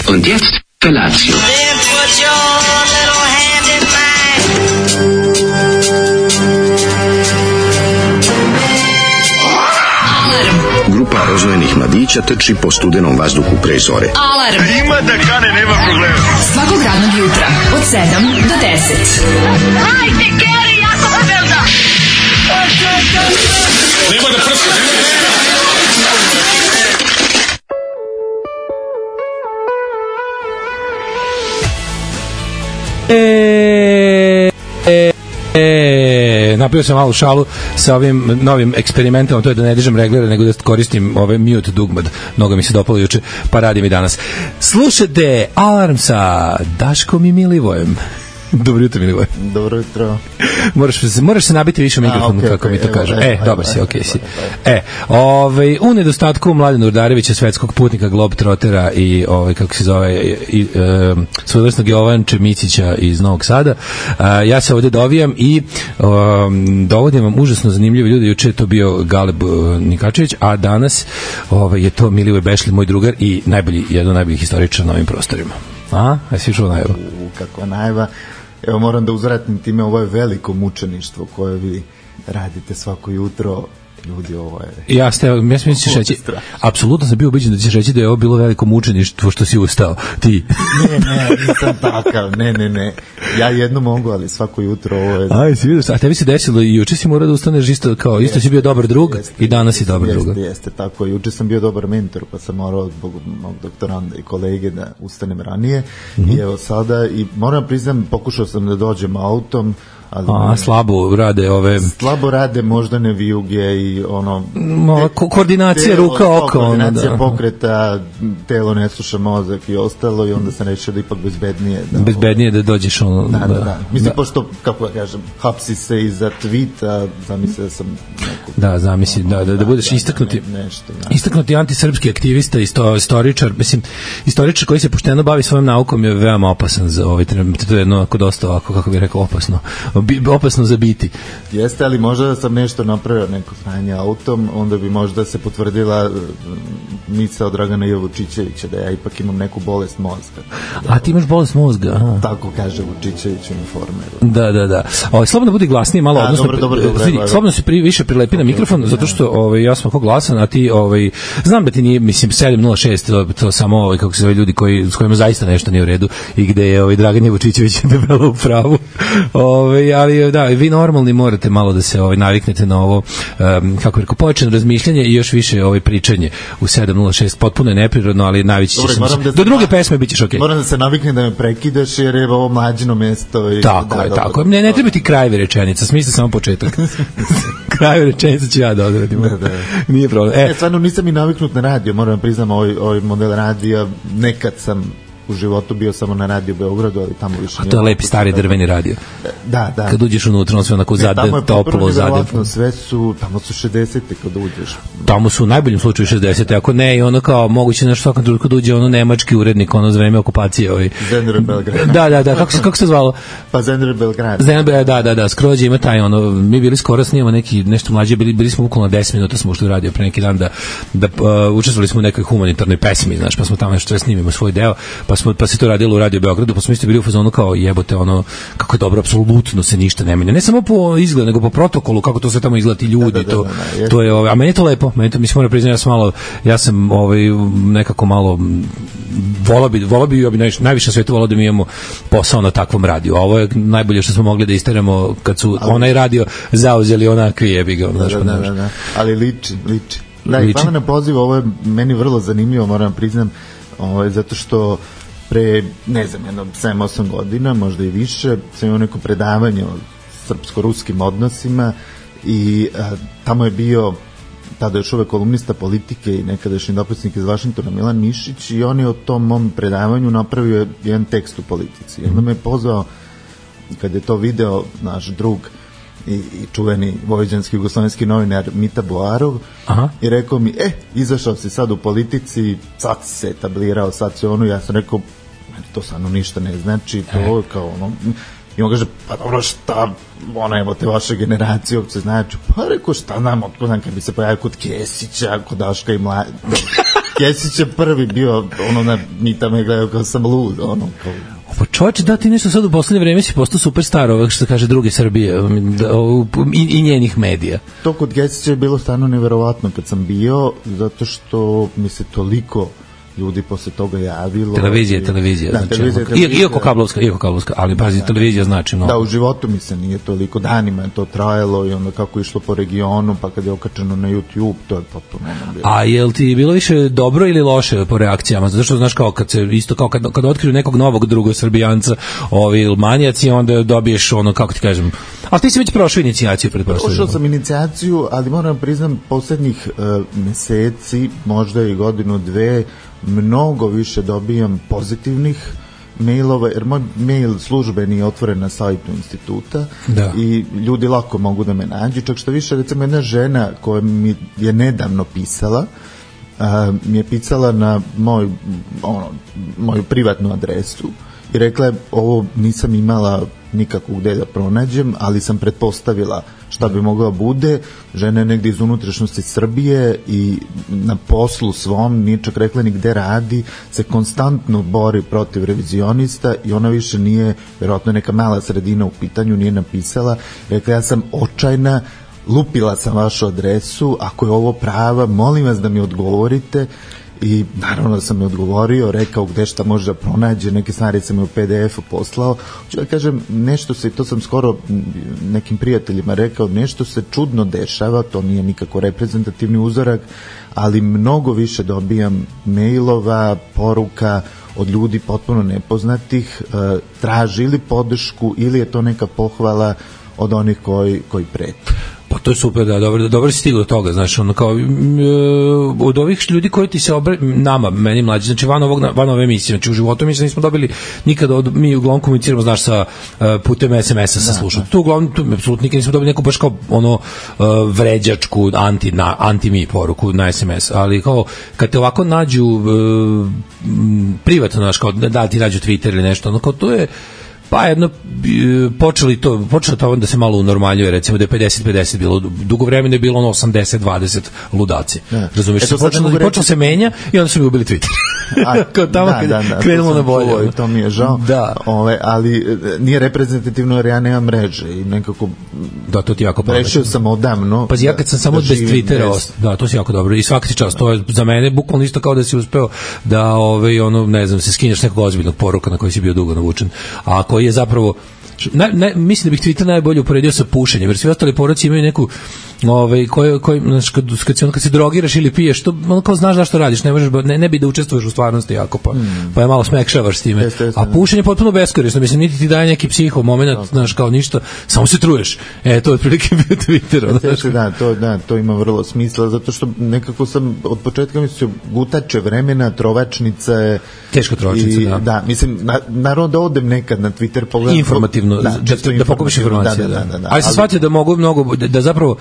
Und jetzt Felatio. Then put your little hand in mine. Grupa rozvojenih mladića trči po studenom vazduhu pre zore. Alarm. Ima da kane, nema problema. Svakog radnog jutra od 7 do 10. Hajde, Geri, jako se velda. Nema da prska, Napravio sam malu šalu sa ovim novim eksperimentom, to je da ne dižem reglere, nego da koristim ove mute dugmad. Mnogo mi se dopalo juče, pa radim i danas. Slušajte Alarm sa Daškom i Milivojem. Dobro jutro, Milivoje. Dobro jutro. Moraš se nabiti više u mikrofonu, kako mi to kaže. Dobar si, okej si. U nedostatku Mladena Urdarevića, svetskog putnika, globetrottera i kako se zove, svojevrsnog Jovanče Micića iz Novog Sada, ja se ovdje dovijam i dovodim vam užasno zanimljive ljude. Juče je to bio Galeb Nikačević, a danas je to Milivoje Bešli, moj drugar i jedan od najboljih historičara na ovim prostorima. Jesi išao najava? Kakva najava. Evo, moram da uzvratim time, ovo je veliko mučeništvo koje vi radite svako jutro. Ljudi, ovo je... Ja smijem da ćeš reći, apsolutno sam bio ubeđen da ćeš reći da je ovo bilo veliko mučeništvo što si ustao, ti. Ne, nisam takav, ne. Ja jedno mogu, ali svako jutro ovo je... A tebi se desilo i juče si morao da ustaneš isto kao, isto si bio dobar drug i danas si dobar drug. Jeste, tako. Juče sam bio dobar mentor, pa sam morao zbog mog doktoranda i kolege da ustanem ranije. I evo sada, i moram priznam, pokušao sam da dođem autom, slabo rade moždane vijuge i koordinacija ruka oko, koordinacija pokreta, telo ne sluša mozak i ostalo, i onda sam rešio da ipak bezbednije da dođeš mislim, pošto, kako ja kažem, hapsi se iza tweeta, zamisli da sam zamisli da budeš istaknuti antisrpski aktivista i istoričar, mislim, istoričar koji se pošteno bavi svojom naukom je veoma opasan za ovaj trenutak, to je jedno dosta ovako, kako bih rekao, opasno za biti. Jeste, ali možda da sam nešto napravio, neko sranje autom, onda bi možda se potvrdila misao od Dragana Vučićevića da ja ipak imam neku bolest mozga. A ti imaš bolest mozga? Tako kaže Vučićević u Informeru. Da. Slobodno budi glasniji malo, odnosno slobodno se više prilepi na mikrofon, zato što ja sam ako glasan, a ti znam da ti nije, mislim, 706, to samo kako se zove ljudi s kojima zaista nešto nije u redu i gde je Dragan Vučićević debelo u pravu. Ali da, vi normalni morate malo da se naviknete na ovo, kako rekao, pojačano razmišljanje i još više pričanje u 706. Potpuno je neprirodno, ali najviše će se... Do druge pesme bit ćeš okej. Moram da se naviknem da me prekidaš, jer je ovo mlađino mesto. Tako je. Ne treba ti krajevi rečenica, smisli samo početak. Krajevi rečenica ću ja da odradim. Nije problem. Stvarno nisam i naviknut na radio, moram da priznam, ovaj model radija, nekad sam u životu bio samo na Radio Beogradu, ali tamo više... A to je lepi stari drveni radio. Da. Kad uđeš unutra, on sve onako toplo zadevno. Sve su, tamo su 60-te kad uđeš. Tamo su u najboljem slučaju 60-te, ako ne, i ono kao moguće na svakom trenutku kad uđe nemački urednik, za vreme okupacije. Zenere Belgrad. Da, kako se zvalo? Pa Zenere Belgrad. Da, Skrođe ima taj, mi bili skoro snimamo nešto mlađe, bili smo bukvalno 10 minuta smo ušli u radio pre neki dan da učestvovali smo u nekoj humanitarnoj pesmi, znaš, pa smo tamo nešto snimimo svoj deo, pa se to radilo u Radio Beogradu, pa smo isto bili u fazonu kao jebote, kako je dobro, apsolutno se ništa ne menja. Ne samo po izgledu, nego po protokolu, kako to sve tamo izgleda, ti ljudi, to je, a meni je to lepo, mislim, moram priznati, ja sam nekako malo volao bi najviše na svetu volao da mi imamo posao na takvom radiju. A ovo je najbolje što smo mogli da isteramo kad su onaj radio zauzeli onakvi jebiga. Da. Ali liči. Da, i hvala na poziv, ovo je meni vrlo zanimljivo, moram priznam, zato što pre, ne znam, 7-8 godina, možda i više, sam imao neko predavanje o srpsko-ruskim odnosima i tamo je bio tada još uvek kolumnista Politike i nekadašnji dopisnik iz Vašingtona Milan Mišić, i on je o tom mom predavanju napravio jedan tekst u Politici. Onda me je pozvao, kad je to video naš drug i čuveni vojvođanski jugoslovenski novinar Mita Boarov, i rekao mi, izašao si sad u Politici, sad si se etablirao, sad si ja sam rekao, to stvarno ništa ne znači, to je kao i on kaže, pa dobro, šta, evo te vaše generacije uopće znači, pa rekao, šta nam, otko znam, kad bi se pojavio kod Kesića, kod Daška i Mlađe, Kesić je prvi bio, Mita me gledao kao sam lud, kao... Pa čovječe, da ti nešto sad u poslednje vreme si postao superstar ovog što kaže druge Srbije i njenih medija. To kod Kesića je bilo stvarno neverovatno kad sam bio, zato što mi se toliko ljudi posle toga javilo. Televizija. Da, znači, televizija. Iako kablovska, ali pazi, televizija znači mnogo. Da, u životu mi se nije toliko, danima je to trajalo i onda kako je išlo po regionu, pa kad je okačeno na YouTube, to je potpuno bilo. A jel ti bilo više dobro ili loše po reakcijama? Zato što znaš kao kad se isto kao kad otkriju nekog novog drugog Srbijanca, manijaci, onda dobiješ kako ti kažem. Ali ti si već prošao inicijaciju, pretpostavljam. Prošao sam inicijaciju, ali moram priznam poslednjih meseci, možda i godinu, dve, mnogo više dobijam pozitivnih mailova, jer moj mail službeni je otvoren na sajtu instituta i ljudi lako mogu da me nađu, čak što više, recimo jedna žena koja mi je nedavno pisala, mi je pisala na moju privatnu adresu i rekla je, ovo nisam imala nikako gde da pronađem, ali sam pretpostavila šta bi mogla bude. Žena je negde iz unutrašnjosti Srbije i na poslu svom, nije čak rekla ni gde radi, se konstantno bori protiv revizionista i ona više nije, verovatno neka mala sredina u pitanju, nije napisala, rekla ja sam očajna, lupila sam vašu adresu, ako je ovo prava, molim vas da mi odgovorite. I naravno da sam mi odgovorio, rekao gde šta može da pronađe, neke stvari sam mi u PDF-u poslao. Hoću da kažem, nešto se, to sam skoro nekim prijateljima rekao, nešto se čudno dešava, to nije nikako reprezentativni uzorak, ali mnogo više dobijam mailova, poruka od ljudi potpuno nepoznatih, traži ili podršku ili je to neka pohvala od onih koji prete. Pa to je super, da, dobro si stigao do toga, znaš, kao, od ovih ljudi koji ti se nama, meni mlađi, znači van ove emisije, znači u životu mi se nismo dobili nikada, mi uglavnom komuniciramo, znaš, sa putem SMS-a sa slušom. Tu uglavnom, apsolutno nikad nismo dobili neku baš kao vređačku, anti-mi poruku na SMS, ali kao, kad te ovako nađu privatno, znaš, kao, da ti nađu Twitter ili nešto, kao, to je pa jedno, počelo to da se malo unormaljuje, recimo da je 50-50 bilo, dugo vremena je bilo 80-20 ludaci. Razumiješ, počelo se menja i onda su mi ubili Twitter. Kao tamo krenulo na bolje. To mi je žao, ali nije reprezentativno jer ja nemam mreže i nekako da, to ti jako pametno. Rešio sam odavno. Pa ja kad sam samo bez Twittera, da, to si jako dobro i svaki čas, to je za mene bukvalno isto kao da si uspeo da, ne znam, se skineš nekog ozbiljnog poruka na koji si bio dugo navučen, a koji je zapravo mislim da bih Twitter najbolje uporedio sa pušenjem, jer svi ostali poruci imaju neku koji kad se drogiraš ili piješ, to kao znaš zašto radiš, ne bi da učestvuješ u stvarnosti jako, pa je malo smekšavaš s time, a pušenje je potpuno beskorisno, mislim, niti ti daje neki psiho moment, znaš, kao ništa, samo se truješ, to je otprilike bio Twitter. To ima vrlo smisla, zato što nekako sam od početka mislio, gutače vremena, trovačnica je teška trovačnica, da, mislim, naravno da odem nekad na Twitter pogledam informativno, da pokupiš informacije, ali sam shvatio da mogu mnogo, da zapravo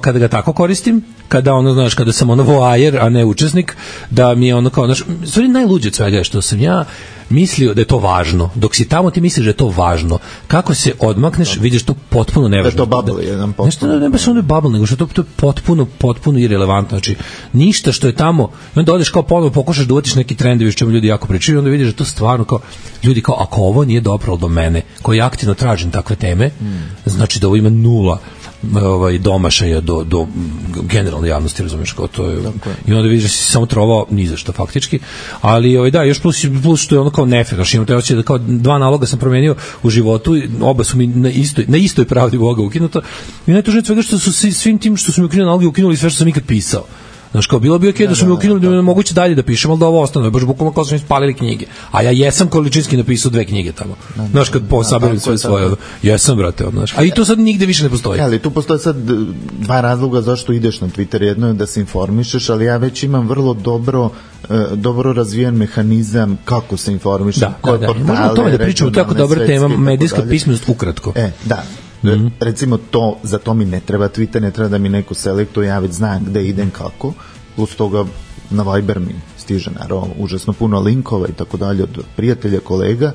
kada ga tako koristim, kada znaš, kada sam voajer, a ne učesnik, da mi je kao, znaš, stvari najluđe od svega je što sam ja mislio da je to važno. Dok si tamo ti misliš da je to važno. Kako se odmakneš, vidiš to potpuno nevažno. Da je to bubble jedan potpuno. Nešto ne baš ono je bubble, nego što to je potpuno irelevantno. Znači, ništa što je tamo, i onda odeš kao ponovo pokušaš da uvatiš neki trendovi što mi ljudi jako pričaju i onda vidiš da to stvarno kao, ljudi kao, ako ovo nije dopralo do mene, koji aktivno tražim takve teme, znači da ovo ima nula domašaja do generalne javnosti, razumiješ, kao to je, i onda vidiš da si samo trovao ni za što faktički, ali da, još plus što je ono kao nefer, znači imam te osjećaj da kao 2 naloga sam promenio u životu, oba su mi na istoj pravdi Boga ukinuta i najtužnije svega što su svim tim što su mi ukinuli naloge ukinuli sve što sam ikad pisao. Znaš, kao bilo bi okej da su mi ukinuli, da mi moguće dalje da pišem, ali da ovo ostane, baš bukvalno kao su mi spalili knjige. A ja jesam količinski napisao 2 knjige tamo. Znaš, kad saberim sve svoje, jesam, brate, znaš. A i to sad nigde više ne postoji. Ali tu postoje sad 2 razloga zašto ideš na Twitter. Jedno je da se informišeš, ali ja već imam vrlo dobro razvijen mehanizam kako se informišeš. Možemo o tome da pričamo, tako dobra tema, medijska pismenost ukratko. Da. Recimo za to mi ne treba Twitter, ne treba da mi neko selektuje, ja već znam gde idem kako, plus toga na Viber mi stiže naravno užasno puno linkova i tako dalje od prijatelja, kolega,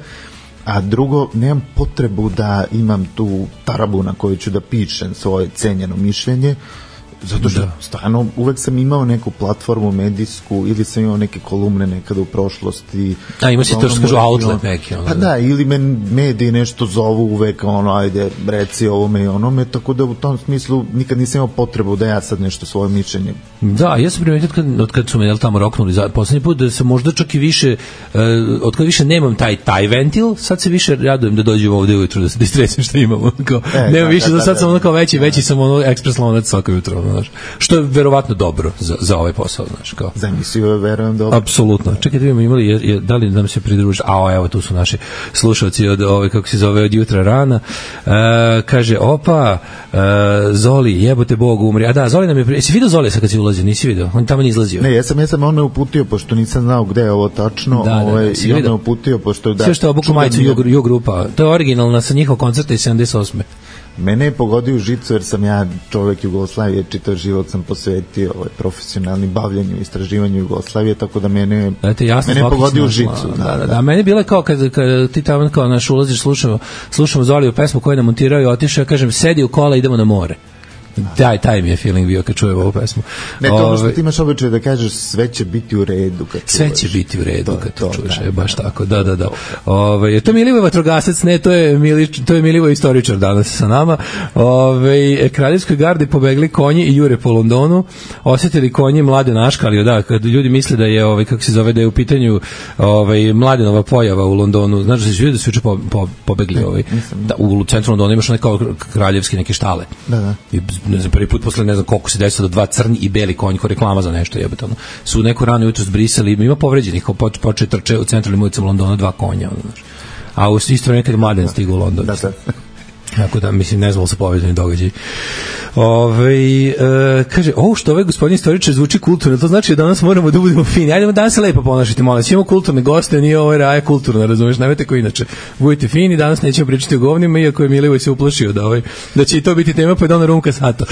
a drugo, nemam potrebu da imam tu tarabu na kojoj ću da pišem svoje cenjeno mišljenje, zato što stvarno uvek sam imao neku platformu medijsku ili sam imao neke kolumne nekada u prošlosti. A ima si to što kažu outlet neki. Pa da, ili me mediji nešto zovu uvek, ajde, reci ovome i onome, tako da u tom smislu nikad nisam imao potrebu da ja sad nešto svoje mišljenje. Da, ja sam primetio od kad su me tamo roknuli poslednji put, da se možda čak i više, od kad više nemam taj ventil, sad se više radujem da dođem ovde ujutru, da se distresim što imamo. Nemam više, sad sam ono kao veći sam ono ekspres lonac svako jutro, znaš. Što je verovatno dobro za ovaj posao, znaš, kao. Za emisiju verujem dobro. Apsolutno. Čekaj, da imali, da li nam se pridruži? Evo, tu su naši slušalci od kako se zove, od jutra rana. Kaže, Zoli, jebote Bog, umri. A da, Zoli nam je, jesi vidio Zoli sad kad si ulazio? Nisi vidio? On tamo nije izlazio. Ne, ja sam on me uputio, pošto nisam znao gde je ovo tačno, i on me uputio, pošto sve što je obuku majicu Ju grupa. To je originalna sa njihov koncerta iz 78. Mene je pogodio u žicu, jer sam ja čovek Jugoslavije, čitav život sam posvetio profesionalnim bavljanju, istraživanju Jugoslavije, tako da mene je pogodio u žicu. Da, meni je bilo kao kad ti tamo kao naš ulaziš, slušamo Zoliju pesmu koju je namontirao i otišao, ja kažem, sedi u kola, idemo na more. Taj mi je feeling bio kad čujem ovu pesmu. Ne, to što ti imaš običaj da kažeš sve će biti u redu kad sve će biti u redu kad to čuješ, baš tako, da. To je Milivoj vatrogasac, ne, to je Milivoj istoričar danas sa nama. Kraljevskoj gardi pobegli konji i jure po Londonu, osjetili konji Mladenaška, ali da, kad ljudi misle da je, kako se zove, da je u pitanju Mladenova pojava u Londonu, znaš da se ljudi da su juče pobegli u centru Londona imaš kao kraljevski neke štale. Da. Ne znam, prvi put posle ne znam koliko se desilo da dva crni i beli konji, ko reklama za nešto jebate, su neko rano jutro zbrisali, ima povređenih, počeli trče u centralnim ulicama Londona dva konja, a u isto vreme kad Mladen stigu u London. Da. Tako da, mislim, ne znam se povezani događaj. Kaže, što ovaj gospodin istoričar zvuči kulturno, to znači da danas moramo da budemo fini. Ajdemo danas se lepo ponašati, molim. Imamo kulturne goste, nije ovo raja kulturna, razumeš, nemojte ko inače. Budite fini, danas nećemo pričati o govnima, iako je Milivoj se uplašio da će i to biti tema, pa je donao rumka sato.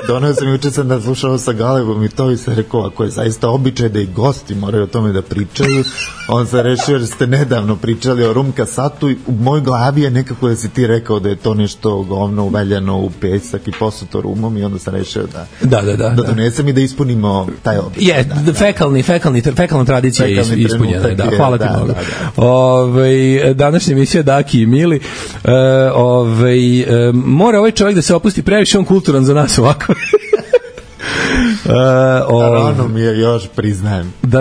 Donao sam juče sam da slušao sa Galebom i to i se rekao, ako je zaista običaj da i gosti moraju o tome da pričaju, on se rešio jer ste nedavno pričali o rumka satu i u mojoj glavi je nekako da si ti rekao da je to nešto govno uveljano u pesak i posuto rumom i onda sam rešio da donesem i da ispunimo taj običaj. Fekalna tradicija je ispunjena. Hvala ti mnogo. Današnja emisija Daki i Mili. Mora ovaj čovjek da se opusti, previše on kulturan za nas ovako. Rano mi je još, priznajem. Da.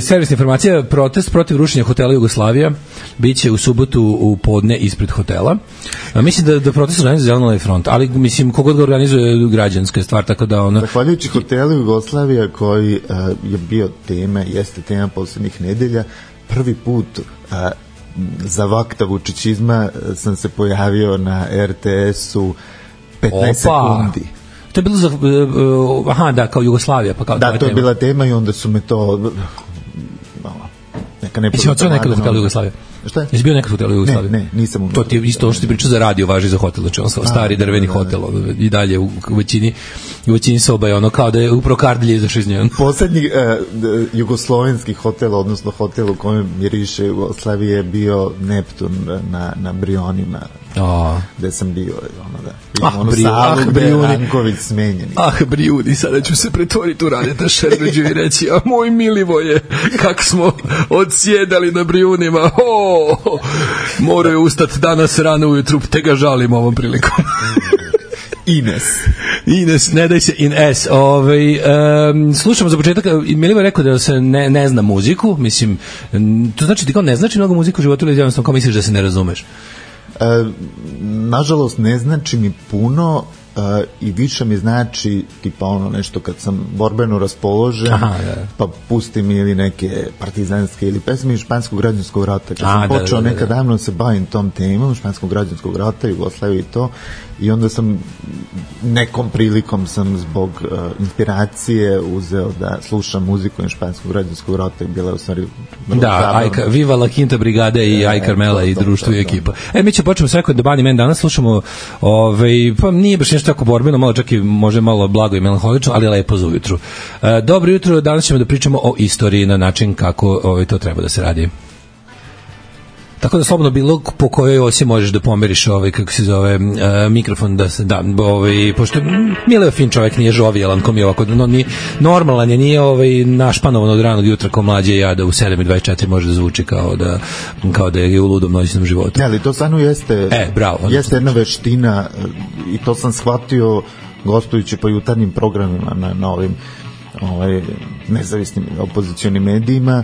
Servisna informacija, protest protiv rušenja hotela Jugoslavija biće u subotu u podne ispred hotela. Mislim da protest organizuje Zeleno-levi front, ali mislim kogod ga organizuje građanska stvar, tako da ona... Zahvaljujući hotelu Jugoslavija koji je bio jeste tema poslednjih nedelja, prvi put za vakta vučićizma sam se pojavio na RTS-u 15 sekundi. To je bilo kao Jugoslavija. Pa kao da, to je bila tema i onda su me to... neka Jesi odsao nekada u hotelu Jugoslavija? Šta je? Jesi bio nekad u hotelu Jugoslavija? Ne, nisam. To ti je isto što ti priča za radio, važi za hotel, znači on stari drveni hotel i dalje u većini soba je ono kao da je upravo Kardilje izašao iz njega. Poslednji jugoslovenski hotel, odnosno hotel u kojem miriše Jugoslavije je bio Neptun na Brionima, gde sam bio. Brijuni smenjeni. Brijuni, sada ću se pretvoriti u Radeta Šerbeđu i reći, a moj Milivoje, kako smo odsjedali na Brijunima, moraju ustati danas rano ujutru, te ga žalim ovom prilikom. Ines, ne daj se Ines. Slušamo za početak, Milivo je rekao da se ne zna muziku, mislim, to znači ti kao ne znači mnogo muziku u životu ili jednostavno kao misliš da se ne razumeš? Nažalost ne znači mi puno i više mi znači tipa ono nešto kad sam borbeno raspoložen, pa pustim ili neke partizanske ili pesme iz Španskog građanskog rata. Kad sam počeo nekad davno se bavim tom temom Španskog građanskog rata, Jugoslavije i to, i onda sam nekom prilikom sam zbog inspiracije uzeo da slušam muziku iz Španskog građanskog rata i bila je u stvari Viva la Quinta Brigada i Aj Carmela i društvo i ekipa. Mi ćemo početi s Rekord the Bunny Man, danas slušamo pa nije baš nešto tako borbeno, malo čak i može malo blago i melanholično, ali lepo za ujutru. Dobro jutro, danas ćemo da pričamo o istoriji na način kako to treba da se radi. Tako da slobodno bilo po kojoj osi možeš da pomeriš kako se zove, mikrofon da se da, pošto Mile je fin čovjek, nije žovijalan, kom je ovako, normalan je, nije našpanovan od ranog jutra ko mlađe ja da u 7:24 može da zvuči kao da je u ludom noćnom životu. Ne, ali to stvarno jeste, bravo, jeste jedna veština i to sam shvatio gostujući po jutarnjim programima na ovim nezavisnim opozicionim medijima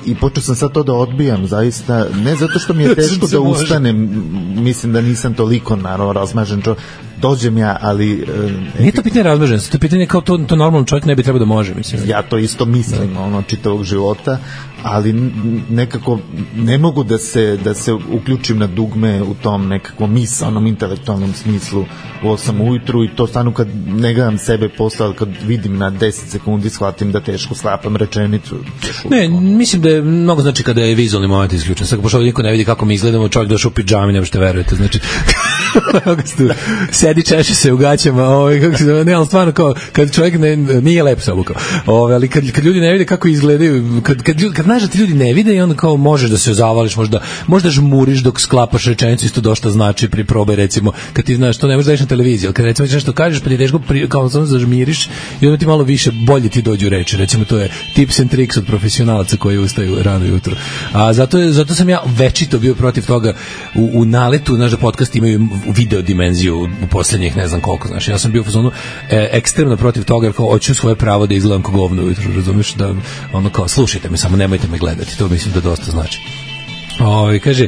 i počeo sam sad to da odbijam zaista, ne zato što mi je teško da ustanem, mislim da nisam toliko naravno razmažen dođem ja, ali nije to pitanje razmaženosti, to je pitanje kao to normalno čovjek ne bi trebao da može, mislim. Ja to isto mislim čitavog života, ali nekako ne mogu da se uključim na dugme u tom nekakvom misalnom, intelektualnom smislu u 8 ujutru i to stvarno kad ne gledam sebe posle, ali kad vidim na 10 sekundi shvatim da teško sklapam rečenicu. Ne, mislim da je mnogo znači kada je vizualni moment isključen. Sad pošto niko ne vidi kako mi izgledamo, čovjek došao u pidžami, ne možete verujete, znači sedi, češe se u gaćama, kako se zove, ne, ali stvarno kao, kad čovjek nije lep se obukao, ali kad ljudi ne vide kako izgledaju, kad znaš da ti ljudi ne vide i onda kao možeš da se zavališ, možda žmuriš dok sklapaš rečenicu, isto dosta znači pri probe, recimo, kad ti znaš, to ne možeš da ideš na televiziji, ali kad recimo ti nešto kažeš, pa ti teško kao samo zažmiriš i onda ti malo više, bolje ti dođu reči, recimo to je tips and tricks od profesionalaca koji ustaju rano jutro. A zato sam ja večito bio protiv toga u naletu, znaš da podcast imaju video dimenziju u poslednjih ne znam koliko, znaš, ja sam bio u fazonu ekstremno protiv toga, jer kao hoću svoje pravo da izgledam kao govno ujutro, razumiješ, da ono kao slušajte me, samo nemojte me gledati, to mislim da dosta znači. Kaže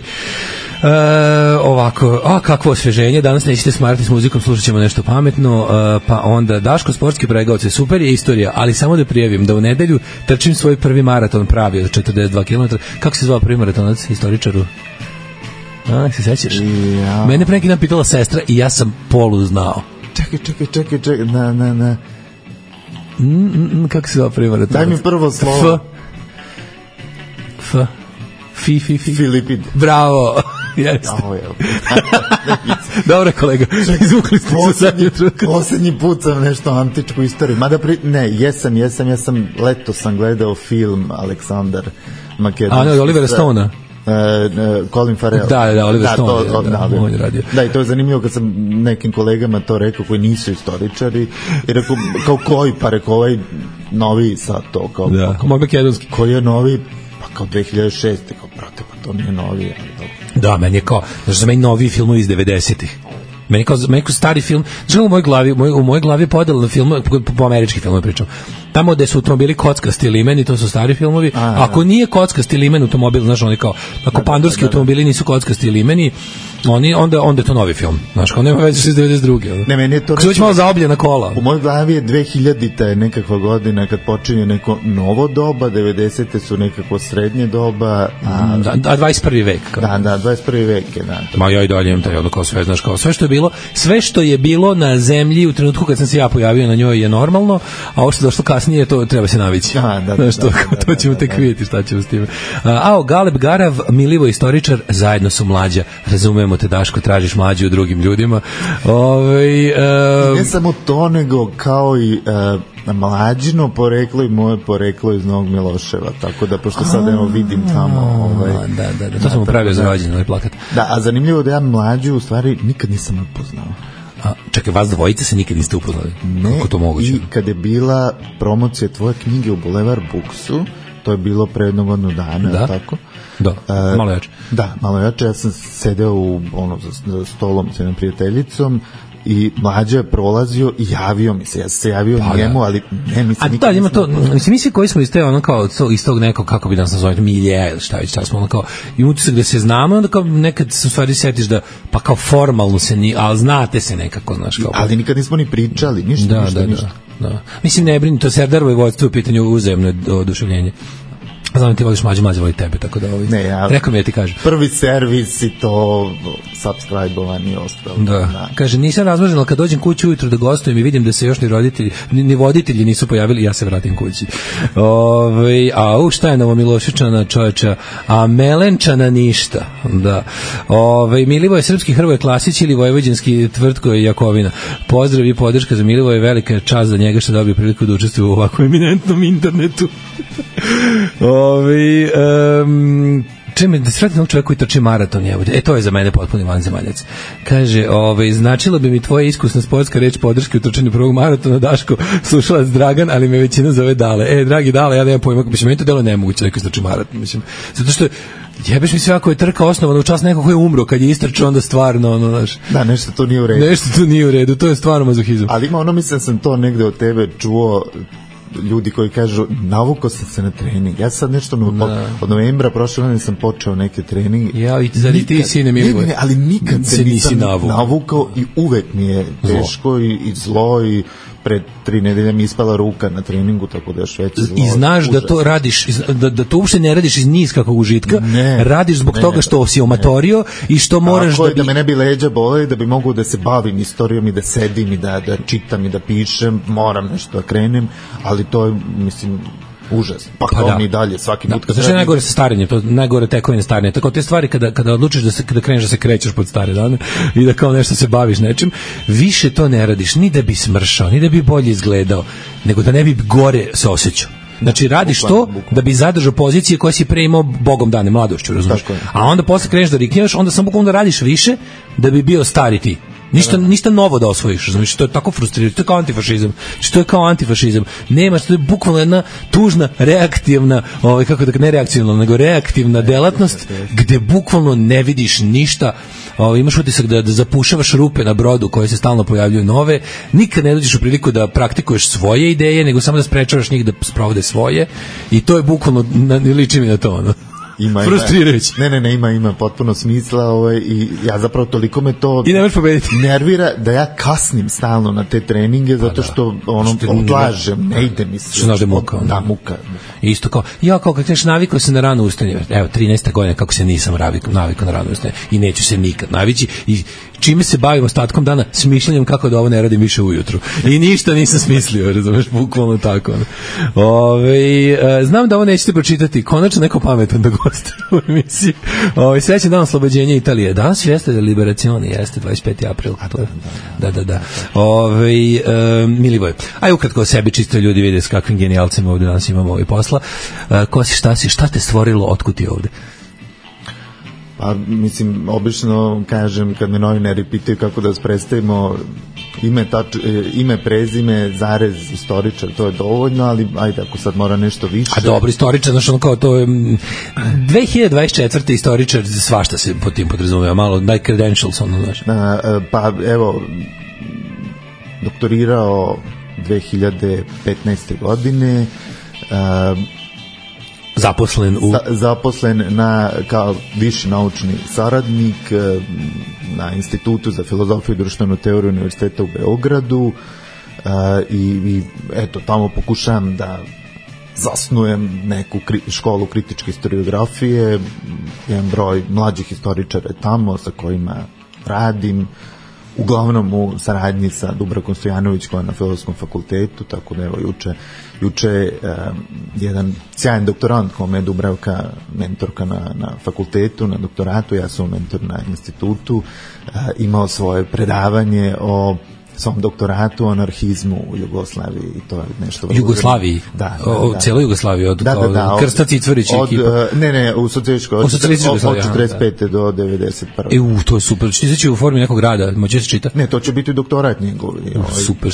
ovako, kakvo osveženje, danas nećete smarati s muzikom, slušat ćemo nešto pametno, pa onda Daško, sportski pregaoce, super je istorija, ali samo da prijavim da u nedelju trčim svoj prvi maraton pravi od 42 km. Kako se zvao prvi maratonac historičaru? Se sećaš? Ja. Mene pre neki dan pitala sestra i ja sam polu znao. Čekaj, na. Kako se zove prvi maratonac? Daj mi prvo slovo. Filipid. Bravo. Jeste. Dobro, kolega. Izvukli ste se zadnji truk. Poslednji put sam nešto antičku istoriju. Jesam. Leto sam gledao film Aleksandar Makedonski. Olivera Stona. Colin Farrell. Da, Oliver Stone. On je radio. Da, i to je zanimljivo kad sam nekim kolegama to rekao koji nisu istoričari i rekao, kao koji, pa rekao ovaj novi sad to. Moj makedonski. Koji je novi, pa kao 2006. Kao, brate, pa to nije novi. Da, meni je kao, znači za meni novi filmovi iz 90-ih. Meni kao stari film, znači u mojoj glavi je podela na film, po američki film pričam. Tamo gde su automobili kockasti limeni, to su stari filmovi. Ako nije kockasti limen automobil, znaš, oni kao, ako pandurski automobili nisu kockasti limeni, onda je to novi film. Znaš, kao nema veze iz 92. Ne, meni je to... Kako se već malo zaobljena kola. U mojoj glavi je 2000-ta je nekakva godina kad počinje neko novo doba, 90-te su nekako srednje doba, a 21. vek. Kao. Da, 21. vek je, da. Ma ja i dalje imam taj kao sve, znaš, kao sve što je bilo na zemlji u trenutku kad sam se ja pojavio na njoj je normalno, a ovo što je došlo kasnije, to treba se navići. To ćemo tek vidjeti šta ćemo s time. Galeb Garav, Milivo istoričar, zajedno su mlađa. Razumemo te, Daško, tražiš mlađu u drugim ljudima. Ne samo to, nego kao i mlađino poreklo i moje poreklo iz Novog Miloševa, tako da, pošto sad vidim tamo... Da, to sam upravio za rođenje, ovaj plakat. Da, a zanimljivo da ja mlađu u stvari nikad nisam upoznao. Čekaj, vas dvojice se nikad niste upoznali? Ne, kako to moguće? I kad je bila promocija tvoje knjige u Boulevard Booksu, to je bilo pre jednog godinu dana, tako? Da, malo jače. Da, malo jače, ja sam sedeo za stolom s jednom prijateljicom i mlađa je prolazio i javio mi se, ja sam se javio njemu, ali ne, mislim nikad. A da, ima to, mislim, mi svi koji smo iz te, ono kao, iz tog nekog, kako bi nas nazvali, milje, ili šta već, smo ono kao, i utisak da se znamo, onda kao nekad se u stvari setiš da, pa kao formalno se ni, ali znate se nekako, znaš, kao. Ali nikad nismo ni pričali, ništa. Da. Mislim, ne brini, to Serdarovo je vodstvo u pitanju uzajemno oduševljenje. Znam ti voliš mlađe voli tebe, tako da rekao mi da ti kažem. Prvi servis i to subscribe-ovan i ostalo. Da. Kaže, nisam razmažen, ali kad dođem kući ujutro da gostujem i vidim da se još ni voditelji nisu pojavili, ja se vratim kući. Šta je Novomiloševčana čovječa? A Melenčana ništa. Da. Milivoje srpski Hrvoje Klasić ili vojvođanski Tvrtko Jakovina. Pozdrav i podrška za Milivoje, velika čast za njega što dobio priliku da učestvuje u ovako eminentnom internetu. Čemu da sretni onog čovjeka koji trči maraton, to je za mene potpuni vanzemaljac. Kaže, značilo bi mi tvoja iskusna sportska reč podrške u trčanju prvog maratona, Daško, slušalac Dragan, ali me većina zove Dale. Dragi Dale, ja nemam pojma, mislim, meni to delo nemoguće neko trči maraton, mislim, zato što jebeš mi sve ako je trka osnovana u čas nekog koji je umro, kad je istrčao, onda stvarno, znaš. Da, nešto to nije u redu. Nešto to nije u redu, to je stvarno mazohizam. Ali ima mislim sam to negde od tebe čuo, ljudi koji kažu, navukao sam se na trening. Ja sad nešto od novembra prošle godine sam počeo neke treninge. Ja, i zadi ti sine Milivoj. Ne, ali nikad se nisam navukao i uvek mi je teško i zlo i pred 3 nedelje mi ispala ruka na treningu, tako da još veće zlo. I znaš da to radiš, da to uopšte ne radiš iz niskakog užitka, radiš zbog toga što si omatorio i što moraš tako da me ne bi leđa bole, da bi mogu da se bavim istorijom i da sedim i da čitam i da pišem, moram nešto da krenem, ali to je, mislim, užas. Pa kao mi dalje svaki put. Znači je najgore sa starenjem, to najgore tekovine starenja. Tako te stvari kada odlučiš da kreneš da se krećeš pod stare dane i da kao nešto se baviš nečim, više to ne radiš ni da bi smršao, ni da bi bolje izgledao, nego da ne bi gore se osjećao. Znači radiš to da bi zadržao pozicije koje si pre imao bogom dane, mladošću, razumiješ? A onda posle kreneš da rikneš, onda samo bukvalno da radiš više da bi bio stari ti. Ništa novo da osvojiš, znači to je tako frustrirajuće, to je kao antifašizam. Znači to je kao antifašizam. Nemaš, to je bukvalno jedna tužna reaktivna, kako da ne reaktivna, nego reaktivna delatnost gde bukvalno ne vidiš ništa. Imaš utisak da zapušavaš rupe na brodu koje se stalno pojavljuju nove. Nikad ne dođeš u priliku da praktikuješ svoje ideje, nego samo da sprečavaš njih da sprovode svoje. I to je bukvalno, liči mi na to, ono. Frustrirajući. Ne, ima potpuno smisla i ja zapravo toliko me to i nemaš pobediti. Nervira da ja kasnim stalno na te treninge zato što odlažem, ne ide mi se. Što muka. Da, muka. Isto kao, kao kad kažeš navikao se na rano ustajanje, evo 13. godina kako se nisam navikao na rano ustajanje i neću se nikad navići i čime se bavim ostatkom dana, smišljanjem kako da ovo ne radim više ujutru. I ništa nisam smislio, razumeš, bukvalno tako. Znam da ovo nećete pročitati, konačno neko pametan da gostuje u emisiji. Srećan dan oslobođenja Italije. Danas jeste Liberazione, jeste 25. april. Da. Milivoj, aj ukratko o sebi, čisto ljudi vide s kakvim genijalcima ovde danas imamo posla. Ko si, šta te stvorilo, otkud ti ovde? Pa, mislim, obično kažem, kad me novinari pitaju kako da vas predstavimo, ime, prezime, zarez, istoričar, to je dovoljno, ali ajde, ako sad mora nešto više. A dobro, istoričar, znaš, ono kao to je 2024. istoričar, svašta se pod tim podrazumeva, malo daj credentials, ono, znaš. Pa, evo, doktorirao 2015. godine, zaposlen kao viši naučni saradnik na Institutu za filozofiju i društvenu teoriju Univerziteta u Beogradu i eto, tamo pokušavam da zasnujem neku školu kritičke historiografije, jedan broj mlađih historičara tamo sa kojima radim, uglavnom u saradnji sa Dubravkom Stojanović koja je na Filozofskom fakultetu, tako da evo juče jedan sjajan doktorant kome je Dubravka mentorka na fakultetu, na doktoratu, ja sam mentor na institutu, imao svoje predavanje o svom doktoratu o anarhizmu u Jugoslaviji i to je nešto... Jugoslaviji? Da. Cijeloj Jugoslaviji, od Krsta Cicvarić i ekipa? Ne, u socijalističkoj, od 45. do 91. To je super, će u formi nekog rada, moće se čita? Ne, to će biti doktorat njegov. Super.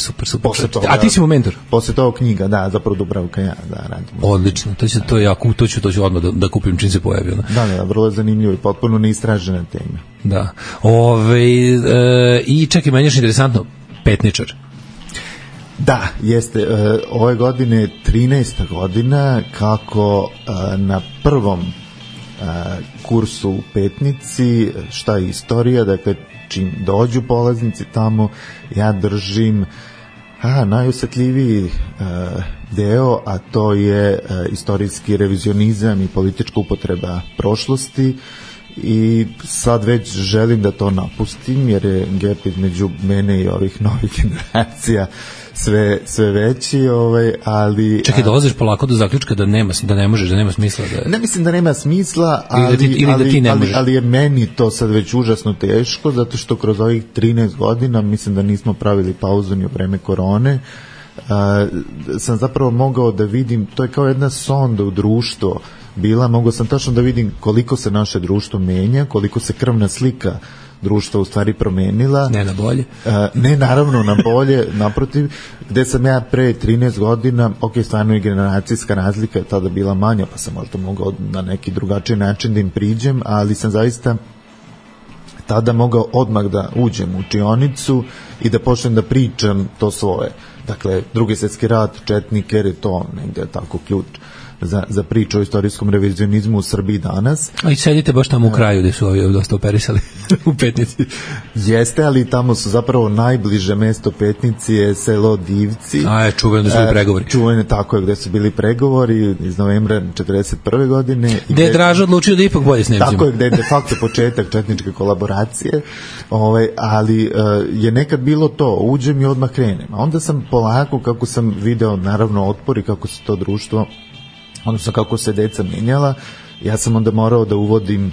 A ti si mu mentor? Posle toga knjiga, da, zapravo Dubravka ja, da, radim. Odlično, to je jako, to ću odmah da kupim čim se pojavi. Da, vrlo je zanimljivo i potpuno neistražena tema. Da. I čekaj, meni je interesantno, petničar. Da, jeste. Ove godine 13. godina kako na prvom kursu u Petnici, šta je istorija, dakle čim dođu polaznici tamo, ja držim najosetljiviji deo, a to je istorijski revizionizam i politička upotreba prošlosti. I sad već želim da to napustim jer je gap između mene i ovih novih generacija sve veći, ali... Čekaj, dolaziš polako do zaključka da ne možeš, da nema smisla da... Ne mislim da nema smisla, ali je meni to sad već užasno teško, zato što kroz ovih 13 godina, mislim da nismo pravili pauzu ni u vreme korone, sam zapravo mogao da vidim, to je kao jedna sonda u društvo, bila, mogao sam tačno da vidim koliko se naše društvo menja, koliko se krvna slika društva u stvari promenila. Ne na bolje. Ne naravno na bolje, naprotiv, gde sam ja pre 13 godina, stvarno i generacijska razlika je tada bila manja, pa sam možda mogao na neki drugačiji način da im priđem, ali sam zaista tada mogao odmah da uđem u učionicu i da počnem da pričam to svoje. Dakle, Drugi svjetski rat, četnike, jer je to negde tako ključ za priču o istorijskom revizionizmu u Srbiji danas. A i sedite baš tamo u kraju gde su ovi dosta operisali u Petnici. Jeste, ali tamo su zapravo najbliže mesto Petnici je selo Divci. Čuveno da su bili pregovori. Čuveno, tako je, gde su bili pregovori iz novembra 1941. godine. Gde je Draža odlučio da ipak bolje s Nemcima. Tako je, gde je de facto početak četničke kolaboracije, ali je nekad bilo to, uđem i odmah krenem. A onda sam polako, kako sam video naravno otpor i kako se to društvo, odnosno kako se deca menjala, ja sam onda morao da uvodim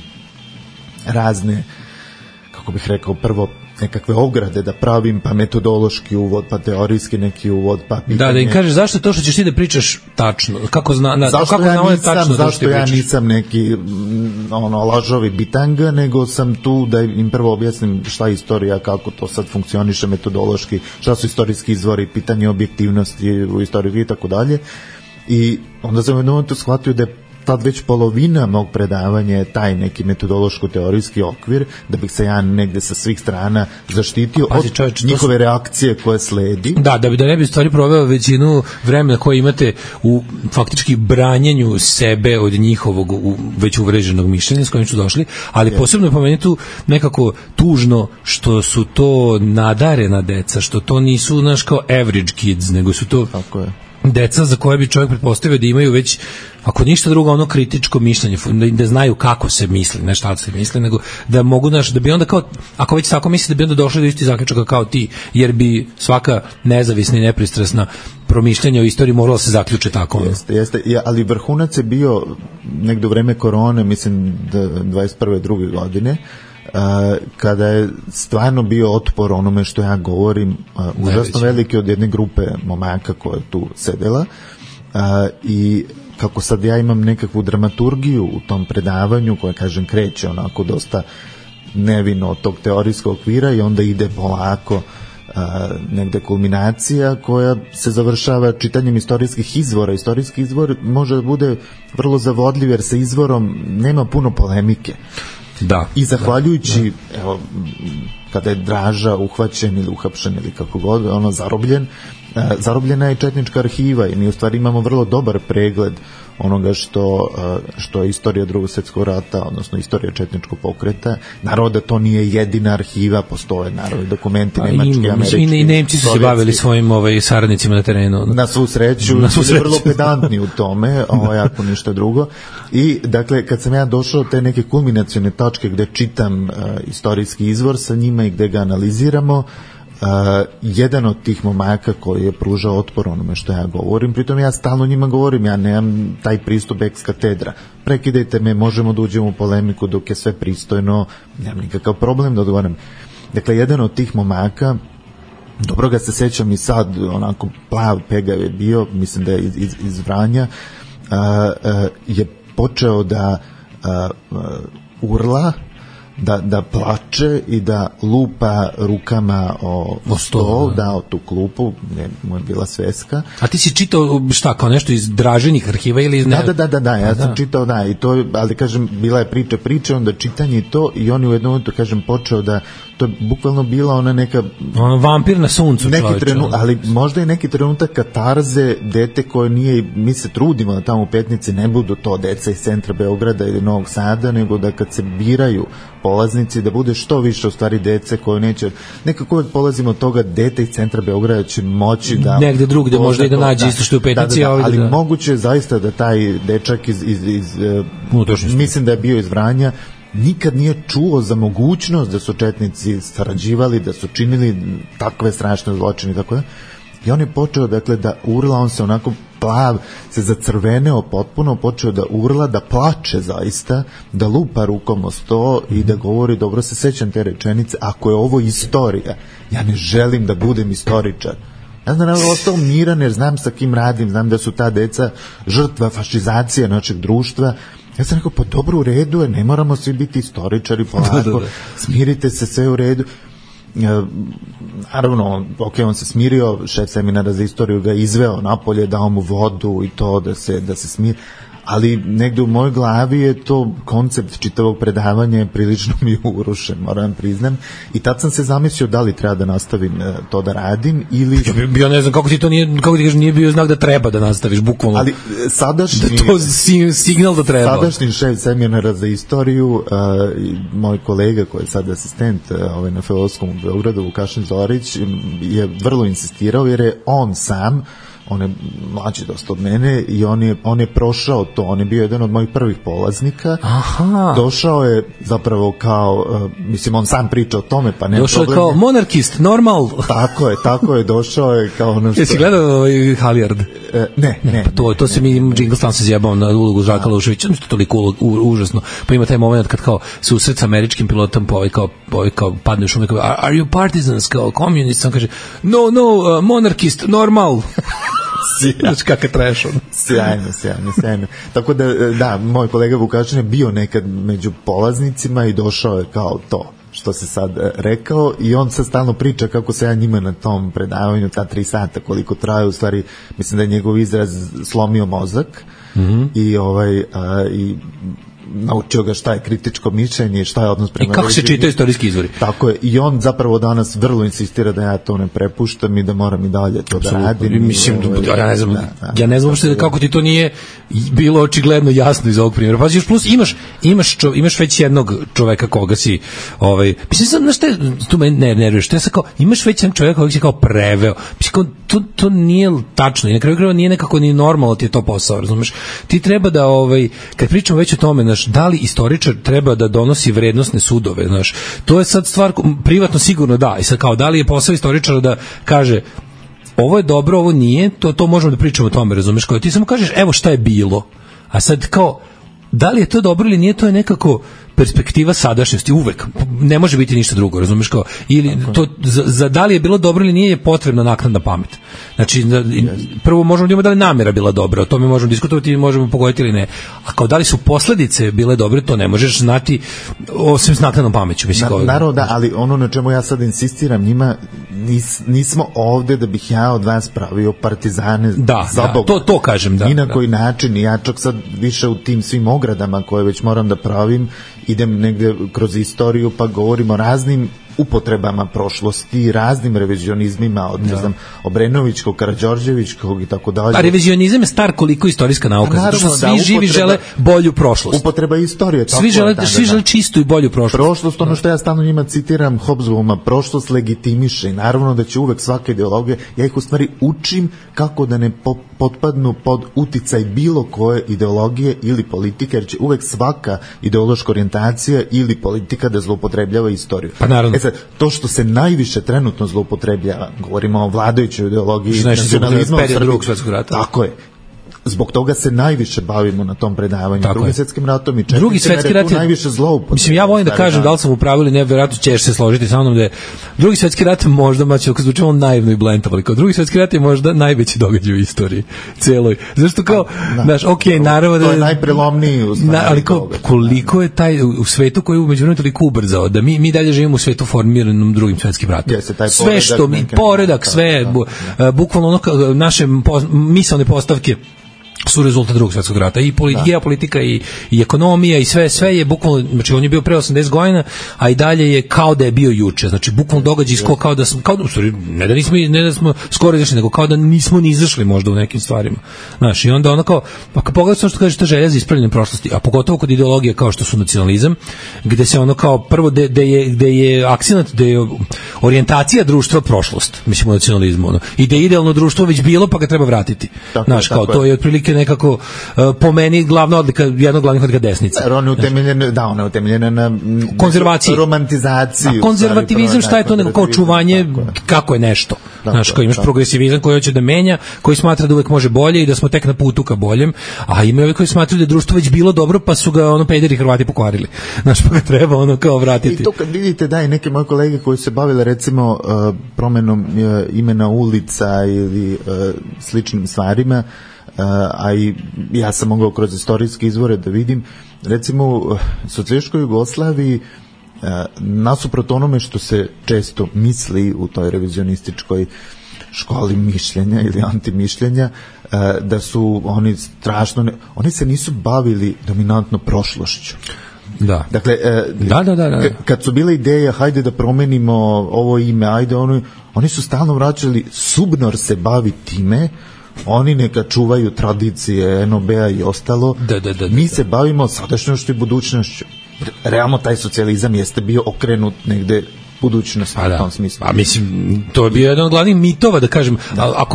razne, kako bih rekao, prvo nekakve ograde da pravim, pa metodološki uvod, pa teorijski neki uvod, pa pitanje. Da im kažeš zašto to što ćeš ti da pričaš tačno, zašto ja nisam neki lažovi bitanga, nego sam tu da im prvo objasnim šta je istorija, kako to sad funkcioniše metodološki, šta su istorijski izvori, pitanje objektivnosti u istoriji i tako dalje. I onda sam u jednom momentu shvatio da je tad već polovina mog predavanja je taj neki metodološko-teorijski okvir, da bih se ja negde sa svih strana zaštitio od njihove reakcije koje sledi. Da ne bi stvari proveo većinu vremena koje imate u faktički branjenju sebe od njihovog već uvreženog mišljenja s kojim su došli, ali posebno je po meni tu nekako tužno što su to nadarena deca, što to nisu kao average kids, nego su to deca za koje bi čovjek pretpostavio da imaju već, ako ništa drugo, kritičko mišljenje, da znaju kako se misli, ne šta se misli, nego da mogu, da bi onda kao, ako već tako misli, da bi onda došli do isti zaključaka kao ti, jer bi svaka nezavisna i nepristrasna promišljanja o istoriji morala se zaključe tako. Jeste, ali vrhunac je bio negde u vreme korone, mislim da 21. druge godine, kada je stvarno bio otpor onome što ja govorim, užasno veliki od jedne grupe momaka koja je tu sedela, i kako sad ja imam nekakvu dramaturgiju u tom predavanju koja, kažem, kreće onako dosta nevino od tog teorijskog okvira i onda ide polako negde kulminacija koja se završava čitanjem istorijskih izvora. Istorijski izvor može da bude vrlo zavodljiv jer sa izvorom nema puno polemike. Da. I zahvaljujući, evo, kada je Draža uhvaćen ili uhapšen ili kako god, zarobljena je četnička arhiva i mi u stvari imamo vrlo dobar pregled onoga što je istorija Drugog svjetskog rata, odnosno istorija četničkog pokreta. Naravno da to nije jedina arhiva, postoje naravno dokumenti nemački, američki. I Nemci su se bavili svojim saradnicima na terenu. Na svu sreću. Vrlo pedantni u tome, ako ništa drugo. I dakle, kad sam ja došao te neke kulminacione tačke gde čitam istorijski izvor sa njima i gde ga analiziramo, jedan od tih momaka koji je pružao otpor onome što ja govorim, pritom ja stalno njima govorim, ja nemam taj pristup ex katedra, prekidajte me, možemo da uđemo u polemiku dok je sve pristojno, nemam nikakav problem da odgovorim. Dakle, jedan od tih momaka, dobro ga se sećam i sad, onako plav, pegav je bio, mislim da je iz Vranja, je počeo da urla, da plače i da lupa rukama o stol, o tu klupu, mu je bila sveska. A ti si čitao šta, kao nešto iz Draženih arhiva ili iz... Da, ja sam čitao, i to, ali kažem, bila je priča, onda čitanje i to, i on je u jednom momentu, kažem, počeo da, to je bukvalno bila ona neka... vampir na suncu, ali možda je neki trenutak katarze, dete koje nije, mi se trudimo da tamo u Petnici ne budu to deca iz centra Beograda ili Novog Sada, nego da kad se biraju polaznici, da bude što više u stvari dece koje neće, nekako polazimo od toga, dete iz centra Beograda će moći da... Negde drugde možda i da nađe isto što je u Petnici. Ali moguće je zaista da taj dečak iz mislim da je bio iz Vranja, nikad nije čuo za mogućnost da su četnici sarađivali, da su činili takve strašne zločine i tako da. I on je počeo, dakle, da urla, on se onako plav, se zacrveneo potpuno, počeo da urla, da plače zaista, da lupa rukom o sto i da govori, dobro se sećam te rečenice, ako je ovo istorija, ja ne želim da budem istoričar. Ja sam naravno ostao miran jer znam sa kim radim, znam da su ta deca žrtva fašizacije našeg društva. Ja sam rekao, pa dobro, u redu je, ne moramo svi biti istoričari, polako, smirite se, sve u redu. Naravno, ok, on se smirio, šef seminara za istoriju ga izveo napolje, dao mu vodu i to da se smiri, ali negde u mojoj glavi je to koncept čitavog predavanja prilično mi je urušen, moram priznam, i tad sam se zamislio da li treba da nastavim to da radim ili... Ja ne znam kako ti to nije bio znak da treba da nastaviš, bukvalno. Ali sadašnji... Da to signal da treba. Sadašnji šef seminara za istoriju, moj kolega koji je sad asistent na Filozofskom u Beogradu, Vukašin Zorić, je vrlo insistirao jer je on sam, on je mlađi dosta od mene i on je prošao to, on je bio jedan od mojih prvih polaznika. Aha. Došao je zapravo kao, mislim, on sam priča o tome, pa nema došao problem. Došao je kao monarkist, normal. Tako je, došao je kao ono što... Jesi gledao Halijard? Ne. Pa to se mi Jingle Stan se zjebao na ulogu Žaka Luševića, što je toliko užasno. Pa ima taj moment kad kao susret sa američkim pilotom, pa ovaj kao padne u šume, kao, are you partisans, kao communist, on kaže, no, monarchist, normal. Znaš kakav trash on. Sjajno. Tako da, moj kolega Vukašin je bio nekad među polaznicima i došao je kao to što se sad rekao i on sad stalno priča kako se ja njima na tom predavanju, ta 3 sata koliko traje, u stvari mislim da je njegov izraz slomio mozak i naučio ga šta je kritičko mišljenje, šta je odnos prema... I kako se čitaju istorijski izvori. Tako je, i on zapravo danas vrlo insistira da ja to ne prepuštam i da moram i dalje to da radim. Mislim, ja ne znam uopšte kako ti to nije bilo očigledno jasno iz ovog primjera. Pa još plus imaš već jednog čoveka koga si, mislim, znaš šta, tu me ne nerviraš, to je sad kao, imaš već jednog čoveka koga si kao preveo. Mislim, to nije tačno i na kraju krajeva nije nekako ni normalno ti je to posao, razumeš? Ti treba da, kad pričamo već o tome, da li istoričar treba da donosi vrednosne sudove, znaš, to je sad stvar, privatno sigurno da, i sad kao, da li je posao istoričara da kaže, ovo je dobro, ovo nije, to možemo da pričamo o tome, razumeš, kao ti samo kažeš, evo šta je bilo, a sad kao, da li je to dobro ili nije, to je nekako perspektiva sadašnjosti, uvek, ne može biti ništa drugo, razumeš, kao, ili to, za da li je bilo dobro ili nije je potrebna naknadna pamet. Znači, prvo možemo da imamo da li namjera bila dobra, o tome možemo diskutovati i možemo pogoditi ili ne, a kao da li su posledice bile dobre, to ne možeš znati osim s naknadnom pameću. Naravno da, ali ono na čemu ja sad insistiram njima, nismo ovde da bih ja od vas pravio partizane za Boga. To kažem, da. Ni na koji način, ja čak sad više u tim svim ogradama koje već moram da pravim, idem negde kroz istoriju pa govorim o raznim upotrebama prošlosti, raznim revizionizmima od, ne znam, Obrenovićkog, Karađorđevićkog i tako dalje. A revizionizam je star koliko istorijska nauka, zato što svi živi žele bolju prošlost. Upotreba istorije. Svi žele čistu i bolju prošlost. Prošlost, ono što ja stalno njima citiram Hobsbawma, prošlost legitimiše i naravno da će uvek svaka ideologija, ja ih u stvari učim kako da ne potpadnu pod uticaj bilo koje ideologije ili politike, jer će uvek svaka ideološka orijentacija ili politika da zloupotrebljava istoriju. Pa naravno. To što se najviše trenutno zloupotrebljava, govorimo o vladajućoj ideologiji nacionalizma u Srbiji. Tako je. Zbog toga se najviše bavimo na tom predavanju. Drugim svetskim ratom i Drugi svetski rat je najviše zloupotrebe. Mislim, ja volim da kažem da li sam u pravu ili ne, verovatno ćeš se složiti sa mnom da je Drugi svetski rat možda, maće, ako zvučimo naivno i blentav, ali kao Drugi svetski rat je možda najveći događaj u istoriji celoj. Zašto kao, znaš, naravno da to je najprelomniji u stvari. Ali koliko je taj u svetu koji je umeđu vremenu toliko ubrzao da mi dalje živimo u svetu formiranom Drugim svetskim ratom. Sve što mi poredak, sve bukvalno ono naše misaone postavke su rezultat Drugog svjetskog rata i geopolitika i ekonomija i sve je bukvalno, znači on je bio pre 80 godina, a i dalje je kao da je bio juče, znači bukvalno događaj kao da smo, ne da smo skoro izašli, nego kao da nismo ni izašli možda u nekim stvarima, znaš, i onda ono kao, pa kad pogledaš ono što kažeš, ta želja za ispravljanjem prošlosti, a pogotovo kod ideologije kao što su nacionalizam, gde se ono kao prvo, gde je akcenat, gde je orijentacija društva prošlost, mislim u nacionalizmu, ono, i da je idealno društvo već bilo pa ga treba vratiti, znaš, kao to je otprilike otprilike nekako po meni glavna odlika, jedna od glavnih odlika desnice. Ona je utemeljena na konzervaciji, romantizaciji. A konzervativizam šta je to nego kao čuvanje kako je nešto. Znaš, kao imaš progresivizam koji hoće da menja, koji smatra da uvek može bolje i da smo tek na putu ka boljem, a ima ovi koji smatraju da je društvo već bilo dobro, pa su ga pederi Hrvati pokvarili. Znaš, pa ga treba kao vratiti. I to kad vidite da i neke moje kolege koji se bavile recimo promenom imena ulica ili sličnim stvarima, a i ja sam mogao kroz istorijske izvore da vidim, recimo u socijalističkoj Jugoslaviji, nasuprot onome što se često misli u toj revizionističkoj školi mišljenja ili antimišljenja, da su oni strašno, oni se nisu bavili dominantno prošlošću. Da. Dakle, kad su bile ideje, hajde da promenimo ovo ime, ajde oni su stalno vraćali, Subnor se bavi time, oni neka čuvaju tradicije NOB-a i ostalo, mi se bavimo sadašnjošću i budućnošću. Realno taj socijalizam jeste bio okrenut negde budućnost u tom smislu. A mislim, to je bio jedan od glavnih mitova, da kažem,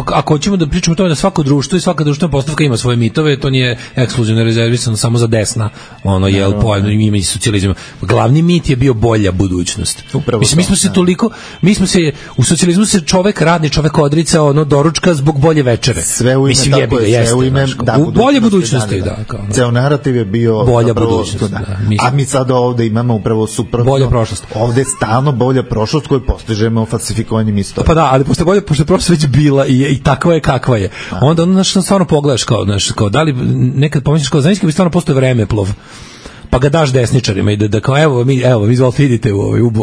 ako hoćemo da pričamo o tome da svako društvo i svaka društvena postavka ima svoje mitove, to nije ekskluzivno rezervisano samo za desna, ima i socijalizam. Glavni mit je bio bolja budućnost. Mislim, mi smo se u socijalizmu se radni čovek odricao doručka zbog bolje večere. Sve u ime, sve u ime bolje budućnosti, da. Ceo narativ je bio bolja budućnost. A mi sada ovde imamo upravo suprotno. Bolja prošlost. Ovde stalno bolja prošlost koju postižemo falsifikovanjem istorije. Pa da, ali pošto je prošlost već bila i takva je kakva je. Onda stvarno pogledaš kao da li nekad pomisliš kao zajednički bi stvarno postoje vremeplov, pa ga daš desničarima i da kao evo vi izvolite idite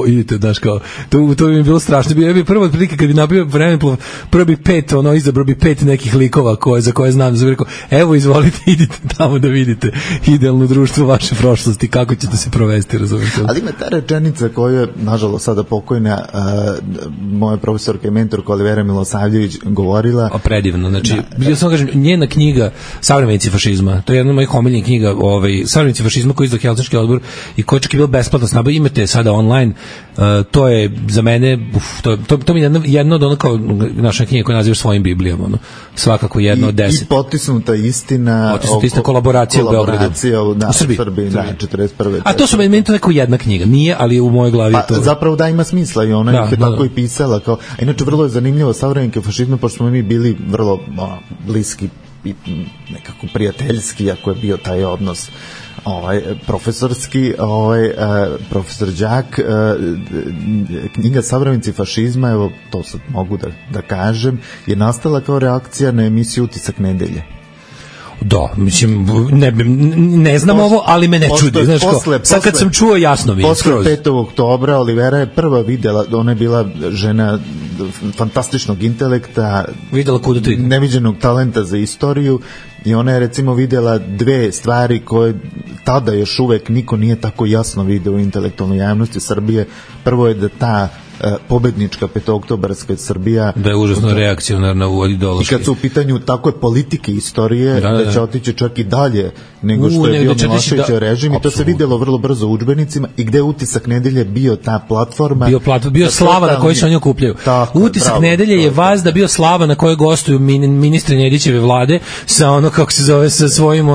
idite, daš kao to bi mi bilo strašno. Bi prvo otprilike kad bi nabio vremeplov, prvo bi izabrao bi 5 nekih likova za koje znam, da rekao evo izvolite idite tamo da vidite idealno društvo vaše prošlosti, kako ćete se provesti, razumijete. Ali ima ta rečenica koju je nažalost sada pokojna moja profesorka i mentorka Olivera Milosavljević govorila. Predivno, znači ja samo kažem, njena knjiga Savremenici fašizma, to je jedna od mojih omiljenih knjiga, Savremenici fašizma koji je Helsinški odbor i koji čak je bilo besplatno snabaviti, imate sada online, to je za mene, to mi je jedno od ono kao naša knjiga koja nazivaš svojim Biblijama, svakako jedno od 10. I potisnuta istina kolaboracija u Beogradu. U Srbiji, 41. A to su meni to neko jedna knjiga, nije, ali u mojoj glavi to. Zapravo da ima smisla i ona je tako i pisala. A inače vrlo je zanimljivo savremenike fašizma, pošto smo mi bili vrlo bliski i nekako prijateljski, ako je bio taj odnos profesorski, profesor Đak, knjiga Savremenici fašizma, evo to sad mogu da kažem, je nastala kao reakcija na emisiju Utisak nedelje. Da, mislim, ne znam ovo, ali me ne čudi. Znaš, sad kad sam čuo, jasno mi je. Posle 5. oktobra Olivera je prva videla, ona je bila žena fantastičnog intelekta, videla kuda to ide, neviđenog talenta za istoriju, i ona je recimo videla dve stvari koje tada još uvek niko nije tako jasno video u intelektualnoj javnosti Srbije. Prvo je da ta pobednička petooktobarska Srbija da je užasno reakcionarna u ideološki. I kad su u pitanju takve politike istorije, da će otići čak i dalje nego što je bio Miloševićev režim, i to se videlo vrlo brzo u udžbenicima, i gde Utisak nedelje bio ta platforma. Bio slava na kojoj se oni okupljaju. Utisak nedelje je vazda bio slava na kojoj gostuju ministri Nedićeve vlade sa ono, kako se zove, sa svojim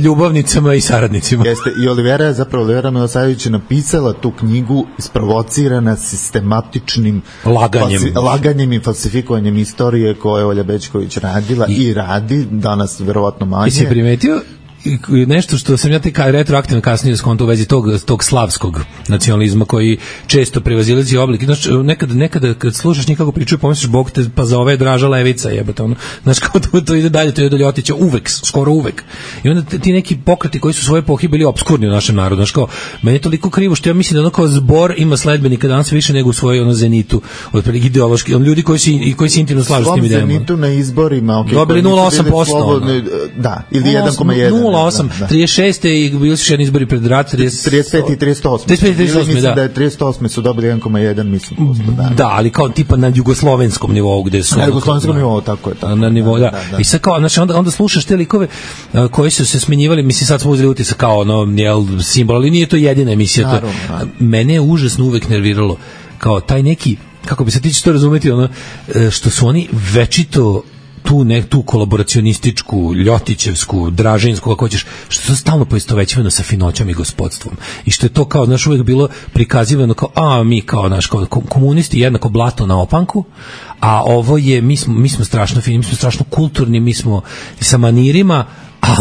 ljubavnicama i saradnicima. Jeste, i Olivera Milosavljević je napisala tu knjigu isprovocirana sistematičnim laganjem i falsifikovanjem istorije koje je Olja Bećković radila i radi, danas verovatno manje. I si primetio nešto što sam ja retroaktivno kasnije skonto u vezi tog slavskog nacionalizma koji često prevazilazi oblik. Znači, nekada kad slušaš njih kako pričaju, pomisliš, Bog te pa za ove Draža Levica jebate, ono. Znaš, kao to ide dalje, to je do Ljotića uvek, skoro uvek. I onda ti neki pokreti koji su svoje epohi bili opskurni u našem narodu, znaš, kao, meni je toliko krivo što ja mislim da ono kao zbor ima sledbenika danas više nego u svojoj zenitu, otprilike ideološki, ljudi koji se intimno slažu s tim idejama. Svom zenitu na izborima, dobili 0,8%. Da, ili 1,1. 0,8, 36. i bili su jedni izbori pred rat, 35 i 38. 35 i 38, mislim da je 38 su dobili 1,1, mislim. Da, ali kao tipa na jugoslovenskom nivou gde su... Na jugoslovenskom nivou, tako je. Na nivou, da. I sad kao, znači, onda slušaš te likove koji su se smenjivali, mislim, sad smo uzeli utisak kao simbol, ali nije to jedina emisija. Mene je užasno uvek nerviralo kao taj neki, kako bi se ti će to razumeti, što su oni večito tu kolaboracionističku, ljotićevsku, dražinsku, kako hoćeš, što je stalno poistovećivano sa finoćom i gospodstvom. I što je to kao, znaš, uvijek bilo prikazivano kao, mi kao, znaš, kao komunisti jednako blato na opanku, a ovo je, mi smo strašno fini, mi smo strašno kulturni, mi smo sa manirima,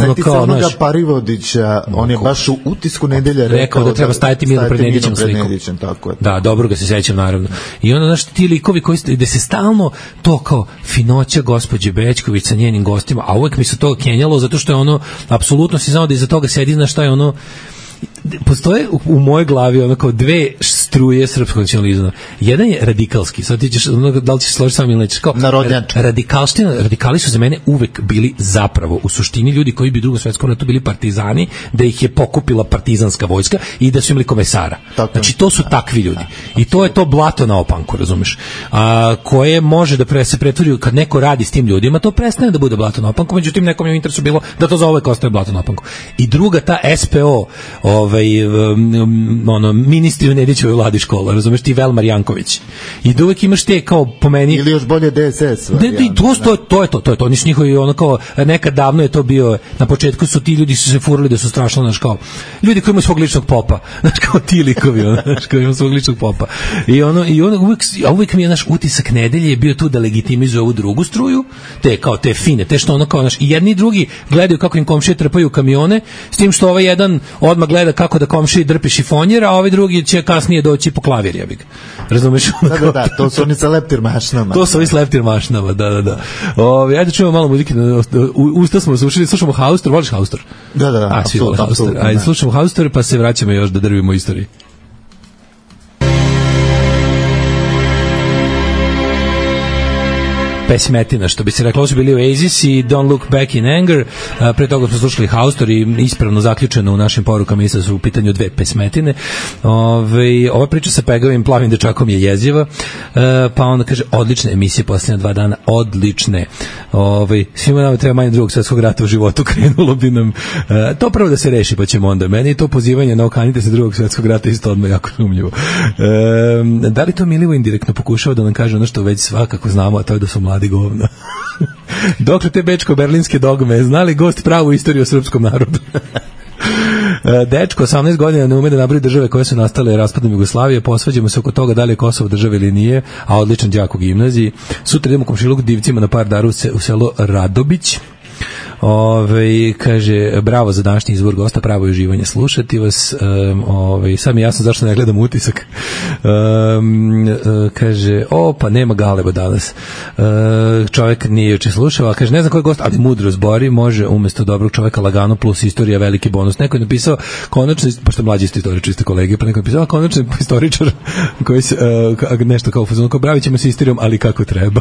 Sjeti se onoga Parivodića, on je baš u Utisku nedelje rekao da treba stajati mirno pred Nedićem slikom. Tako je. Da, dobro ga se sećam, naravno. I onda, znaš, ti likovi koji gde se stalno to kao finoća gospođe Bećković sa njenim gostima, a uvek mi se to kenjalo zato što je ono, apsolutno si znao da iza toga sedi, znaš šta je ono, postoje u mojoj glavi ono kao dve struje srpskog nacionalizma. Jedan je radikalski, sad ti ćeš, da li ćeš složiti sam ili nećeš, kao radikali su za mene uvek bili zapravo u suštini ljudi koji bi u Drugom svetskom ratu bili partizani, da ih je pokupila partizanska vojska i da su imali komesara. Znači to su takvi ljudi. I to je to blato na opanku, razumeš? Koje može da se pretvori kad neko radi s tim ljudima, to prestane da bude blato na opanku, međutim nekom je u interesu bilo da to za uvek ostaje blato na opanku. I druga, ta SPO, ministri u Nedićevoj vladi škola, razumeš, ti Velmar Janković. I da uvek imaš te kao po meni... Ili još bolje DSS. To je to. Oni su njihovi, ono kao, nekad davno je to bio, na početku su ti ljudi su se furali da su strašno, znaš, kao, ljudi koji imaju svog ličnog popa, znaš, kao ti likovi, znaš, koji imaju svog ličnog popa. I uvek mi je, naš utisak nedelje je bio tu da legitimizuje ovu drugu struju, te fine, te što ono kao, naš, i jedni i drugi gledaju kako im komšije trpaju kamione, s tim što ovaj jedan odmah gleda kako da komšiji drpi šifonjer, a ovaj drugi će kasnije doći po klavir, jebik. Razumeš? Da, to su oni sa leptir mašnama. To su ovi sa leptir mašnama, da. Ajde čujemo malo muzike, usta smo slušali, slušamo Haustor, voliš Haustor? Da, apsolutno. Ajde, slušamo Haustor, pa se vraćamo još da drvimo istoriji. Pesmetina, što bi se reklo, ovo su bili Oasis i Don't Look Back in Anger. Pre toga smo slušali Haustor i ispravno zaključeno u našim porukama mislim da su u pitanju dve pesmetine. Ova priča sa Pegovim plavim dečakom je jeziva, pa onda kaže, odlične emisije posljednja 2 dana, odlične. Svima nama treba manje Drugog svjetskog rata u životu, krenulo bi nam. To prvo da se reši, pa ćemo onda. Meni je to pozivanje na okanite se Drugog svjetskog rata isto odmah jako sumnjivo. Da li to Milivo indirektno pokušava da nam kaže ono što već svakako znamo, a to je da su mladi govna. Dokle te bečko-berlinske dogme, znali gost pravu istoriju o srpskom narodu? Dečko, 18 godina, ne ume da nabroji države koje su nastale raspadom Jugoslavije, posvađamo se oko toga da li je Kosovo država ili nije, a odličan đak u gimnaziji. Sutra idemo komšiluk divcima na par dana u selo Radobić. Kaže, bravo za današnji izbor gosta, pravo je uživanje slušati vas. Sad mi je jasno zašto ne gledam utisak. Kaže, pa nema Galeba danas. Čovjek nije juče slušao, a kaže, ne znam koji je gost, ali mudro zbori, može umjesto dobrog čovjeka lagano plus istorija veliki bonus. Neko je napisao konačno, pošto je mlađi istoričar, čiste kolege, pa neko je napisao konačno istoričar koji se, nešto kao fuzon, kao bravit ćemo se istorijom, ali kako treba.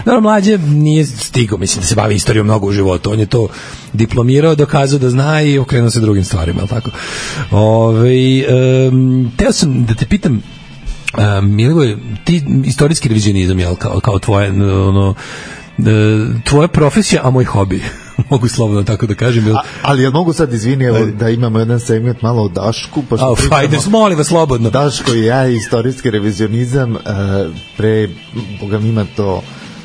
Naravno, mlađe nije stigao, mislim da se bavi istorijom mnogo u životu, on je to diplomirao, dokazao da zna i okrenuo se drugim stvarima, ali tako. Teo sam da te pitam, Milivoj, ti istorijski revizionizam, jel, kao tvoje, tvoja profesija, a moj hobi. Mogu slobodno tako da kažem. Ali ja mogu sad, izvini, da imamo jedan segment malo o Dašku. Ajde, molim vas, slobodno. Daško i ja, istorijski revizionizam, Boga mi ima to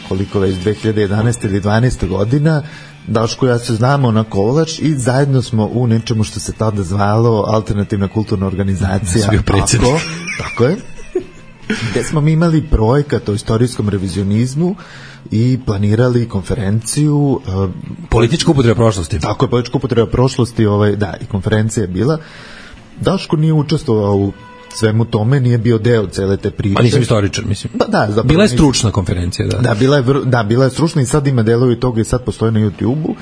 koliko već, 2011. ili 12. godina, Daško i ja se znamo na Kovalač i zajedno smo u nečemu što se tada zvalo Alternativna kulturna organizacija. Tako je. Gde smo mi imali projekat o istorijskom revizionizmu i planirali konferenciju. Politička upotreba prošlosti. Tako je, politička upotreba prošlosti, da, i konferencija je bila. Daško nije učestvovao u svemu tome, nije bio deo cele te priče. A nisam istoričar, mislim. Da, bila je stručna konferencija, da. Da, bila je stručna i sad ima delovi toga i sad postoje na YouTube-u.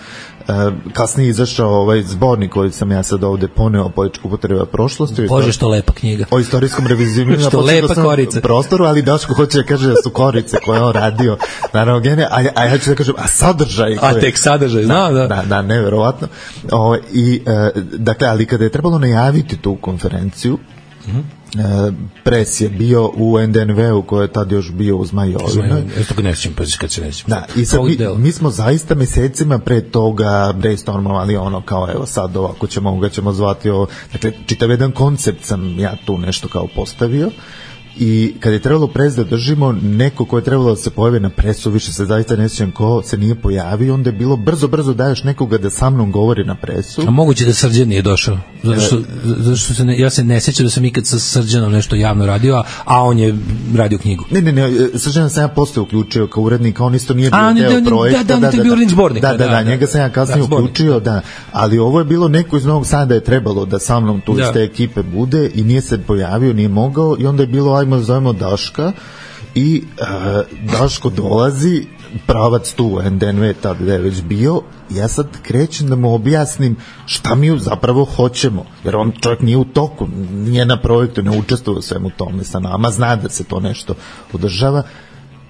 Kasnije je izašao zbornik koji sam ja sad ovde poneo o političku upotreba prošlosti. Bože, što lepa knjiga. O istorijskom revizionizmu. Što lepa korica. Prostoru, ali Daško hoće da kaže da su korice koje on radio. Naravno, a ja ću da kažem, a sadržaj. Tek sadržaj, da, neverovatno. Dakle, ali kada je trebalo najaviti tu konferenciju, pres je bio u NDNV-u koji je tad još bio u Zmajovinu. Da, i sad mi smo zaista mesecima pre toga brainstormovali kao evo sad ovako ćemo zvati dakle čitav jedan koncept sam ja tu nešto kao postavio i kad je trebalo pres da držimo, neko ko je trebalo da se pojavi na presu, više se zaista ne sjećam ko se nije pojavio, onda je bilo brzo daješ nekoga da sa mnom govori na presu. A moguće da Srđan nije došao, zato što ja se ne sjećam da sam ikad sa Srđanom nešto javno radio, a on je radio knjigu. Ne, Srđana sam ja posle uključio kao urednik, on isto nije bio deo projekta. Da, bio urednik zbornika. Da, njega sam ja kasnije uključio, ali ovo je bilo neko iz Novog Sada je trebalo da sa mnom tu iz te ekipe bude i nije se pojavio, nije mogao i onda je bilo ajmo zovemo Daška i Daško dolazi, pravac tu NDNV tada je već bio, ja sad krećem da mu objasnim šta mi zapravo hoćemo, jer on čovjek nije u toku, nije na projektu, ne učestvuje u svemu tome sa nama, zna da se to nešto održava.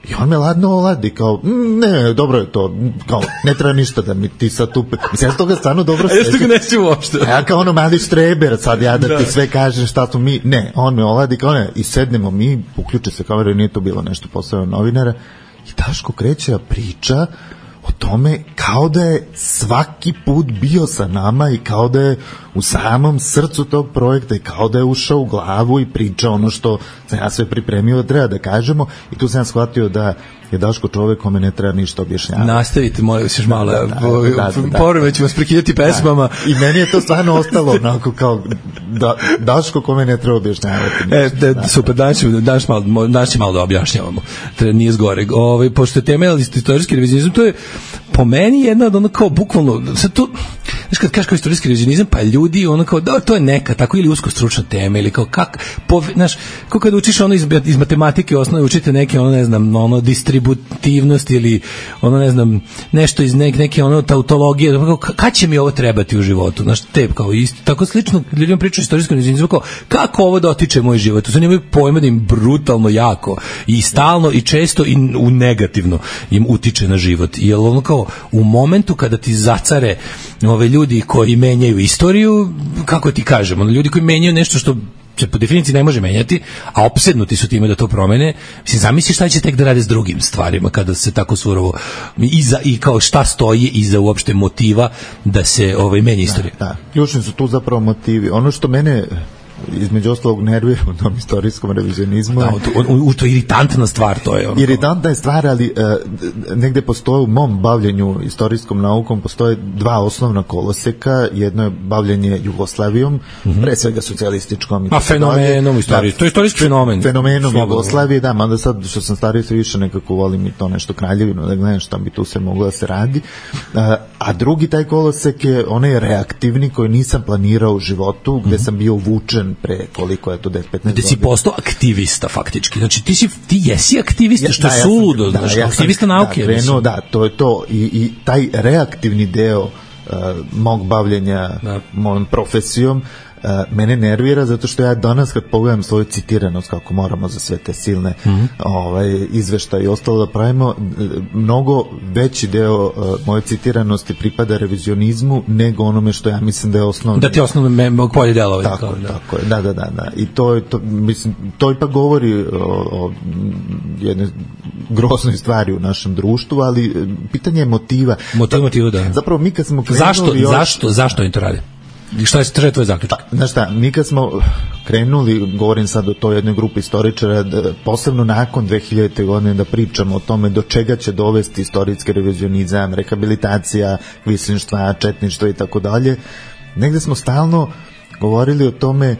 I on me ladno oladi, kao, ne, dobro je to, kao, ne treba ništa da mi ti sad tu... Mislim, ja toga stvarno dobro sećam. Ja što ga neću uopšte. A ja kao ono mali štreber, sad ja da ti sve kažem šta smo mi... Ne, on me oladi, kao ne, i sednemo mi, uključe se kamera, nije to bilo nešto posebno novinara, i Daško kreće priča o tome kao da je svaki put bio sa nama i kao da je u samom srcu tog projekta i kao da je ušao u glavu i priča ono što sam ja sve pripremio da treba da kažemo i tu sam shvatio da je Daško čovek kome ne treba ništa objašnjavati. Nastavite, molim vas još malo. Porome ću vas prekidati pesmama. I meni je to stvarno ostalo onako kao Daško kome ne treba objašnjavati. Super, danas će malo da objašnjavamo. Nije zgore. Pošto je tema istorijski revizionizam, to je po meni jedna od ono kao bukvalno, sad to, znaš kad kažeš kao istorijski revizionizam, pa ljudi ono kao, da, to je neka, tako ili usko stručna tema, ili kao znaš, kao kad učiš ono iz matematike osnove, učite neke, ono ne znam, ono distributivnost ili ono ne znam, nešto iz neke ono tautologije, kad će mi ovo trebati u životu, znaš, te kao isto, tako slično, ljudima pričaju istorijskom revizionizmu, kao, kako ovo dotiče moj život, to se nemaju pojma da im brutalno jako i stalno i često i u negativno im utiče na život, jer ono kao u momentu kada ti zacare ove ljudi koji menjaju istoriju, kako ti kažem, ono ljudi koji menjaju nešto što se po definiciji ne može menjati, a opsednuti su time da to promene, mislim, zamisli šta će tek da rade s drugim stvarima kada se tako surovo i kao šta stoji iza uopšte motiva da se menja istorija. Da, ključni su tu zapravo motivi. Ono što mene između ostalog nervira u tom istorijskom revizionizmu. Da, to je iritantna stvar, to je ono. Iritantna je stvar, ali negde postoje u mom bavljenju istorijskom naukom postoje dva osnovna koloseka. Jedno je bavljenje Jugoslavijom, pre svega socijalističkom. A fenomenom istorije. To je istorijski fenomen. Fenomenom Jugoslavije, da, mada sad što sam stariji sve više nekako volim i to nešto Kraljevinu, da gledam šta bi tu se moglo da se radi. A drugi taj kolosek je onaj reaktivni koji nisam planirao u životu, gde sam bio vučen pre koliko je to 10-15 godina. Ti si postao aktivista faktički. Znači ti jesi aktivista, što je suludo, znaš, aktivista nauke. Da, to je to. I taj reaktivni deo mog bavljenja mojom profesijom mene nervira zato što ja danas kad pogledam svoju citiranost kako moramo za sve te silne izveštaje i ostalo da pravimo, mnogo veći deo moje citiranosti pripada revizionizmu nego onome što ja mislim da je osnovno. Da ti osnovno polje delovanje. Tako je, da. I to mislim, to ipak govori o jednoj groznoj stvari u našem društvu, ali pitanje je motiva. Motiva, da. Zapravo mi kad smo krenuli... Zašto im to radi? Šta je tvoj zaključak? Znaš šta, mi kad smo krenuli, govorim sad o toj jednoj grupi istoričara, posebno nakon 2000. godine da pričamo o tome do čega će dovesti istorijski revizionizam, rehabilitacija, kvislinštva, četništva i tako dalje, negde smo stalno govorili o tome,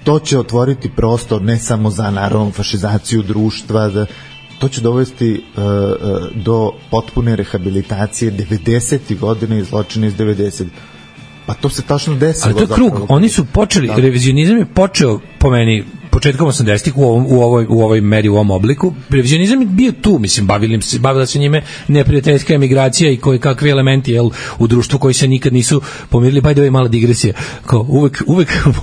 to će otvoriti prostor ne samo za naravno fašizaciju društva, to će dovesti do potpune rehabilitacije 90. godine i zločine iz 90. Pa to se tačno desilo. Ali to je krug, oni su počeli, revizionizam je počeo po meni početkom 80-ih u ovoj meri, u ovom obliku. Revizionizam je bio tu, mislim, bavila se njime neprijateljska emigracija i koje kakvi elementi u društvu koji se nikad nisu pomirili, pa je mala digresija. Kao uvek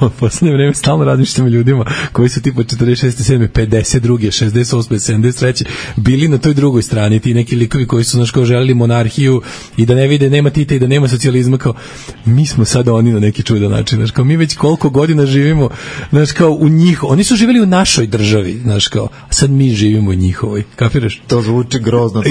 u poslednje vreme stalno razmišljam o ljudima koji su tipa 46. 7. 52. 68. 73. bili na toj drugoj strani, ti neki likovi koji su kao želeli monarhiju i da ne vide, nema Tita i da nema socijalizma, kao mi smo sada oni na neki čudan način, znaš, kao mi već koliko godina živimo, znaš, kao u njih, oni su živjeli u našoj državi, znaš, kao, a sad mi živimo u njihovoj, kapiraš? To zvuči grozno.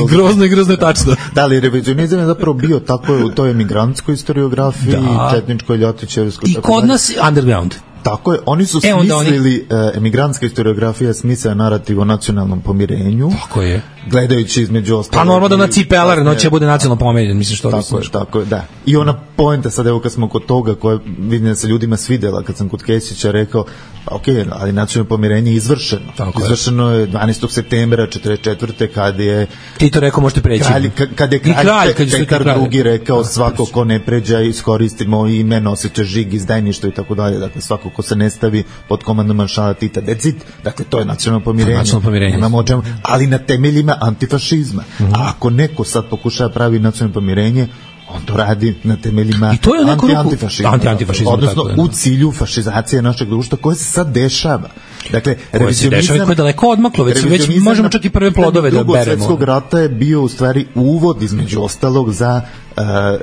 Grozno je tačno. Da, ali revizionizam je zapravo bio tako u toj emigrantskoj historiografiji, četničkoj, ljotićevskoj. I kod nas underground. Tako je, oni su smislili emigrantska historiografija smisla narativ o nacionalnom pomirenju. Tako je. Gledajući između ostalog. Pa normalno da na cipelar noće bude nacionalno pomirenje, mislim što tako je, da. I ona poenta sad, evo kad smo kod toga, koja vidim da se ljudima svidela, kad sam kod Kesića rekao, pa okej, ali nacionalno pomirenje je izvršeno. Izvršeno je 12. septembra 1944. kad je Tito rekao možete preći. Kad je kralj Petar II rekao svako ko ne pređa iskoristimo ime, nosite žig, izdajništvo i tako dalje. Dakle, svako ko se ne stavi pod komandom maršala Tita, decid. Dakle, to je nacionalno pomirenje. Nemamo o čemu, ali na temeljima antifašizma. A ako neko sad pokušava pravi nacionalno pomirenje, on to radi na temeljima antifašizma. Odnosno u cilju fašizacije našeg društva koje se sad dešava. Dakle, revizionizam koje je daleko odmaklo, već možemo čak i prve plodove da beremo. Drugog svjetskog rata je bio u stvari uvod između ostalog za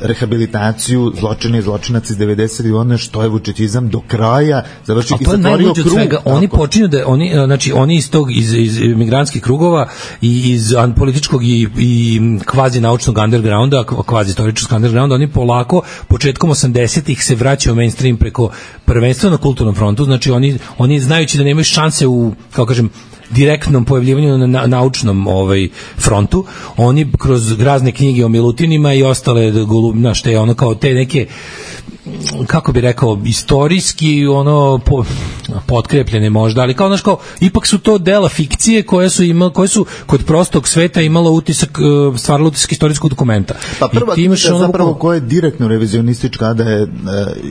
rehabilitaciju zločina i zločinaca iz 90. godine, što je vučićizam do kraja završio i zatvorio krug. Svega, oni počinju da oni iz tog iz migrantskih krugova i iz političkog i kvazi naučnog undergrounda, kvazi istoričkog undergrounda, oni polako početkom 80-ih se vraćaju u mainstream preko prvenstveno na kulturnom frontu, znači oni znajući da nemaju šanse u, kao kažem, direktnom pojavljivanju na naučnom frontu, oni kroz razne knjige o Milutinima i ostale te ono kao te neke, kako bi rekao, istorijski potkrepljene možda, ali kao, znaš, kao, ipak su to dela fikcije koje su kod prostog sveta imalo utisak, stvaralo utisak istorijskog dokumenta. Pa prva knjiga zapravo koja je direktno revizionistička, da je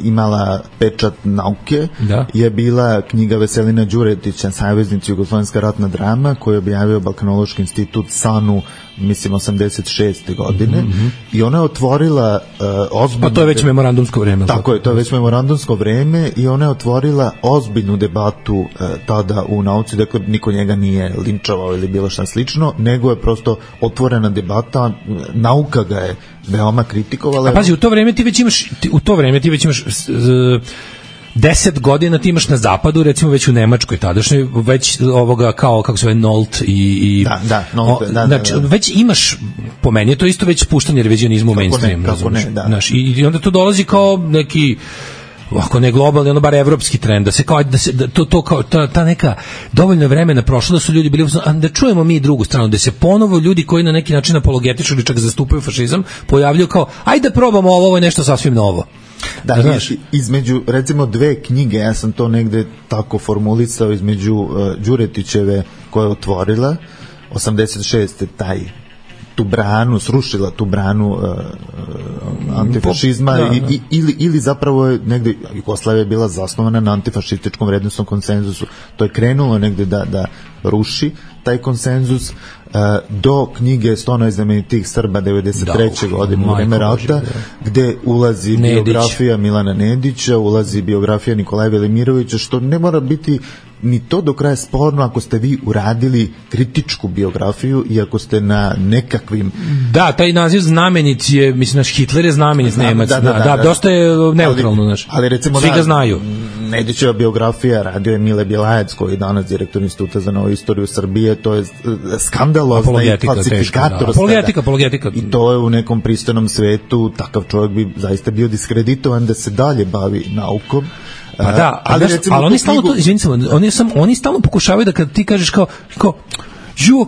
imala pečat nauke, je bila knjiga Veselina Đuretića, Saveznici jugoslovenska ratna drama, koju je objavio Balkanološki institut SANU, mislim 86. godine, i ona je otvorila ozbiljnu... Pa to je već memorandumsko vreme. Tako je, to je već memorandumsko vreme i ona je otvorila ozbiljnu debatu tada u nauci, dakle niko njega nije linčovao ili bilo šta slično, nego je prosto otvorena debata, nauka ga je veoma kritikovala. A pazi, u to vreme ti već imaš 10 godina ti imaš na zapadu, recimo već u Nemačkoj tadašnjoj, već ovoga kao, kako se zove, Nolt i znači, već imaš, po meni je to isto već puštanje revizionizma u mainstream. I onda to dolazi kao neki, ako ne globalni, ono bar evropski trend, da se kao, to kao, ta neka dovoljno vremena prošlo da su ljudi bili, da čujemo mi drugu stranu, da se ponovo ljudi koji na neki način apologetiču ili čak zastupaju fašizam, pojavljaju kao, ajde da probamo ovo je nešto sasvim novo. Da, znaš, između recimo dve knjige, ja sam to negde tako formulisao, između Đuretićeve koja je otvorila 86. tu branu, srušila tu branu antifašizma ili zapravo je negde, Jugoslavija je bila zasnovana na antifašističkom vrednosnom konsenzusu, to je krenulo negde da ruši taj konsenzus do knjige 100 najznamenitijih Srba 93. godine u vreme rata, gde ulazi biografija Milana Nedića, ulazi biografija Nikolaja Velimirovića, što ne mora biti ni to do kraja sporno ako ste vi uradili kritičku biografiju i ako ste na nekakvim... Da, taj naziv znamenic je, mislim, naš Hitler je znamenic Nemac, dosta je neutralno, ali recimo svi ga znaju. Nedićeva biografija radio je Mile Bjelajac, koji je danas direktor Instituta za novu istoriju Srbije, to je skandalozna i falsifikatorska. Apologetika. I to je u nekom pristojnom svetu, takav čovjek bi zaista bio diskreditovan da se dalje bavi naukom. Pa da, ali oni stalno to, oni stalno pokušavaju da kad ti kažeš kao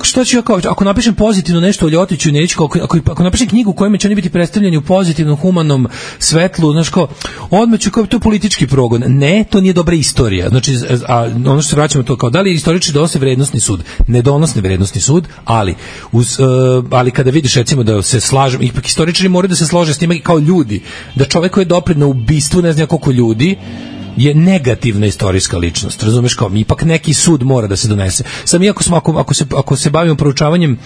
šta ću ja kao, ako napišem pozitivno nešto o Ljotiću i Nediću, ako napišem knjigu u kojoj će oni biti predstavljeni u pozitivnom, humanom svetlu, znaš kao, odmah ću kao, to je politički progon. Ne, to nije dobra istorija. Znači, a ono što se vraćamo to kao, da li istoričari donose vrednosni sud? Ne donose vrednosni sud, ali kada vidiš, recimo, da se slažem, ipak istoričari moraju da se slože s time kao ljudi, da čovek koji je doprineo na ubistvu ne zna koliko ljudi, je negativna istorijska ličnost, razumeš, kao ipak neki sud mora da se donese. Sam iako smo, ako se bavimo proučavanjem,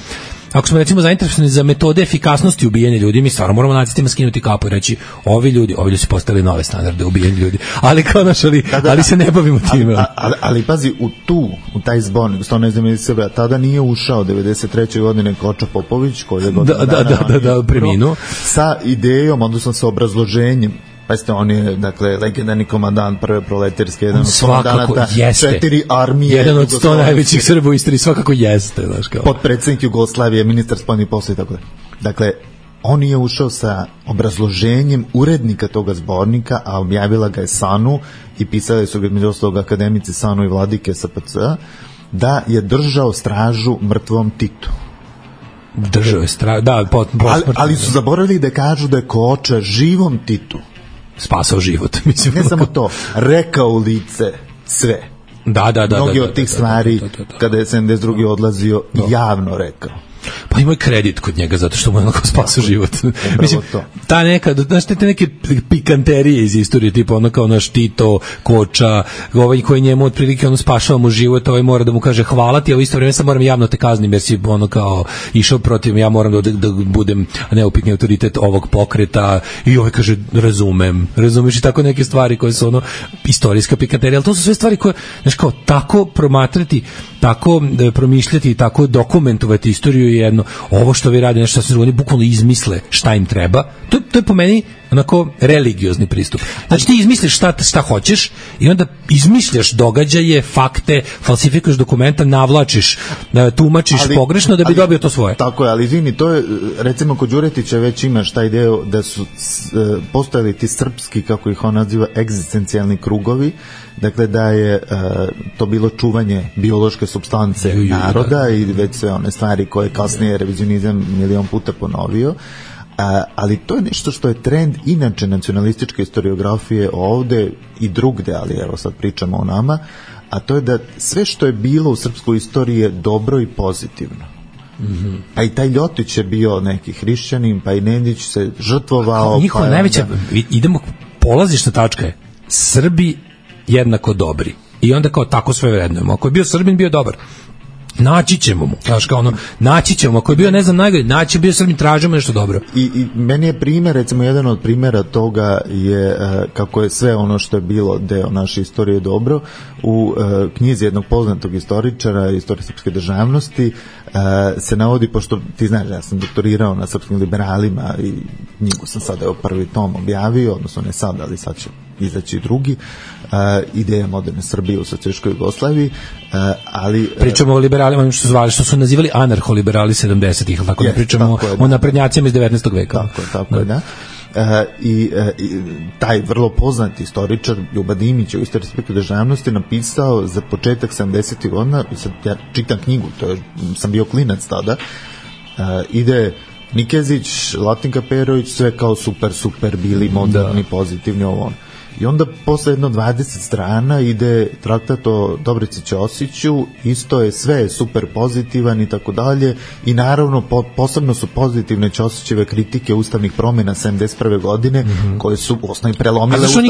ako smo recimo zainteresovani za metode efikasnosti ubijanja ljudi, mi stvarno moramo nacistima skinuti kapu i reći, ovi ljudi su postavili nove standarde ubijanja ljudi, ali kao naš, ali se ne bavimo time. Ali pazi, u taj zbornik, što ne znam sebe, tada nije ušao 93. godine Koča Popović, koji je da preminuo, sa idejom, odnosno sa obrazloženjem. Pazite, on je, dakle, legendarni komandant prve proletarske, jedan od komandanata 4 armije. Jedan od 100 najvećih Srba u istoriji, svakako jeste. Potpredsjednik Jugoslavije, ministar spoljnih poslova i tako da. Dakle, on je ušao sa obrazloženjem urednika toga zbornika, a objavila ga je SANU i pisali su ga među ostalog akademici SANU i vladike SPC, da je držao stražu mrtvom Titu. Držao je stražu, da, ali su zaboravili da kažu da je Koča živom Titu spasao život. Mislim, ne samo to, rekao u lice sve. Da. Mnogi od tih stvari, kada je 72. odlazio, javno rekao. Pa ima kredit kod njega zato što mu je onako spasao život. Mislim, ta neka, znaš, te neke pikanterije iz istorije, tipa ono kao naš Tito, Koča, ovaj koji njemu otprilike ono spašava mu život, ovaj mora da mu kaže hvala ti, a u isto vrijeme sam moram javno te kaznim jer si ono kao išao protiv, ja moram da budem neupitni autoritet ovog pokreta i ovaj kaže razumeš i tako neke stvari koje su ono istorijska pikanterija, ali to su sve stvari koje, znaš, kao tako promatrati, tako promišljati i tako dokumentovati istoriju jedno, ovo što vi radi nešto što oni bukvalno izmisle šta im treba, to je po meni onako religiozni pristup. Znači ti izmisliš šta hoćeš i onda izmišljaš događaje, fakte, falsifikuješ dokumenta, navlačiš, tumačiš pogrešno da bi dobio to svoje. Tako je, ali izvini, to je, recimo kod Đuretića već imaš taj deo da su postojali ti srpski, kako ih on naziva, egzistencijalni krugovi, dakle da je to bilo čuvanje biološke supstance naroda i već sve one stvari koje kasnije revizionizam milion puta ponovio. Ali to je nešto što je trend inače nacionalističke historiografije ovde i drugde, ali evo sad pričamo o nama, a to je da sve što je bilo u srpskoj istoriji je dobro i pozitivno. Mm-hmm. Pa i taj Ljotić je bio neki hrišćanin, pa i Nedić se žrtvovao. Njihova najveća, idemo, polazišna tačka je Srbi jednako dobri i onda kao tako sve vrednujemo. Ako je bio Srbin, bio dobar. Naći ćemo mu, znaš, kao ono, naći ćemo, ako je bio, ne znam, najgore, naći bio Srbin, tražimo nešto dobro. I meni je primjer, recimo, jedan od primjera toga je kako je sve ono što je bilo deo naše istorije dobro, u knjizi jednog poznatog istoričara, istorije srpske državnosti, se navodi, pošto ti znaš, ja sam doktorirao na srpskim liberalima i knjigu sam sada evo prvi tom objavio, odnosno ne sad, ali sad će izaći drugi, ideja moderne Srbije u socijalističkoj Jugoslaviji, ali pričamo o liberalima što su nazivali anarholiberali 70-ih, tako da pričamo o naprednjacima iz 19. veka. Tako je, da. I taj vrlo poznati istoričar Ljuba Dimić u istoriji srpske državnosti napisao za početak 70-ih godina, sad ja čitam knjigu, sam bio klinac tada, ide Nikezić, Latinka Perović, sve kao super bili moderni, pozitivni, ovo ono. I onda posle jedno 20 strana ide traktat o Dobrici Ćosiću, isto je sve super pozitivan i tako dalje, i naravno posebno su pozitivne Ćosićeve kritike ustavnih promjena 71. godine, koje su u osnovi prelomile Ustav. A zašto on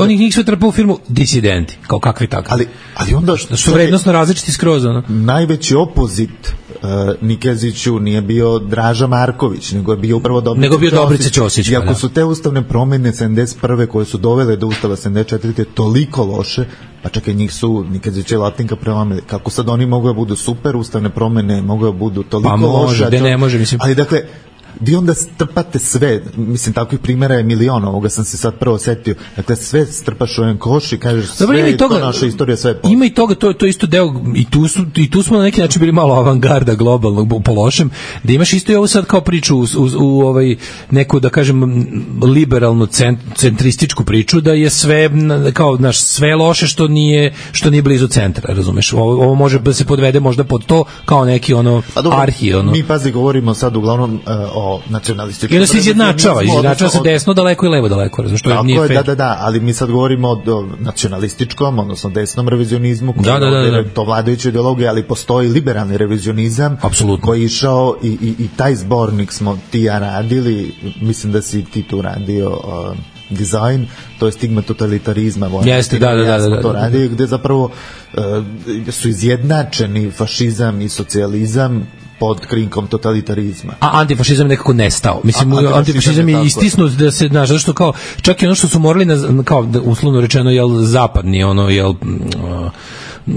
njih sve trpao u firmu disidenti, kao kakvi takvi? Ali onda su vrednostno različiti skroz, ono? Najveći opozit Nikeziću nije bio Draža Marković, nego je bio upravo Dobrica Ćosić. I ako su te ustavne promjene 71. koje su dovele do ustava 74. toliko loše, pa čekaj, njih su Nikezić i Latinka prelomili. Kako sad oni mogu da budu super ustavne promjene, mogu da budu toliko loše? Pa ne može, mislim. Ali dakle, vi onda strpate sve, mislim, takvih primjera je milion, ovoga sam se sad prvo setio, dakle sve strpaš u jedan koš i kažeš sve je to naša istorija, sve je ima i toga, to je isto deo, i tu smo na neki način bili malo avangarda globalnog po lošem, da imaš isto i ovo sad kao priču u ovaj neku, da kažem, liberalno centrističku priču, da je sve kao, znaš, sve loše što nije blizu centra, razumeš, ovo može da se podvede možda pod to kao neki ono arhi, ono. Mi, pazi, govorimo sad uglavnom o nacionalističkom. I da se izjednačava se desno daleko i levo daleko, razumiješ, što nije fair. Da, ali mi sad govorimo o nacionalističkom, odnosno desnom revizionizmu, to vladajuća ideologija, ali postoji liberalni revizionizam, apsolutno, koji je išao i taj zbornik smo ti ja radili, mislim da si ti tu radio dizajn, to je stigma totalitarizma. Jeste, da. To radi, gde zapravo su izjednačeni fašizam i socijalizam pod krinkom totalitarizma. A antifašizam nekako nestao. Mislim, antifašizam je istisnut da se, znaš, zašto kao, čak i ono što su morali, kao uslovno rečeno, jel, zapadni, ono, jel,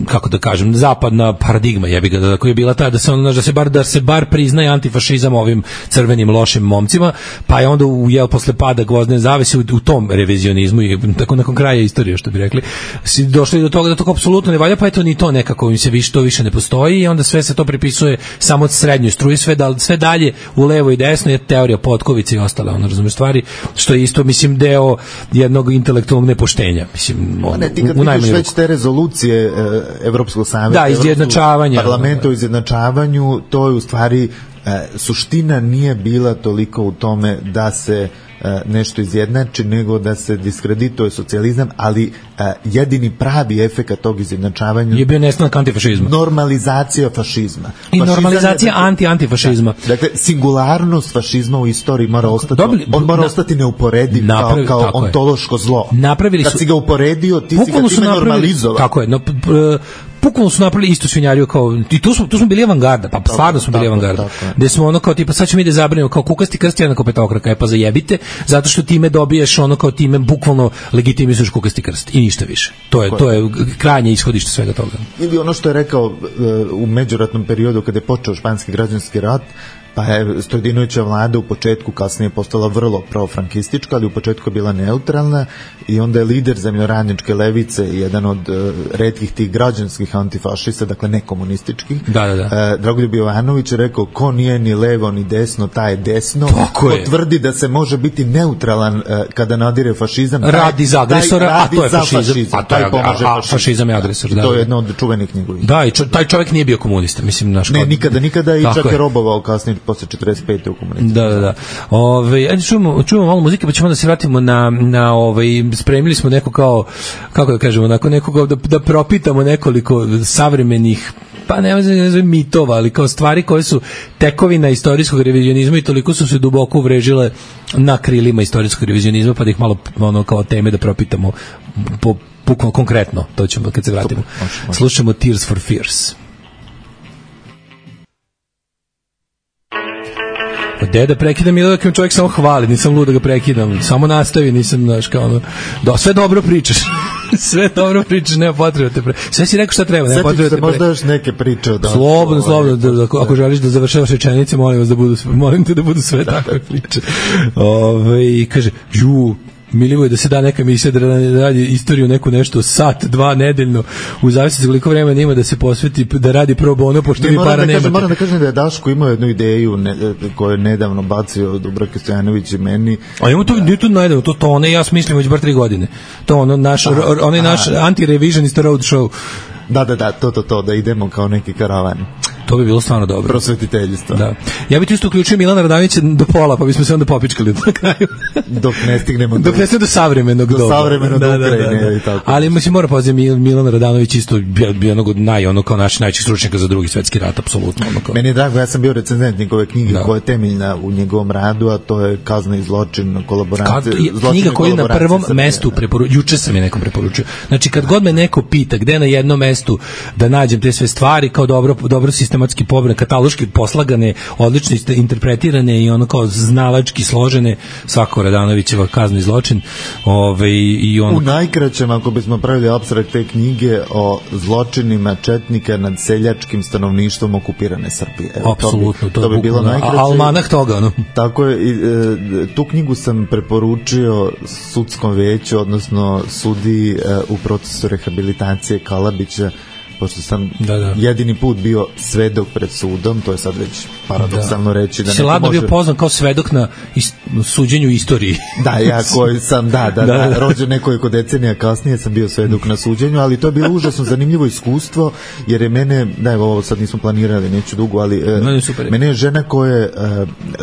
kako da kažem, zapadna paradigma jebi ga, da koja je bila ta da se ono, da se bar priznaje antifašizam ovim crvenim lošim momcima, pa je onda posle pada gvozdene zavese u tom revizionizmu i tako nakon kraja istorije, što bi rekli, si došli do toga da to apsolutno ne valja, pa eto ni to nekako im se to više ne postoji i onda sve se to pripisuje samo od srednjoj struji, sve dalje u levo i desno je teorija potkovice i ostale, ono, razumeš, stvari, što je isto, mislim, deo jednog intelektualnog nepoštenja, mislim, ti kad vidiš već te rezolucije Evropskog savjeta, izjednačavanja, parlamenta o izjednačavanju, to je u stvari suština nije bila toliko u tome da se nešto izjednači, nego da se diskredituje socijalizam, ali jedini pravi efekat tog izjednačavanja je bio nestanak antifašizma. Normalizacija fašizma. I normalizacija antifašizma. Dakle, singularnost fašizma u istoriji mora ostati, on mora ostati neuporediv kao ontološko zlo. Kad si ga uporedio, ti si ga time normalizovao. Tako je, bukvalno su napravili isto svinjariju kao i tu smo bili avangarda, pa stvarno smo bili avangarda. Gde smo ono kao tipa sad ćemo mi da zabranimo kao kukasti krst jednako petokraka, pa zajebite, zato što time dobiješ ono kao time bukvalno legitimizuješ kukasti krst i ništa više. To je krajnje ishodište svega toga. Ili ono što je rekao u međuratnom periodu kada je počeo španski građanski rat, pa je Stojdinovića vlada u početku, kasnije postala vrlo profrankistička, ali u početku je bila neutralna i onda je lider zemljoradničke levice, jedan od retkih tih građanskih antifašista, dakle nekomunističkih, Dragoljub Jovanović je rekao, ko nije ni levo ni desno, taj je desno, ko tvrdi da se može biti neutralan kada nadire fašizam, radi za agresora, a to je fašizam, fašizam je agresor. To je jedna od čuvenih njegovih. Da, i taj čovjek nije bio komunista, mislim, naš ne, nikada i čak je robovao kasnije posle 45. u komunizaciji. Da. Ajde čujemo malo muzike, pa ćemo da se vratimo na spremili smo neko kao, kako da kažemo, nakon nekog da propitamo nekoliko savremenih, pa ne znam mitova, ali kao stvari koje su tekovina istorijskog revizionizma i toliko su se duboko uvrežile na krilima istorijskog revizionizma, pa da ih malo ono kao teme da propitamo bukvalno konkretno, to ćemo kad se vratimo. Slušamo Tears for Fears. Gde da prekidam ili da čovjek samo hvali, nisam lud da ga prekidam, samo nastavi, nisam, znaš, kao ono, sve dobro pričaš, nema potrebe te sve si rekao šta treba, nema potrebe te možda još neke priče od slobodno, ako želiš da završavaš rečenice, molim te da budu sve takve priče. Kaže, Milivo je da se da neka emisija da radi istoriju neku nešto sat, 2 nedeljno, u zavisnosti koliko vremena ima da se posveti da radi pro bono, pošto vi para nemate. Moram da kažem da je Daško imao jednu ideju koju je nedavno bacio Dubravka Stojanović i meni. A imamo to, nije to najdavno, to one ja smislim već bar 3 godine. To ono naš anti-revisionist road show. Da, to, da idemo kao neki karavan. To bi bilo stvarno dobro. Prosvetiteljstvo. Da. Ja bih isto uključio Milana Radanovića do pola, pa bismo se onda popičkali na kraju. Dok ne stignemo do savremenog doba. Do savremenog Ukrajine. Ali mislim, mora pozivati Milan Radanović isto bio ono kao naš najveći stručnjaka za Drugi svetski rat, apsolutno. Meni je drago, ja sam bio recenzent njegove knjige koja je temeljna u njegovom radu, a to je Kazna i zločin, kolaboracija. Knjiga koju na prvom mestu juče sam je nekom preporučio. Znači, kad god me neko pita gde na jednom mestu da nađem te sve stvari, kao dobro sistematski pobrane, kataloški poslagane, odlično interpretirane i ono kao znalački složene, svako Radanovićeva Kazna i zločin. U najkraćem, ako bismo pravili apstrakt te knjige o zločinima četnika nad seljačkim stanovništvom okupirane Srbije. Apsolutno, to bi bilo najkraće. Almanah toga, ono. Tako je, tu knjigu sam preporučio sudskom veću, odnosno sudiji u procesu rehabilitacije Kalabića, pošto sam jedini put bio svedok pred sudom, to je sad već paradoksalno reći. Si ladno bio poznan kao svedok na suđenju istoriji. Da, ja koji sam, rođen nekoliko decenija kasnije sam bio svedok na suđenju, ali to je bilo užasno zanimljivo iskustvo, jer je mene, ovo sad nismo planirali, neću dugo, ali mene je žena koja je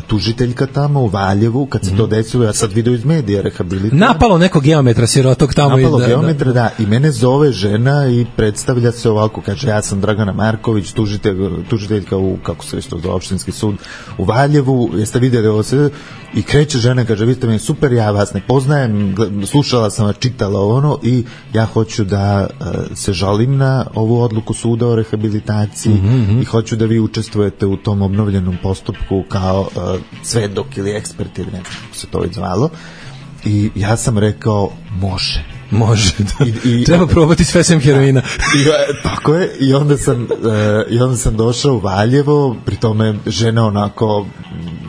tužiteljka tamo u Valjevu, kad se to desilo, ja sad video iz medija rehabilitacija. Napalo nekog geometra sirotog tamo. Napalo geometra, i mene zove žena i predstavlja se ovako, kaže, ja sam Dragana Marković, tužiteljka u, kako se već to zove, opštinski sud u Valjevu, jeste vidjeli ovo sve, i kreće žena, kaže, vi ste meni super, ja vas ne poznajem, slušala sam vas, čitala ono, i ja hoću da se žalim na ovu odluku suda o rehabilitaciji i hoću da vi učestvujete u tom obnovljenom postupku kao svedok ili ekspert ili nekako se to već zvalo. I ja sam rekao, može. Može. Treba probati sve sem heroina. Tako je. I onda sam došao u Valjevo, pri tome žena onako,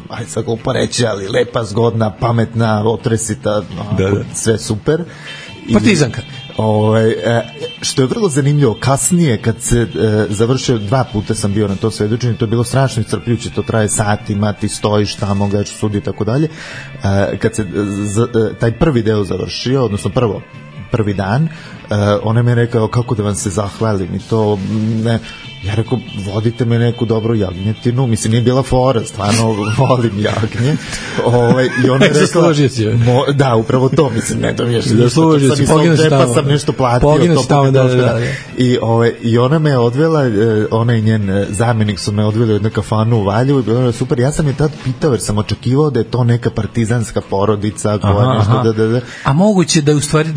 ajde sad glupo reći, ali lepa, zgodna, pametna, otresita, sve super. Partizanka. Što je vrlo zanimljivo, kasnije kad se završio, 2 puta sam bio na to svedočenje, to je bilo strašno iscrpljujuće, to traje satima, ti stojiš tamo, gledaš sudi i tako dalje. Kad se taj prvi deo završio, odnosno prvi dan, ona mi je rekao kako da vam se zahvalim i to ne, ja rekao vodite me neku dobru jagnjetinu, mislim nije bila fora, stvarno volim jagnje, i ona je rekla da, upravo to, mislim ne dam još nešto, sam nešto platio i ona me odvela, ona i njen zamjenik su me odveli u jednu kafanu u Valjevu i bilo je super. Ja sam je tad pitao jer sam očekivao da je to neka partizanska porodica koja nešto a moguće da je u stvari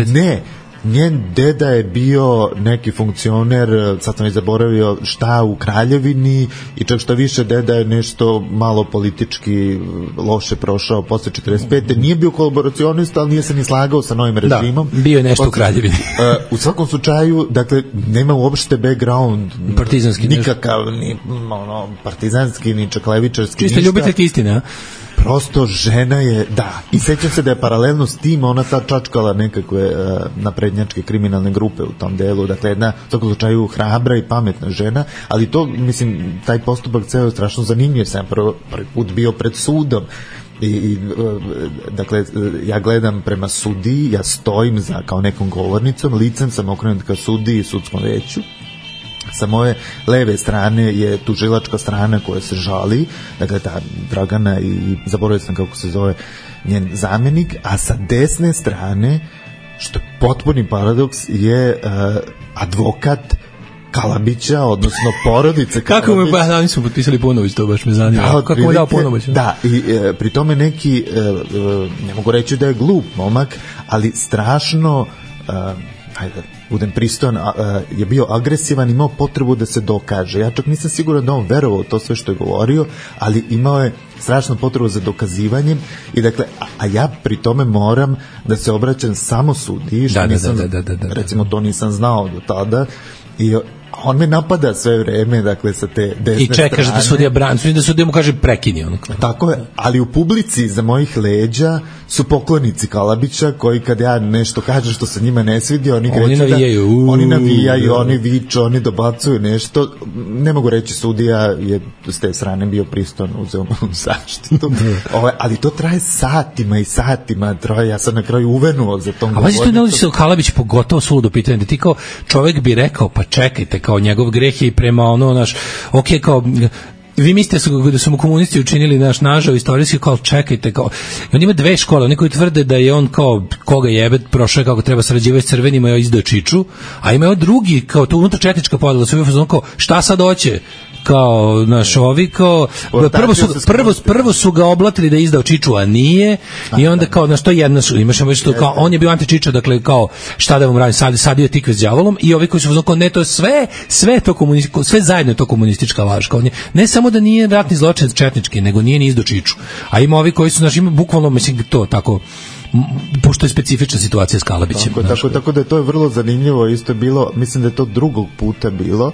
ne, njen deda je bio neki funkcioner, sad sam i zaboravio šta, u Kraljevini, i čak što više deda je nešto malo politički loše prošao posle 45. Nije bio kolaboracionista, ali nije se ni slagao sa novim režimom. Da, bio je nešto u Kraljevini. U svakom slučaju, dakle, nema uopšte background partizanski nikakav, ni partizanski, ni čak levičarski, čisto ljubiteljki istine, a? Prosto žena je, i sećam se da je paralelno s tim ona sad čačkala nekakve naprednjačke kriminalne grupe u tom delu, dakle jedna u svakom slučaju hrabra i pametna žena, ali to, mislim, taj postupak ceo je strašno zanimljiv, jer sam prvi put bio pred sudom i dakle, ja gledam prema sudiji, ja stojim za kao nekom govornicom, licem sam okrenut ka sudiji i sudskom veću. Sa moje leve strane je tužilačka strana koja se žali, dakle ta Dragana i zaboravio sam kako se zove njen zamjenik, a sa desne strane, što je potpuni paradoks, je advokat Kalabića, odnosno porodice Kalabić. Kako mu oni su potpisali ponović, to baš me zanima. Kako mu dao ponović? Da, i pri tome neki, ne mogu reći da je glup momak, ali strašno, ajde, budem pristojan, je bio agresivan, imao potrebu da se dokaže. Ja čak nisam siguran da on verovao to sve što je govorio, ali imao je strašnu potrebu za dokazivanjem i dakle, a ja pri tome moram da se obraćam samo sudiji, što recimo to nisam znao do tada, i on me napada sve vreme, dakle, sa te desne strane. I čekaš da sudija brani, da sudija mu kaže prekini. Tako je, ali u publici za mojih leđa su poklonici Kalabića, koji kad ja nešto kažem što se njima ne svidi, oni navijaju, oni viču, oni dobacuju nešto. Ne mogu reći, sudija je s te strane bio pristojan, uzeo mu zaštitu. Ali to traje satima i satima, ja sam na kraju uvenuo za tom govornicom. A vazi to ne ulazi se Kalabić pogotovo suludo pitanje, da ti kao čovek bi rekao, pa čekajte, kao njegov greh je i prema kao vi mislite da su mu komunisti učinili nažao istorijski, kao čekajte, kao on ima 2 škole, oni koji tvrde da je on kao koga jebe prošao kako treba sarađivati s crvenima i izdao čiču, a ima drugi kao to unutarčetnička podela, su kao šta sad hoće, kao ovi kao prvo su ga oblatili da je izdao čiču, a nije, i onda kao to jedna imaš kao on je bio anti-čiča, dakle kao šta da vam radim, sadio je tikve s đavolom, i ovi koji su kao ne, to je sve to komunističko, sve zajedno je to komunistička laž, kao ne samo da nije ratni zločin četnički, nego nije ni izdao čiču, a ima ovi koji su ima bukvalno, mislim, to tako, pošto je specifična situacija s Kalabićem. Tako da to je vrlo zanimljivo, isto je bilo, mislim da je to drugog puta bilo,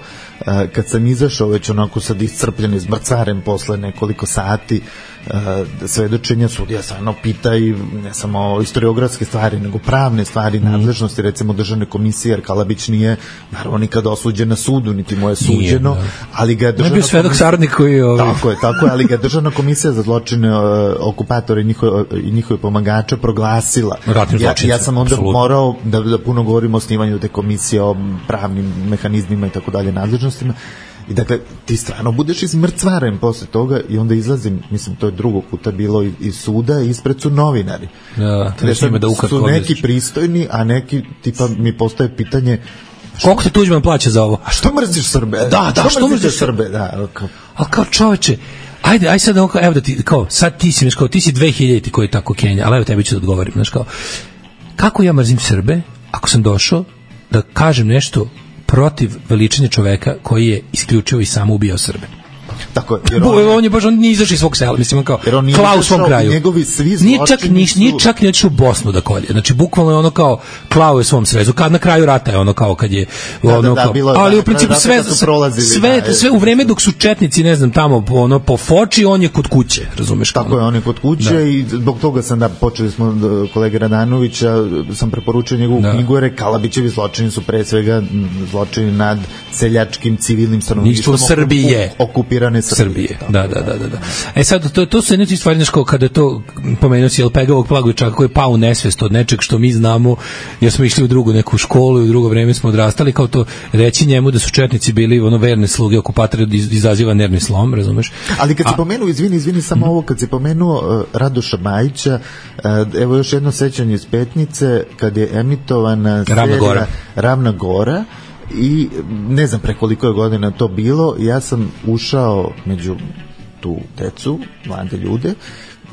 kad sam izašao već onako sad iscrpljen, izmrcaren posle nekoliko sati svedočenja, sudija stvarno pita i ne samo historiografske stvari, nego pravne stvari, nadležnosti, recimo državne komisije, jer Kalabić nije naravno nikada osuđen na sudu, niti mu je suđeno, ali ga je državna komisija... svedok saradnik koji... Tako je, ali ga je državna komisija za zločine okupatora i njihove pomagača proglasila. Ja sam onda morao da puno govorim o osnivanju te komisije, o pravnim mehanizmima i tako dalje, nadležnostima. I dakle, ti stvarno budeš izmrcvaren posle toga i onda izlazim, mislim, to je drugog puta bilo iz suda, ispred su novinari. Su neki pristojni, a neki, tipa, mi postaje pitanje koliko se Tuđman plaća za ovo? A što mrziš Srbe? Što mrziš Srbe? Ali kao čoveče, ajde sad, evo da ti, kao, sad ti si 2000 koji je tako Kenja, ali evo tebi ću da odgovorim, znaš kao, kako ja mrzim Srbe, ako sam došao da kažem nešto protiv veličine čoveka koji je isključivo i samo ubijao Srbe. Tako je. On je baš nije izašao iz svog sela, mislim, kao klao u svom kraju. Njegovi svi nije čak ni otišao u Bosnu da kolje. Znači, bukvalno je ono kao klao je svom srezu. Kad na kraju rata je ono kao kad je ono kao, ali u principu sve u vreme dok su četnici, ne znam, tamo ono po Foči, on je kod kuće, razumeš? Tako je, on je kod kuće i zbog toga sam počeli smo kolege Radanovića, sam preporučio njegovu knjigu, jer Kalabićevi zločini su pre svega zločini nad seljačkim civilnim stanovništvom Srbije, okupirane Srbije. Da. E sad, to su jedne stvari, znači, kada to pomenuo si Pegavog Plagovića koji je pao u nesvest od nečeg što mi znamo, jer smo išli u drugu neku školu i u drugo vreme smo odrastali, kao to reći njemu da su četnici bili ono verne sluge okupatora izaziva nervni slom, razumeš? Ali kad si pomenuo, izvini samo ovo, kad si pomenuo Radoša Majića, evo još jedno sećanje iz Petnice, kad je emitovana serija Ravna Gora, i ne znam pre koliko je godina to bilo, ja sam ušao među tu decu, mlade ljude,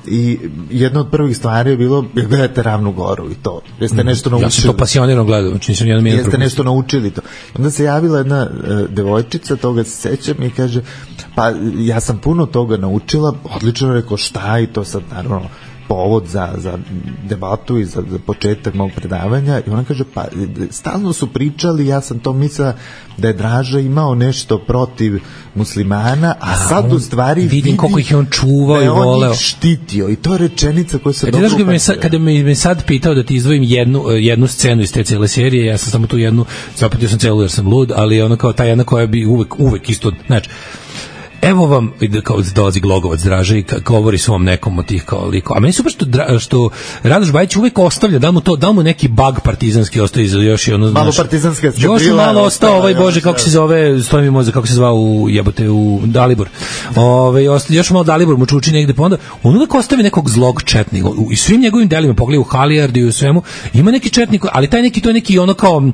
i jedna od prvih stvari je bilo gledate Ravnu Goru i to. Jeste nešto naučili? Ja sam to pasionirano gledao, znači nisam jedan minut. Jeste nešto naučili to. Onda se javila jedna devojčica, toga se sećam, i kaže, pa ja sam puno toga naučila, odlično, rekao, šta, i to sad naravno povod za debatu i za početak mog predavanja, i ona kaže, pa stalno su pričali, ja sam to mislila da je Draža imao nešto protiv muslimana, a sad u stvari vidim koliko ih je on čuvao i voleo. Da je on ih štitio, i to je rečenica koja se dobro upađuje. Kada me sad pitao da ti izdvojim jednu scenu iz te cele serije, ja sam samo tu jednu, zapatio sam celu jer sam lud, ali ona kao ta jedna koja bi uvek isto, znači, evo vam, kao dolazi Glogovac Draža i govori svom nekom od tih kao liko. A meni super što Radoš Bajić uvek ostavlja, da mu neki bug partizanski ostaje za još jedno, malo partizanska eskadrila. Još malo ostao ovaj, bože, kako se zove, stoji mi mozak, kako se zvao u Dalibor. Još malo Dalibor mu čuči negde, pa onda on uvek ostavi nekog zlog četnika. I svim njegovim delima, pogledaj u Halijardi i u svemu, ima neki četnik, ali taj neki, to je neki ono kao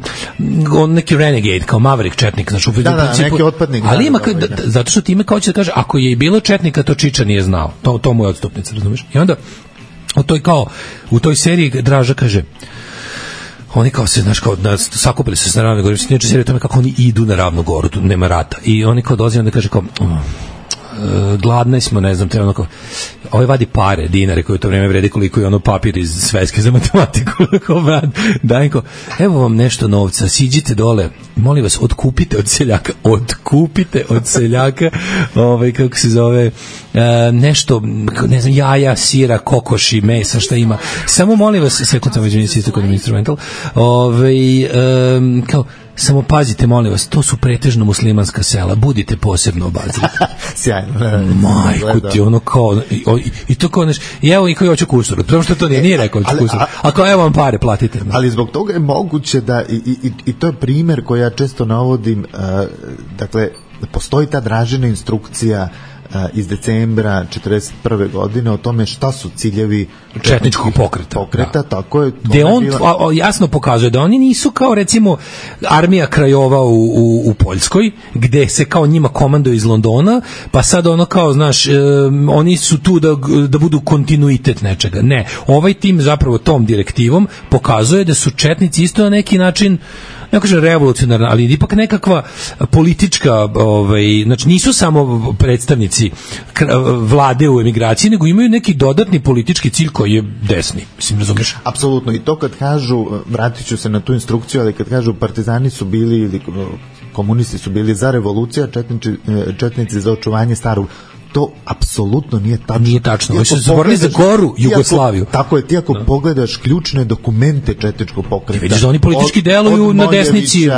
neki renegade, kao maverick četnik, znači u principu. Neki otpadnik. Ali ima, zato što time kao će da kaže, ako je i bilo četnika, to Čiča nije znao. To mu je odstupnica, razumiješ? I onda u toj seriji Draža kaže, oni kao se, znaš, kao sakupili se na Ravnoj Gori, neče serija o tome kako oni idu na Ravnu Goru, tu nema rata. I oni kao dolazi, onda kaže kao, gladni smo, ne znam, treba ono kao, ovaj vadi pare, dinare, koje u to vreme vredi koliko je ono papir iz sveske za matematiku, daj ko, evo vam nešto novca, siđite dole, molim vas, otkupite od seljaka, kako se zove, nešto, ne znam, jaja, sira, kokoši, mesa, šta ima, samo molim vas, sekund sam već isto kod instrumental, kao, samo pazite, molim vas, to su pretežno muslimanska sela, budite posebno obazrivi. Sjajno. Majku ti, ono kao, i to kao nešto, i evo i koji hoće kusur, prvo što to nije rekao hoće kusur, a kao evo vam pare, platite. Ali zbog toga je moguće da, i to je primjer koji ja često navodim, dakle, postoji ta Dražina instrukcija iz decembra 1941. godine o tome šta su ciljevi četničkog pokreta, tako je. Gde on jasno pokazuje da oni nisu kao recimo armija krajova u Poljskoj, gde se kao njima komanduje iz Londona, pa sad ono kao, znaš, oni su tu da budu kontinuitet nečega. Ne, ovaj tim zapravo tom direktivom pokazuje da su četnici isto na neki način, ne kažem revolucionarna, ali ipak nekakva politička, znači nisu samo predstavnici vlade u emigraciji, nego imaju neki dodatni politički cilj koji je desni, mislim, razumiješ? Apsolutno, i to kad kažu, vratit ću se na tu instrukciju, ali kad kažu partizani su bili ili komunisti su bili za revoluciju, četnici za očuvanje starog, to apsolutno nije tačno. Nije tačno. Oni su zaboravili za Goru, Jugoslaviju. Tako je, ti ako pogledaš ključne dokumente četničkog pokreta. Vidiš da oni politički deluju na desnici.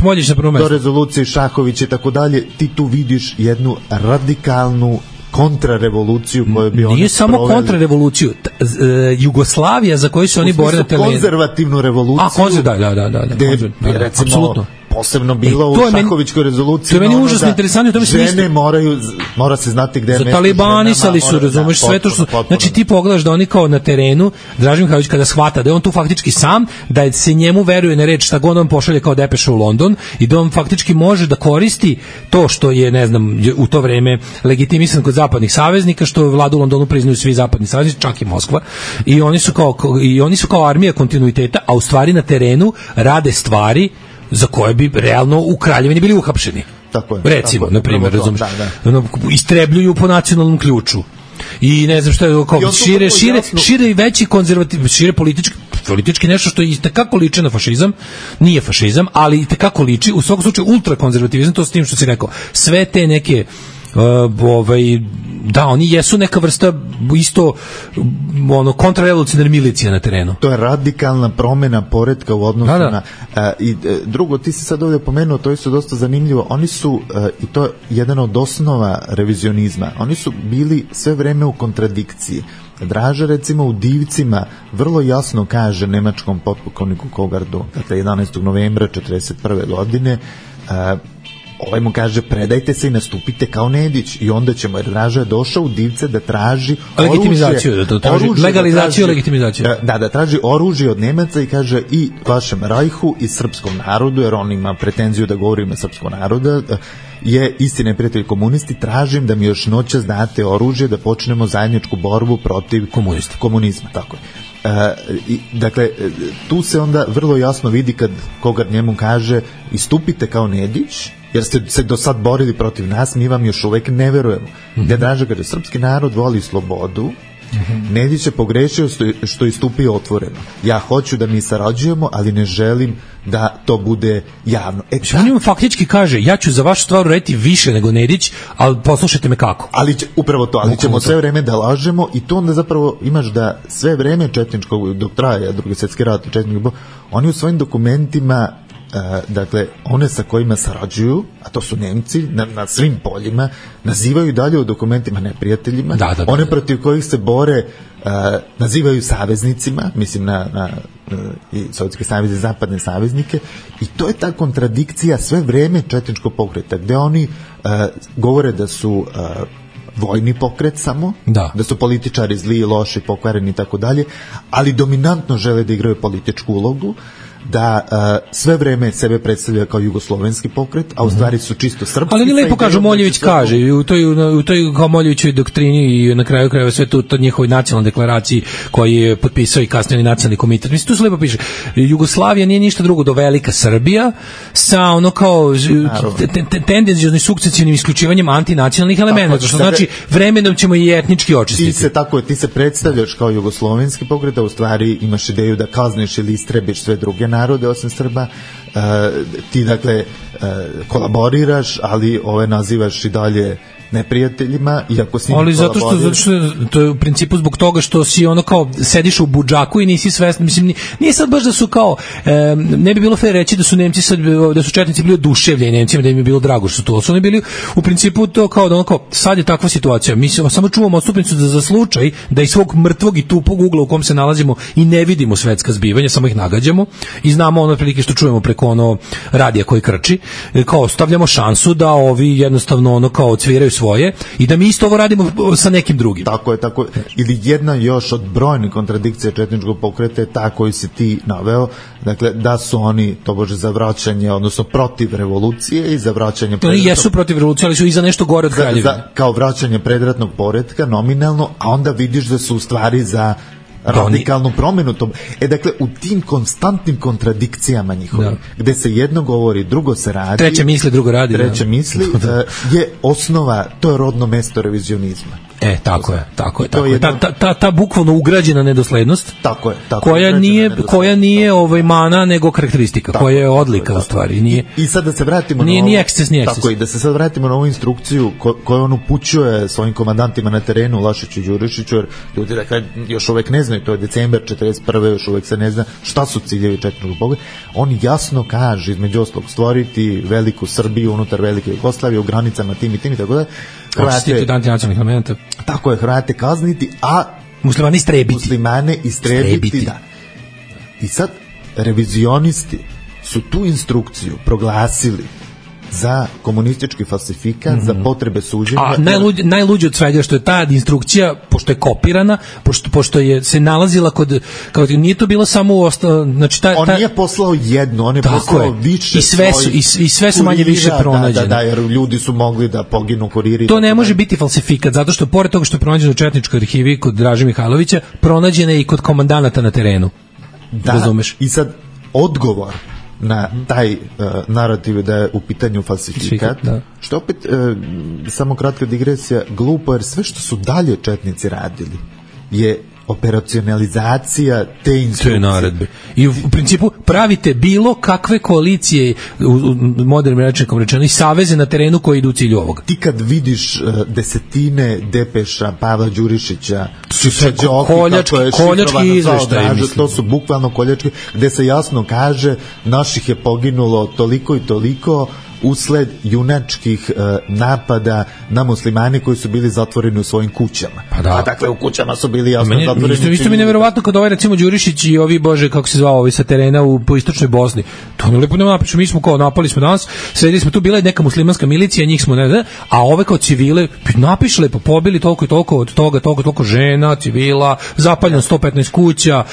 Moljević na prvom mestu. Do rezolucije Šahovića i tako dalje, ti tu vidiš jednu radikalnu kontrarevoluciju koju bi oni nije samo kontrarevoluciju, Jugoslavija za koju su oni bore na terenu. Konzervativnu revoluciju. Da. Recimo, apsolutno. Posebno bilo u Šahovićkoj rezoluciji. To je meni užasno interesantno. Žene mora se znati gde je mesto. Talibanisali su, razumeš, sve to što... Znači ti pogledaš da oni kao na terenu, Draža Mihajlović kada shvata da je on tu faktički sam, da se njemu veruje na reč šta god on pošalje kao depeša u London i da on faktički može da koristi to što je, ne znam, u to vreme legitimisan kod zapadnih saveznika, što vladu u Londonu priznaju svi zapadni saveznici, čak i Moskva, i oni su kao armija kontinuiteta, a u stvari na terenu rade stvari za koje bi realno u Kraljevini bili uhapšeni. recimo, na primjer, razumiješ, istrebljuju po nacionalnom ključu. I ne znam šta je, kao, šire i veći konzervativ, šire politički nešto što i tekako liči na fašizam, nije fašizam, ali i tekako liči, u svakom slučaju ultrakonzervativizam, to s tim što si rekao, sve te neke da, oni jesu neka vrsta isto kontrarevolucionarne milicije na terenu. To je radikalna promjena poretka u odnosu na i drugo, ti si sad ovdje pomenuo, to je isto dosta zanimljivo, oni su i to je jedan od osnova revizionizma, oni su bili sve vreme u kontradikciji. Draža recimo u Divcima vrlo jasno kaže nemačkom potpukovniku Kogardu, dakle 11. novembra 1941. godine, ovaj mu kaže predajte se i nastupite kao Nedić i onda ćemo, jer Draža je došao u Divce da traži legalizaciju, legitimizaciju. Da traži oružje od Nemaca i kaže i vašem Rajhu i srpskom narodu, jer on ima pretenziju da govori ime srpskog naroda, je isti neprijatelj komunisti, tražim da mi još noćas date oružje da počnemo zajedničku borbu protiv komunizma. Tako je. Dakle, tu se onda vrlo jasno vidi kad Kogard njemu kaže istupite kao Nedić, jer ste se do sad borili protiv nas, mi vam još uvek ne verujemo. Gde Draža kaže, srpski narod voli slobodu, Nedić je pogrešio što je istupio otvoreno. Ja hoću da mi sarađujemo, ali ne želim da to bude javno. On im faktički kaže, ja ću za vašu stvar uraditi više nego Nedić, ali poslušajte me kako. Upravo to, ali ćemo sve vreme da lažemo i to onda zapravo imaš da sve vreme četničkog, dok traje Drugi svjetski rat, oni u svojim dokumentima, dakle, one sa kojima sarađuju, a to su Nemci na svim poljima, nazivaju dalje u dokumentima neprijateljima, one protiv kojih se bore nazivaju saveznicima, mislim na i Sovjetske saveze, zapadne saveznike, i to je ta kontradikcija sve vreme četničkog pokreta, gde oni govore da su vojni pokret samo, da su političari zli, loši, pokvareni i tako dalje, ali dominantno žele da igraju političku ulogu, da sve vreme sebe predstavlja kao jugoslovenski pokret, a u stvari su čisto srpski. Ali lepo kaže, Moljević kaže, i u toj kao Moljevićoj doktrini i na kraju krajeva sve to njihovoj nacionalnoj deklaraciji koji je potpisao i kasnije nacionalni komitet. Mislim, tu se lepo piše, Jugoslavija nije ništa drugo do velika Srbija sa ono kao tendencijoznim sukcesivnim isključivanjem antinacionalnih elemenata, što znači vremenom ćemo i etnički očistiti. Ti se predstavljaš kao jugoslovenski pokret, a u stvari imaš ideju da kazniš ili istrebiš sve druge narode osim Srba, ti dakle kolaboriraš, ali ove nazivaš i dalje neprijateljima, iako s njima kolaboriraš. Ali zato što to je u principu zbog toga što si ono kao sediš u budžaku i nisi svestan, mislim, nije sad baš da su kao, ne bi bilo fair reći da su Nemci sad, da su četnici bili oduševljeni Nemcima, da im je bilo drago što su to, su oni bili u principu to kao da ono kao, sad je takva situacija, mi samo čuvamo odstupnicu za slučaj da iz svog mrtvog i tupog ugla u kom se nalazimo i ne vidimo svetska zbivanja, samo ih nagađamo i znamo ono prilike što čujemo preko ono radija koji krči, kao stavljamo šansu da ovi jednostavno ono kao cviraju svoje i da mi isto ovo radimo sa nekim drugim. Tako je. Ili jedna još od brojnih kontradikcija četničkog pokreta je ta koju si ti naveo, dakle da su oni tobože za vraćanje, odnosno protiv revolucije i za vraćanje predratnog... Oni jesu protiv revolucije, ali su i za nešto gore od kraljevine. Kao vraćanje predratnog poretka nominalno, a onda vidiš da su u stvari za radikalnu promjenu. Dakle, u tim konstantnim kontradikcijama njihovim, gde se jedno govori, drugo se radi, treće misli, drugo radi, je osnova, to je rodno mesto revizionizma. Tako je. Ta bukvalno ugrađena nedoslednost, tako je, koja nije mana, nego karakteristika, koja je odlika u stvari. Nije, I sad da se vratimo nije eksces. Tako i da se sad vratimo na ovu instrukciju koju on upućuje svojim komandantima na terenu, Lašiću i Đurišiću, jer ljudi dakle još uvek ne znaju, to je decembar 1941. još uvek se ne zna šta su ciljevi četničkog pokreta. On jasno kaže, između ostalog, stvoriti veliku Srbiju unutar velike Jugoslavije u granicama tim i tako da Hrvate od antinacionalnih elementa. Tako je, Hrvate kazniti, a muslimane istrebiti. Da. I sad revizionisti su tu instrukciju proglasili za komunistički falsifikat, za potrebe suđenja. A najluđe od svega što je ta instrukcija, pošto je kopirana, pošto je se nalazila kao nije to bilo samo on nije poslao jednu, on je poslao više i sve su manje više pronađene. Da, jer ljudi su mogli da poginu kuriri. To ne može biti falsifikat, zato što pored toga što je pronađeno u četničkoj arhivi kod Draže Mihajlovića, pronađena je i kod komandanata na terenu. Da, razumeš? I sad odgovor na taj narativ da je u pitanju falsifikat, što opet, samo kratka digresija, glupo, jer sve što su dalje četnici radili je operacionalizacija te instrukcije. Naredbe. I u principu pravite bilo kakve koalicije u modernim rečnikom rečeno i saveze na terenu koji idu u cilju ovoga. Ti kad vidiš desetine depeša Pavla Đurišića, su sve koljački izveštaji, to su bukvalno koljački, gde se jasno kaže naših je poginulo toliko i toliko usled junačkih napada na muslimani koji su bili zatvoreni u svojim kućama. A dakle u kućama su bili jasno zatvoreni. Isto mi je neverovatno kad ovaj recimo Đurišić i ovi, bože, kako se zvao, ovi sa terena po istočnoj Bosni. To ne lepo nema napišu, mi smo kao napali smo danas, sredili smo tu, bila je neka muslimanska milicija, njih smo ne, a ove kao civile napiše lepo, pobili toliko i toliko od toga, toliko žena, civila, zapaljeno 115 kuća,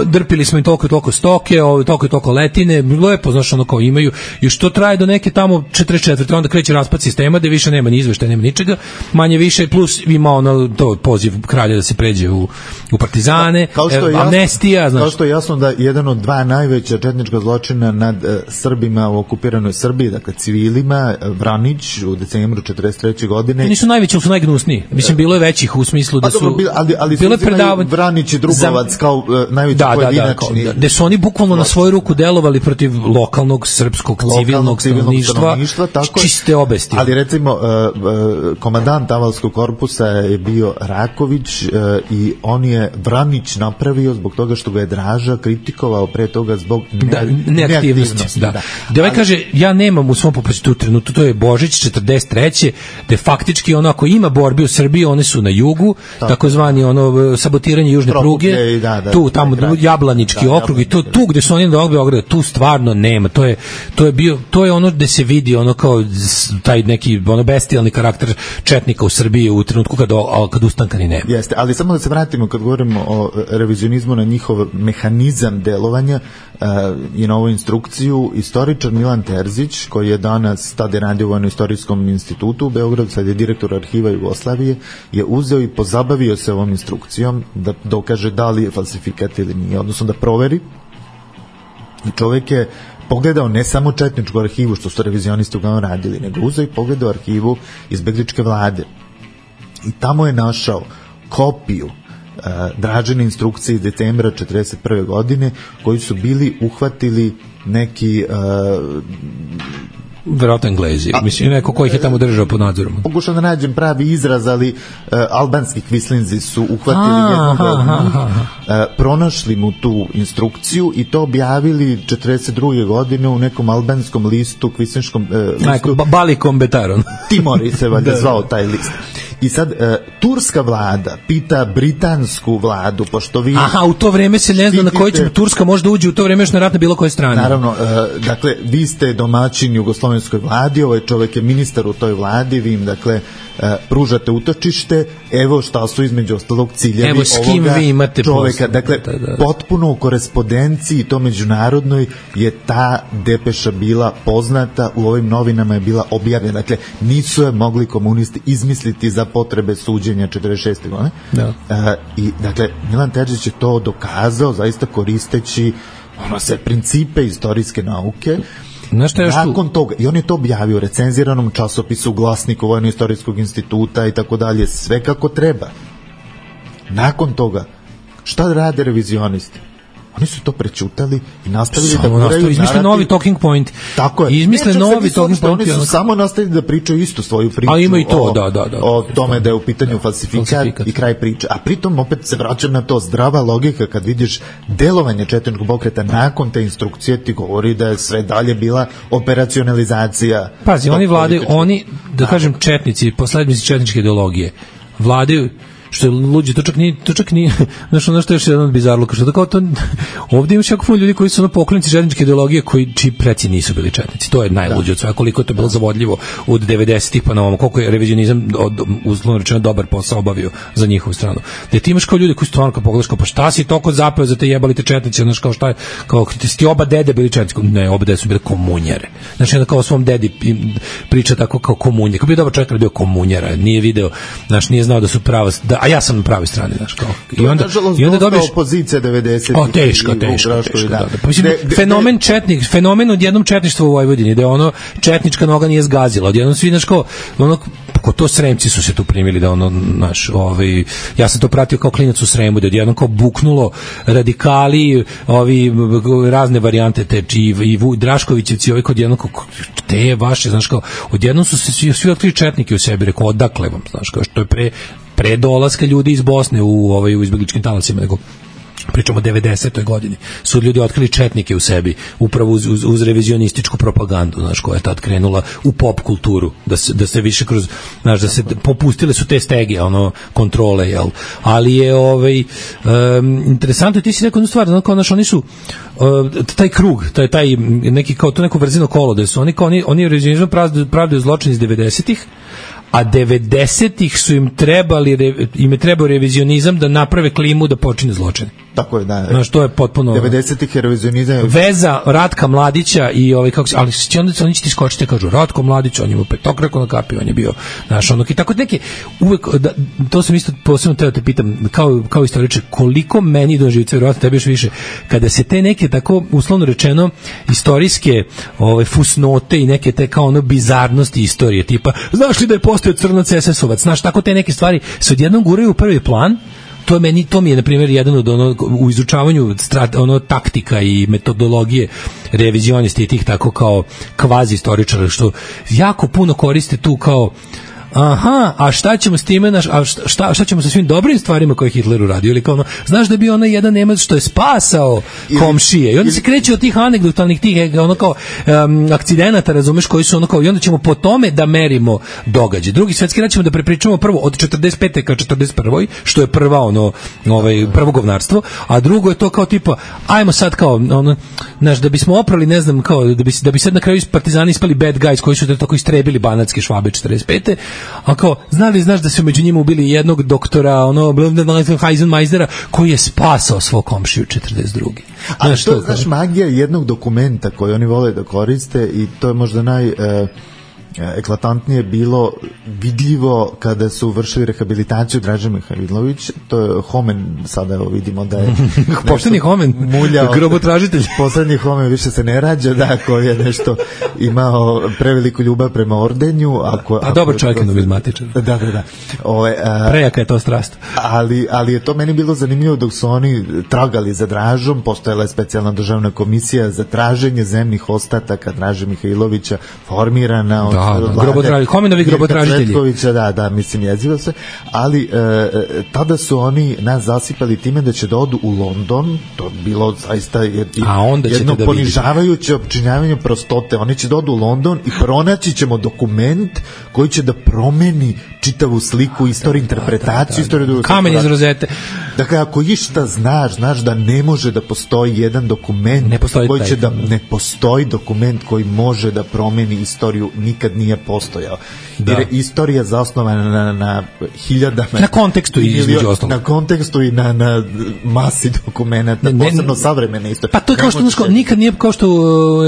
drpili smo im toliko i toliko stoke, toliko i toliko letine, lepo, znaš, ono kao imaju, i što traje do neke tamo 44. onda kreće raspad sistema gde više nema ni izveštaja, nema ničega, manje više, plus ima ono to poziv kralja da se pređe u partizane, amnestija, znači. Kao što je jasno da jedan od dva najveća četnička zločina nad Srbima u okupiranoj Srbiji, dakle civilima, Vranić u decembru 43. godine. Nisu najveći, ali su najgnusniji. Mislim, bilo je većih u smislu da su... Ali su uzimaju Vranić i Drugovac kao najveći pojedinačni. Gde su oni bukvalno na svoju ruku delovali protiv lokalnog srpskog civilnog stanovništva, čiste obesti. Ali recimo komandant Avalskog korpusa je bio Raković i on je Vranić napravio zbog toga što ga je Draža kritikovao pre toga zbog neaktivnosti. Da. Ovaj kaže, ja nemam u svom popasitu trenutku, to je Božić 43. gde faktički ono, ako ima borbi u Srbiji, one su na jugu, takozvani ono sabotiranje južne pruge, tu tamo Jablanički okrug i tu gde su oni na Beogradu, tu stvarno nema. To je ono gde se vidi ono kao taj neki ono bestijalni karakter četnika u Srbiji u trenutku kad ustanka ni nema. Jeste, ali samo da se vratimo kad govorimo o revizionizmu na njihov mehanizam delovanja i na ovu instrukciju, istoričar Milan Terzić, koji je danas tada radio u Vojno-istorijskom institutu u Beogradu, sad je direktor arhiva Jugoslavije, je uzeo i pozabavio se ovom instrukcijom da dokaže da li je falsifikat ili nije, odnosno da proveri. I čovjek je pogledao ne samo četničku arhivu, što su revizionisti uglavnom radili, nego uzeo i pogledao arhivu izbegličke vlade. I tamo je našao kopiju Dražine instrukcije iz decembra 1941. godine, koji su bili uhvatili neki verovatno Englezi, mislim neko ko ih je tamo držao pod nadzorom. Pokušao da nađem pravi izraz, ali albanski kvislinzi su uhvatili jednog od njih, pronašli mu tu instrukciju i to objavili 1942. godine u nekom albanskom listu, kvislinškom listu. Balikom Betaron. Timori se valjda zvao taj list. I sad, turska vlada pita britansku vladu, pošto vi... Aha, u to vreme se ne zna na koji će Turska možda uđe, u to vreme još na rat na bilo koje strane. Naravno, dakle, vi ste domaćin jugoslovenskoj vladi, ovaj čovjek je ministar u toj vladi, vi im, dakle, pružate utočište, evo šta su između ostalog ciljevi evo s kim ovoga vi imate čovjeka. Dakle, potpuno u korespondenciji i to međunarodnoj je ta depeša bila poznata, u ovim novinama je bila objavljena. Dakle, nisu je mogli komunisti izmisliti za potrebe suđenja 46. godine. I, dakle, Milan Terzić je to dokazao zaista koristeći sve principe istorijske nauke. Nakon toga, i on je to objavio u recenziranom časopisu, u Glasniku Vojno-istorijskog instituta i tako dalje, sve kako treba. Nakon toga, šta rade revizionisti? Oni su to prećutali i nastavili da guraju izmisle novi talking point. Tako je. Izmisle novi talking point. Oni su samo nastavili da pričaju istu svoju priču. A ima i to, o tome da je u pitanju falsifikat i kraj priče. A pritom opet se vraćam na to, zdrava logika kad vidiš delovanje četničkog pokreta nakon te instrukcije ti govori da je sve dalje bila operacionalizacija. Pazi, oni vladaju, da kažem četnici, poslednici četničke ideologije, vladaju što je luđe, to čak nije, znaš, ono što je još jedan od bizarluka, što tako to, ovdje imaš jako puno ljudi koji su ono poklonici četničke ideologije, čiji preci nisu bili četnici, to je najluđe od svega, koliko je to bilo zavodljivo od 90-ih pa na ovom, koliko je revizionizam uslovno rečeno dobar posao obavio za njihovu stranu. Da ti imaš kao ljudi koji stvarno kao pogledaš, kao pa šta si toliko zapeo za te jebali te četnici, znaš, kao šta je, kao ti oba dede bili četnici, ne, oba dede su bile komunjere, znači onda kao svom dedi priča tako kao komunje, kao bio dobar čovjek, ali bio komunjera, nije video, znaš, nije znao da su prava, a ja sam na pravoj strani, znaš, kao. I onda dobiješ opozicija 90. Teško. Da. Fenomen odjednom četništva u Vojvodini, da ono četnička noga nije zgazila, odjednom svi, znaš, kao, ono, to Sremci su se tu primili da ono, naš, ja sam to pratio kao klinac u Sremu, da odjednom kao buknulo radikali, razne varijante te, i Draškovićevci, kod jednom kao, te vaše, znaš, kao, odjednom su se svi otkrili četnike u sebi, rekao, odakle vam, znaš, kao, što je pre dolaska ljudi iz Bosne u izbegličkim talasima, nego pričamo o 90. godini, su ljudi otkrili četnike u sebi, upravo uz revizionističku propagandu, znaš, koja je tad krenula u pop kulturu, da se više kroz, znaš, da se popustile su te stege, kontrole, jel? Ali je, interesantno, ti si rekao jednu stvar, znaš, oni su, taj krug, taj neki, kao to neko vrzino kolo, da su oni revizionizam pravdaju zločin iz 90-ih, a 90-ih su im je trebao revizionizam da naprave klimu da počine zločine. Tako je, da. Znaš, to je potpuno 90-ih je revizionizam. Veza Ratka Mladića i ali oni će ti skočiti, kažu Ratko Mladić, on je imao petokraku na kapi, on je bio, znaš, i tako neke, uvek, to sam isto posebno teo te pitam, kao istoričar, koliko meni do živca, vjerojatno tebi još više, kada se te neke tako, uslovno rečeno, istorijske fusnote i neke te kao bizarnosti istorije, tipa, znaš li da je postao crnac SS-ovac, znaš, tako te neke stvari se odjednom guraju u prvi plan. To mi je, na primjer, jedan od u izučavanju taktika i metodologije revizionisti i tih tako kao kvazi istoričara, što jako puno koriste tu kao a šta ćemo s time, šta ćemo sa svim dobrim stvarima koje je Hitler uradio, ili kao znaš da bi onaj jedan Nemac što je spasao komšije, i onda se kreće od tih anegdotalnih tih kao akcidenata, razumeš, koji su kao, i onda ćemo po tome da merimo događaj. Drugi svjetski rat ćemo da prepričamo prvo od 45. ka 41. što je prvo govnarstvo, a drugo je to kao tipa, ajmo sad kao znaš, da bismo oprali, ne znam, kao da bi sad na kraju partizani ispali bad guys koji su tako istrebili banatske Švabe 45. A kao, znaš da su među njima ubili jednog doktora, Heisenmeistera, koji je spasao svog komšiju 42. A to, znaš, magija jednog dokumenta koji oni vole da koriste, i to je možda eklatantnije bilo vidljivo kada su vršili rehabilitaciju Draže Mihajlović, to je Homen, sada vidimo da je pošteni Homen, grobotražitelj. Poslednji Homen više se ne rađa, da, koji je nešto imao preveliku ljubav prema ordenju. A dobar čovjek je numizmatičar. Da. Prejaka je to strast. Ali je to meni bilo zanimljivo dok su oni tragali za Dražom, postojala je specijalna državna komisija za traženje zemnih ostataka Draže Mihajlovića, formirana od Homenovi grobotražitelji. Da, mislim, jezivo se, ali tada su oni nas zasipali time da će da odu u London, to je bilo zaista jedno ponižavajuće opčinjavanje prostote. Oni će da odu u London i pronaći ćemo dokument koji će da promeni čitavu sliku, istoriju, interpretaciju, istoriju. Kamen iz rozete. Dakle, ako išta znaš da ne može da postoji jedan dokument ne postoji dokument koji može da promeni istoriju, nikad nije postojao. Jer je istorija zasnovana na hiljadama, na kontekstu između ostalog. Na kontekstu i na masi dokumenta, posebno savremene istorije. Pa to je kao što nikad nije, kao što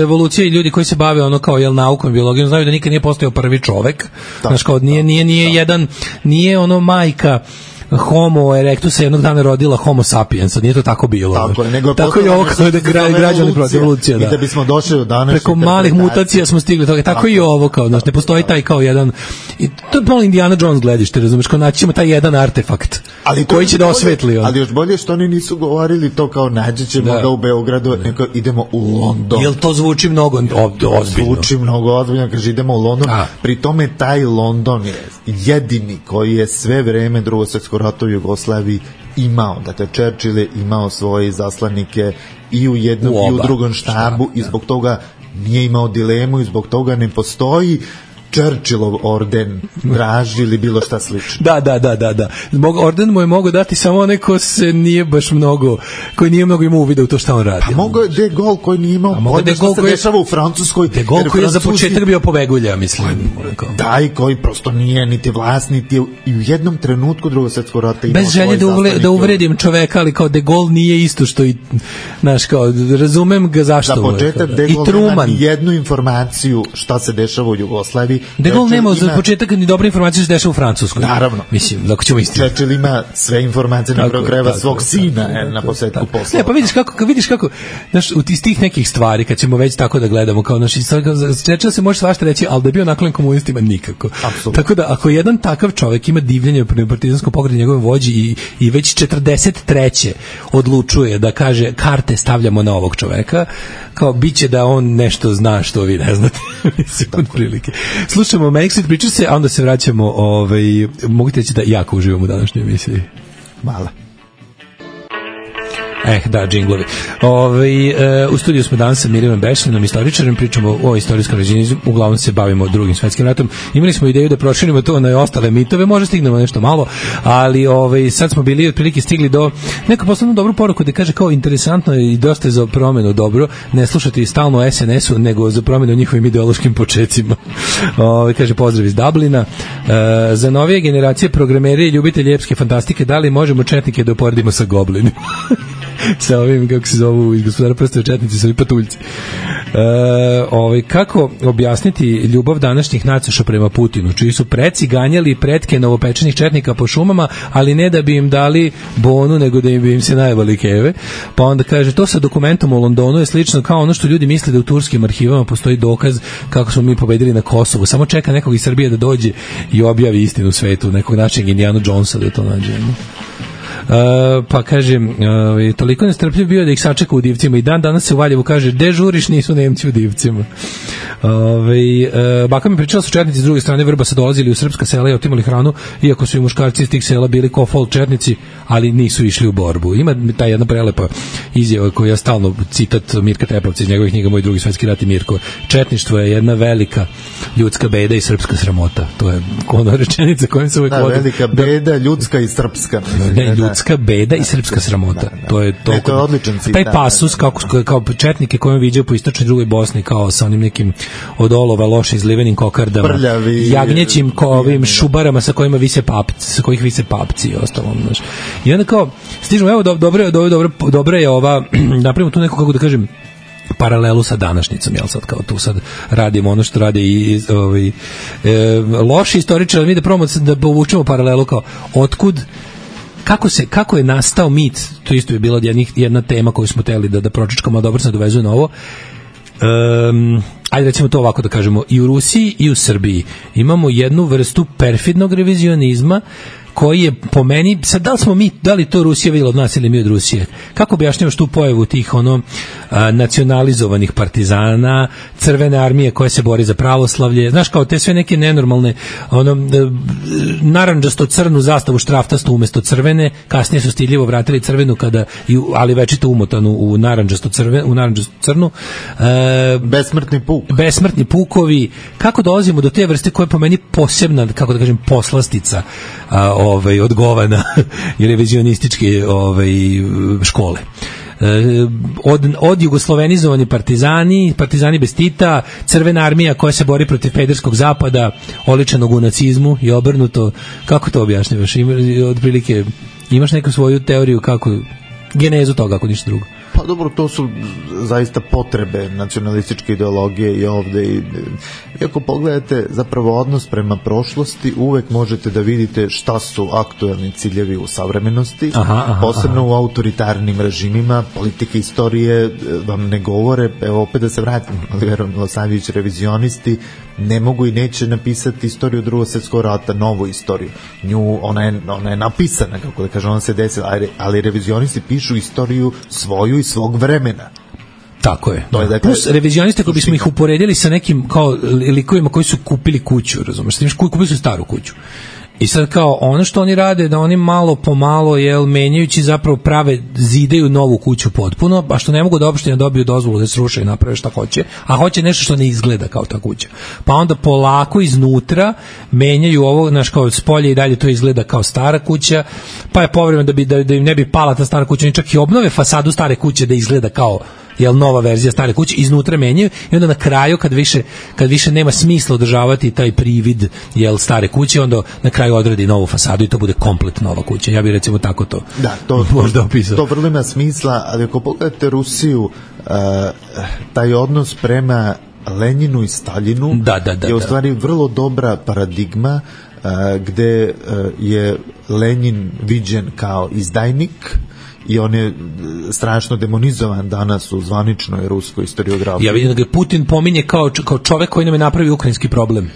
evolucija i ljudi koji se bave kao naukom i biologijom znaju da nikad nije postojao prvi čovek. Znaš, kao nije majka Homo erectus jednog dana rodila Homo sapiens, nije to tako bilo. Tako je ovo kao da građani protiv evolucija. I da bismo došli do danas preko malih mutacija smo stigli toga. Tako i ovo, kao, znači, ne postoji taj kao jedan, i to je malo Indiana Jones gledište, razumeš, kao naći ćemo taj jedan artefakt koji će da osvetli. Ali još bolje što oni nisu govorili to kao naći ćemo ga u Beogradu, nego idemo u London. Jel to zvuči mnogo ozbiljno? Zvuči mnogo ozbiljno, kaže idemo u London. Pri tome taj London je jedini koji je sve vreme Drugog svjetskog rata u Jugoslaviji imao, dakle Churchill je imao svoje zaslanike i u jednom i u drugom štabu i zbog toga nije imao dilemu i zbog toga ne postoji Churchillov orden Draži ili bilo šta slično. Da. Orden mu je mogao dati samo onaj ko se nije baš mnogo, koji nije mnogo imao uvida u to šta on radi. A mogao je De Gaulle koji nije imao pojma šta se dešava u Francuskoj. De Gaulle koji je za početak bio pobegulja, mislim. Da, i koji prosto nije niti vlast, niti i u jednom trenutku Drugog svjetskog rata imao bez želje da uvredim čoveka, ali kao De Gaulle nije isto što i, znaš, kao, razumem ga zašto. Za početak De Gaulle nema jednu informaciju šta se dešava u Jugoslaviji, De Gaulle nema za početak ni dobre informacije što se dešava u Francuskoj. Naravno. Mislim, dok ćemo istinu. Churchill ima sve informacije na kraju krajeva svog sina na posvetku posla. Ne, pa vidiš kako, znaš, iz tih nekih stvari, kad ćemo već tako da gledamo, kao naši, Churchill se može svašta reći, ali da je bio naklon komunistima nikako. Apsolutno. Tako da, ako jedan takav čovjek ima divljenje prema partizanskom pokretu njegovom vođi i već 43. odlučuje da kaže karte stavljamo na ovog čoveka, kao biće da on nešto zna što vi ne znate. Mislim, od prilike. Slušamo Manic Street Preachers, a onda se vraćamo, mogu te reći da jako uživam u današnjoj emisiji. Mala. Da, džinglovi. U studiju smo danas sa Mirjanom Bešinom, istoričarem, pričamo o istorijskom režimizmu, uglavnom se bavimo Drugim svetskim ratom. Imali smo ideju da proširimo to na ostale mitove, možda stignemo nešto malo, ali sad smo bili otprilike stigli do neku poslovnu dobru poruku da kaže kao interesantno i dosta je za promenu dobro, ne slušati stalno o SNS-u, nego za promenu o njihovim ideološkim počecima. Kaže pozdrav iz Dublina. Za novije generacije programeri i ljubitelji epske fantastike, da li možemo četnike da uporedimo sa goblinima? Sa ovim, kako se zovu iz Gospodara prstova četnici, sa ovim patuljci. Kako objasniti ljubav današnjih nacoša prema Putinu, čiji su preci ganjali pretke novopečenih četnika po šumama, ali ne da bi im dali bonu, nego da bi im se najevali keve. Pa onda kaže, to sa dokumentom u Londonu je slično kao ono što ljudi misle da u turskim arhivama postoji dokaz kako smo mi pobedili na Kosovu. Samo čeka nekog iz Srbije da dođe i objavi istinu svetu, nekog našeg Indiana Jonesa da to nađemo. Pa kažem, toliko nestrpljiv bio da ih sačeka u Divcima i danas se u Valjevu kaže, de žuriš, nisu Nemci u Divcima. Baka mi pričala su četnici s druge strane Vrbasa dolazili u srpska sela i otimali hranu, iako su i muškarci iz tih sela bili ko fol četnici, ali nisu išli u borbu. Ima ta jedna prelepa izjava koju ja stalno citat Mirka Tepavca iz njegovih knjiga Moj drugi svetski rat i Mirko. Četništvo je jedna velika ljudska beda i srpska sramota. To je ona rečenica kojom se uvijek vodi. Velika beda, ljudska i srpska. Ljudska beda i srpska sramota. To je odličan citat. Taj pasus kao četnike kojim viđaju po istočnoj drugoj Bosni, kao sa onim nekim od olova loše izlivenim kokardama, prljavi, jagnjećim ovim šubarama sa kojima vise papci, sa kojih vise papci i ostalo, znaš. I onda kao stižemo, evo dobra je ova, napravimo tu neku, kako da kažem, paralelu sa današnjicom, jel sad kao tu sad radimo ono što rade i loši istoričari, mi da probamo da povučemo paralelu kao otkud, kako je nastao mit, to isto je bila jedna tema koju smo teli da pročečkamo, dobro se dovezuje na ovo. Ajde recimo to ovako da kažemo, i u Rusiji i u Srbiji imamo jednu vrstu perfidnog revizionizma koji je po meni, sad da li to Rusija vidjela od nas ili mi od Rusije, kako objašnjavaš tu pojavu tih nacionalizovanih partizana, crvene armije koja se bori za pravoslavlje, znaš, kao te sve neke nenormalne narandžasto crnu zastavu štraftastu umjesto crvene, kasnije su stiljivo vratili crvenu ali večito umotanu u narandžasto crnu, besmrtni pukovi. Kako dolazimo do te vrste koja je po meni posebna, kako da kažem, poslastica odgovana i revizionističke škole. Od jugoslovenizovani partizani bez Tita, crvena armija koja se bori protiv pederskog zapada, oličenog u nacizmu i obrnuto. Kako to objašnjavaš? Otprilike, imaš neku svoju teoriju kako genezu toga, ako ništa drugo? Pa dobro, to su zaista potrebe nacionalističke ideologije i ovde. I ako pogledate zapravo odnos prema prošlosti, uvek možete da vidite šta su aktuelni ciljevi u savremenosti, posebno u autoritarnim režimima. Politike istorije vam ne govore, evo opet da se vratim, Oliver Milosavljević, revizionisti ne mogu i neće napisati istoriju Drugog svjetskog rata, novu istoriju. Ona je napisana, kako da kažem, ona se desila, ali revizionisti pišu istoriju svoju i svog vremena. Tako je. Plus revizioniste koji bismo ih uporedili sa nekim kao likovima koji su kupili kuću, razumeš? Kupili su staru kuću. I sad kao ono što oni rade, da oni malo po malo, menjajući zapravo zidaju novu kuću potpuno, a što ne mogu da opštine dobiju dozvolu da se sruše i naprave šta hoće, a hoće nešto što ne izgleda kao ta kuća. Pa onda polako iznutra menjaju ovo, znaš, kao spolje i dalje to izgleda kao stara kuća, pa je povremeno da im ne bi pala ta stara kuća, oni čak i obnove fasadu stare kuće da izgleda kao nova verzija stare kuće, iznutra menjaju i onda na kraju kad više nema smisla održavati taj privid stare kuće, onda na kraju odradi novu fasadu i to bude komplet nova kuća. Ja bih recimo tako to možda opisao. To vrlo ima smisla, ali ako pogledate Rusiju, taj odnos prema Lenjinu i Staljinu je u stvari vrlo dobra paradigma gde je Lenjin viđen kao izdajnik i on je strašno demonizovan danas u zvaničnoj ruskoj historiografiji. Ja vidim da ga Putin pominje kao čovek koji nam je napravio ukrajinski problem.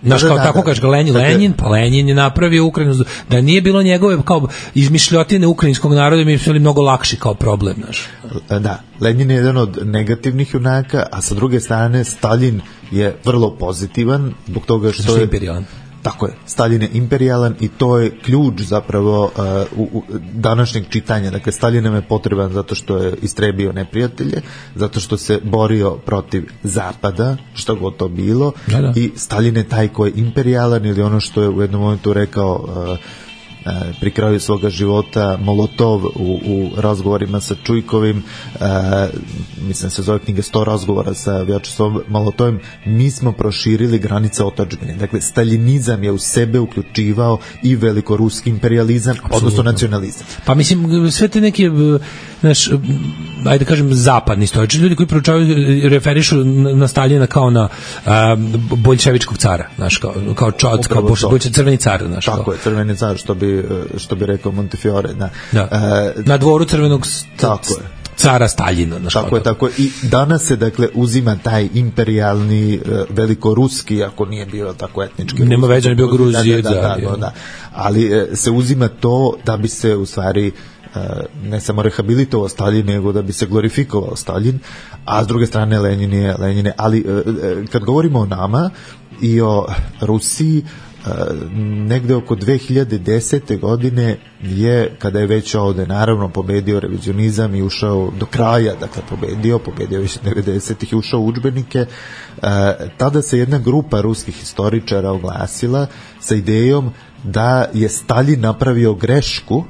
Znaš, kao tako kaže ga Lenjin, pa Lenjin je napravio Ukrajinu, da nije bilo njegove kao izmišljotine ukrajinskog naroda, mi bi mnogo lakši kao problem, znaš. Da, Lenjin je jedan od negativnih junaka, a sa druge strane Stalin je vrlo pozitivan, zbog toga što je imperijalan. Tako je, Stalin je imperijalan i to je ključ zapravo u današnjeg čitanja. Dakle, Stalin nam je potreban zato što je istrebio neprijatelje, zato što se borio protiv Zapada, što god to bilo, i Stalin je taj koji je imperijalan, ili ono što je u jednom momentu rekao pri kraju svoga života Molotov u razgovorima sa Čujkovim, mislim se zove knjiga 100 razgovora sa Vjačeslavom Molotovim, mi smo proširili granice otadžbine. Dakle, staljinizam je u sebe uključivao i velikoruski imperializam, odnosno nacionalizam. Pa mislim, sve te neke, znaš, ajde kažem, zapadni istoričari, ljudi koji proučavaju, referišu na Staljina kao na boljševičkog cara, znaš, kao crveni car, znaš. Tako je, crveni car, što bi rekao Montefiore. Na dvoru crvenog cara Staljina. Tako je. I danas se, dakle, uzima taj imperijalni velikoruski, ako nije bio tako etnički. Nema veze, ne bio Gruzije. Da. Ali se uzima to da bi se u stvari ne samo rehabilitovao Stalin, nego da bi se glorifikovao Stalin, a s druge strane Lenjin je. Ali kad govorimo o nama i o Rusiji, negde oko 2010. godine je, kada je već ovde naravno pobedio revizionizam i ušao do kraja, dakle pobedio više 90-ih i ušao u udžbenike, tada se jedna grupa ruskih historičara oglasila sa idejom da je Stalin napravio grešku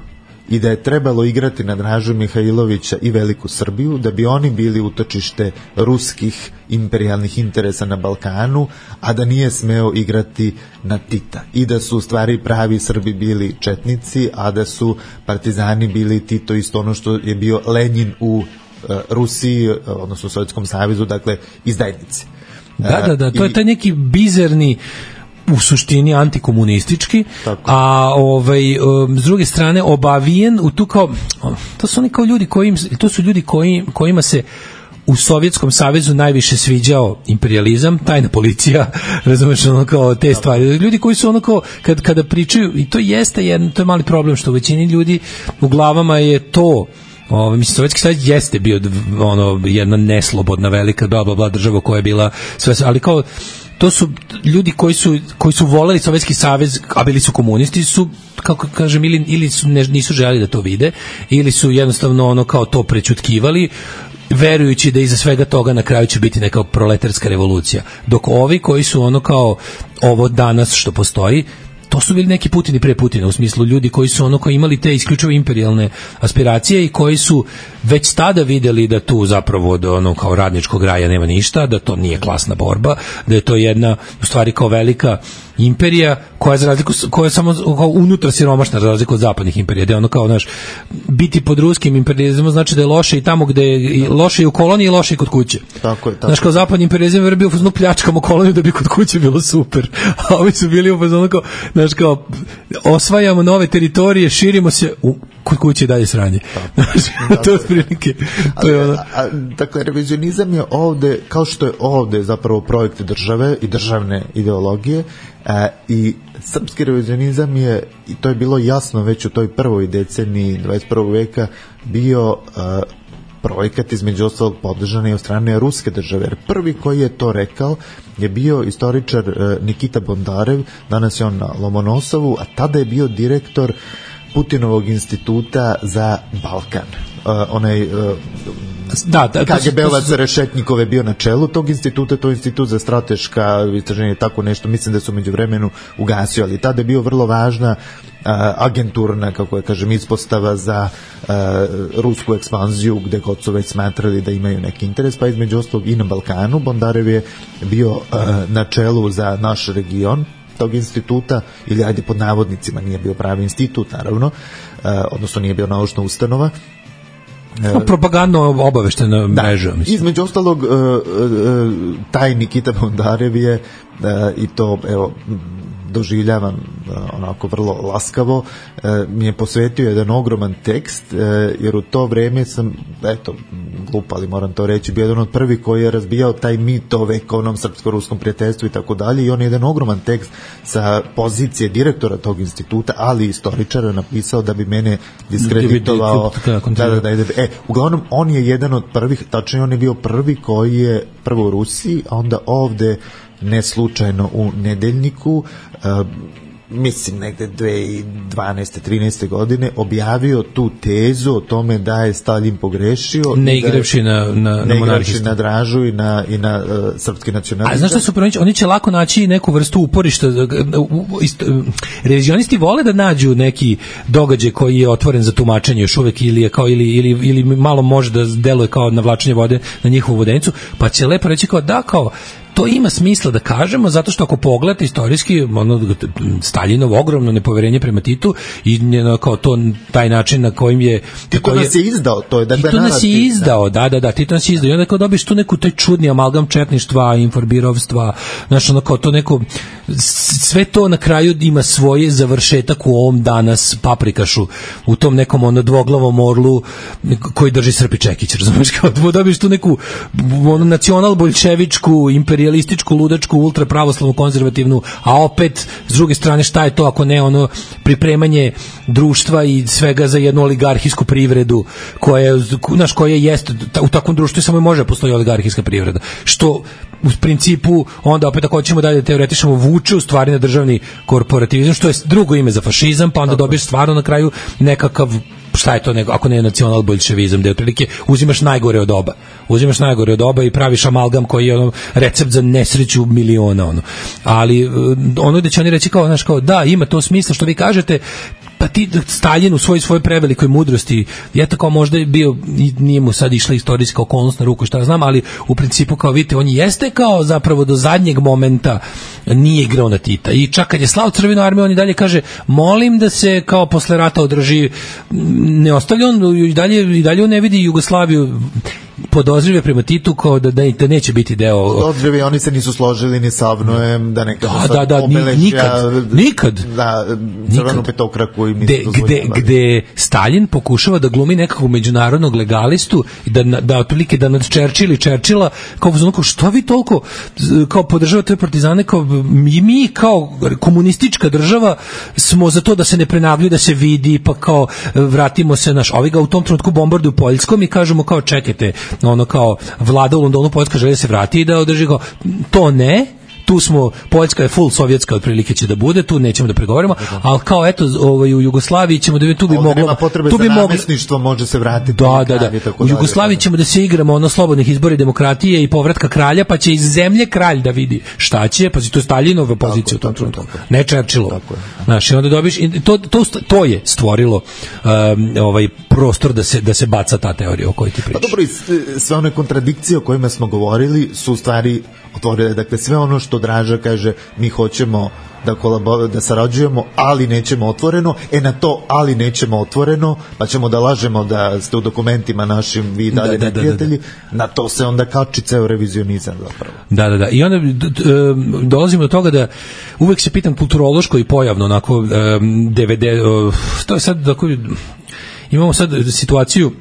i da je trebalo igrati na Dražu Mihajlovića i Veliku Srbiju, da bi oni bili utočište ruskih imperijalnih interesa na Balkanu, a da nije smeo igrati na Tita. I da su u stvari pravi Srbi bili četnici, a da su partizani bili Tito, isto ono što je bio Lenjin u Rusiji, odnosno u Sovjetskom savezu, dakle izdajnici. Da, to je taj neki bizarni, u suštini antikomunistički, a s druge strane obavijen u tu kao, to su oni kao ljudi kojima se u Sovjetskom savezu najviše sviđao imperializam, tajna policija, razumeš, ono kao te stvari. Ljudi koji su ono kao, kada pričaju, i to jeste to je mali problem, što u većini ljudi u glavama je to, mislim, Sovjetski savez jeste bio jedna neslobodna velika država koja je bila sve, ali kao to su ljudi koji su voleli Sovjetski savez, a bili su komunisti, su, kako kažem, ili su nisu želeli da to vide, ili su jednostavno kao to prećutkivali, verujući da iza svega toga na kraju će biti neka proletarska revolucija. Dok ovi koji su kao ovo danas što postoji, to su bili neki Putini pre Putina, u smislu ljudi koji su koji imali te isključivo imperijalne aspiracije i koji su već tada videli da tu zapravo od kao radničkog raja nema ništa, da to nije klasna borba, da je to jedna u stvari kao velika imperija koja je samo kao unutra siromašna, za razliku od zapadnih imperija, da je kao, znaš, biti pod ruskim imperijalizmom znači da je loše i tamo gde je loše i u koloniji i loše i kod kuće. Tako je. Znaš, kao zapadni imperijalizam je bio u fazonu pljačkamo koloniju da bi kod kuće bilo super, a ovi su bili u fazonu kao, znaš, kao osvajamo nove teritorije, širimo se, kod kuće dalje sranje. To je prilike. Dakle, revizionizam je ovde, kao što je ovde zapravo projekt države i državne ideologije, i srpski revizionizam je, i to je bilo jasno već u toj prvoj deceniji 21. veka, bio projekat između ostalog podržan i od strane ruske države. Jer prvi koji je to rekao je bio istoričar Nikita Bondarev, danas je on na Lomonosovu, a tada je bio direktor Putinovog instituta za Balkan. Onaj KGB-ovac Rešetnikov je bio na čelu tog instituta, to je institut za strateška istraženja, tako nešto, mislim da su među vremenu ugasio, ali tada je bio vrlo važna agenturna, kako je kažem, ispostava za rusku ekspanziju, gde god su već smatrali da imaju neki interes, pa između ostalog i na Balkanu. Bondarev je bio na čelu za naš region tog instituta, ili ajde pod navodnicima, nije bio pravi institut naravno, odnosno nije bio naučna ustanova, propagandno obaveštena mreža. Mislim. Između ostalog, taj Nikita Bondarev je i to, evo, doživljavam onako vrlo laskavo, mi je posvetio jedan ogroman tekst, jer u to vreme sam, eto, glup, ali moram to reći, bio jedan od prvi koji je razbijao taj mit o vekovnom srpsko-ruskom prijateljstvu i tako dalje, i on je jedan ogroman tekst sa pozicije direktora tog instituta, ali istoričara, napisao da bi mene diskreditovao. Uglavnom, on je jedan od prvih, tačno on je bio prvi koji je prvo u Rusiji, a onda ovde ne slučajno u Nedeljniku, mislim negde 2012. 13. godine objavio tu tezu o tome da je Stalin pogrešio, ne igravši na monarhistu, na Dražu i na srpski nacionalizam. A znaš šta su pronići? Oni će lako naći neku vrstu uporišta. Revizionisti vole da nađu neki događaj koji je otvoren za tumačenje još uvek, ili je kao ili malo može da deluje kao navlačenje vode na njihovu vodenicu, pa će lepo reći kao da, kao to ima smisla da kažemo, zato što ako pogledate istorijski, Staljinovo ogromno nepoverenje prema Titu i kao to taj način na kojim je Tito nas je izdao, to je dakle Tito nas je izdao, da, Tito nas je izdao, i onda kao dobiš tu neku taj čudni amalgam četništva, inforbirovstva, znaš, ono kao to neko, sve to na kraju ima svoj završetak u ovom danas paprikašu, u tom nekom dvoglavom orlu koji drži Srpi Čekić, razumiješ, kao dobiš tu neku nacional-boljševičku, imperialističku, ludačku, ultrapravoslavnu, konzervativnu, a opet s druge strane šta je to ako ne pripremanje društva i svega za jednu oligarhijsku privredu koja jeste u takvom društvu samo može postoji oligarhijska privreda, što u principu onda opet ako hoćemo dalje teoretišemo vuče u stvari na državni korporativizam, što je drugo ime za fašizam, pa onda dobiješ stvarno na kraju nekakav, šta je to ako ne nacional-boljševizam, gde otprilike uzimaš najgore od oba i praviš amalgam koji je recept za nesreću miliona. Ali ono da će oni reći kao, znaš, kao da, ima to smisla što vi kažete, pa ti Stalin u svojoj prevelikoj mudrosti, je tako možda je bio, nije mu sad išla istorijska okolnost na ruku, šta ja znam, ali u principu kao vidite, on jeste kao zapravo do zadnjeg momenta nije igrao na Tita, i čak kad je slao Crvenu armiju, on i dalje kaže, molim da se kao posle rata održi, ne ostavlja on i dalje on ne vidi Jugoslaviju, podozrive prema Titu kao da neće biti deo. Podozrive, oni se nisu složili ni sa Avnojem, da nekada nikad. Da, crvenu petokraku im nisu dozvoljavali. Gde Stalin pokušava da glumi nekakvog međunarodnog legalistu i da otprilike da nad Churchilla kao što vi toliko kao podržavate partizane, kao mi kao komunistička država smo za to da se ne prenavljuje, da se vidi, pa kao vratimo se ovi ga u tom trenutku bombarduju Poljskom i kažemo kao čekajte, kao vlada u Londonu, Poljska želi da se vrati i da održi go. To ne, tu smo, Poljska je full sovjetska otprilike će da bude, tu nećemo da pregovaramo, ali kao eto u Jugoslaviji ćemo da tu bi moglo, nema potrebe za namestništvo, može se vratiti. Da. U Jugoslaviji ćemo da se igramo slobodnih izbora i demokratije i povratka kralja, pa će iz zemlje kralj da vidi šta će, pa to je Staljinova pozicija u tom trenutku, ne Churchillova. Znaš, i onda dobiš, to je stvorilo prostor da se baca ta teorija o kojoj ti pričaš. Pa dobro, sve one kontradikcije o kojima smo govorili su u stvari otvorile, dakle sve ono što Draža kaže, mi hoćemo da sarađujemo, ali nećemo otvoreno, na to ali nećemo otvoreno, pa ćemo da lažemo da ste u dokumentima našim vi dalje neprijatelji, na to se onda kači ceo revizionizam zapravo. Da. I onda dolazimo do toga da uvek se pitam kulturološko i pojavno, onako, to je sad, imamo sad situaciju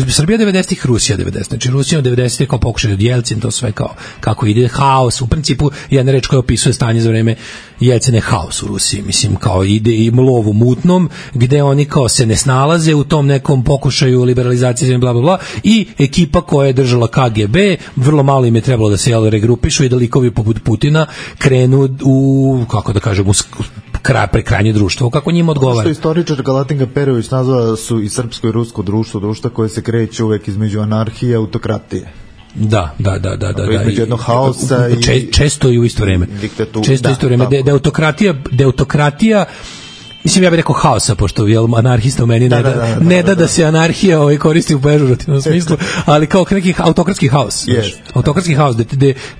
Srbija 90-ih, Rusija 90-ih. Znači Rusija 90-ih kao pokušaj od Jelcin, to sve kao kako ide haos. U principu jedna reč koja opisuje stanje za vreme Jelcina je haos u Rusiji. Mislim kao ide i lov u mutnom, gde oni kao se ne snalaze u tom nekom pokušaju liberalizacije, bla bla bla, i ekipa koja je držala KGB, vrlo malo im je trebalo da se regrupišu i da likovi poput Putina krenu u, kako da kažem, prekrajanje društva, kako njima odgovara. Što istoričar Galatinga Perović nazvao su i srpsko i rusko društvo koje se kreće uvek između anarhije i autokratije. Da. Između jednog haosa i često i u isto vreme. Često i u isto vreme. Da autokratija, mislim, ja bih rekao haosa, pošto anarhista u meni ne da se anarhija koristi u pežorativnom smislu, ali kao neki autokratski haos. Autokratski haos,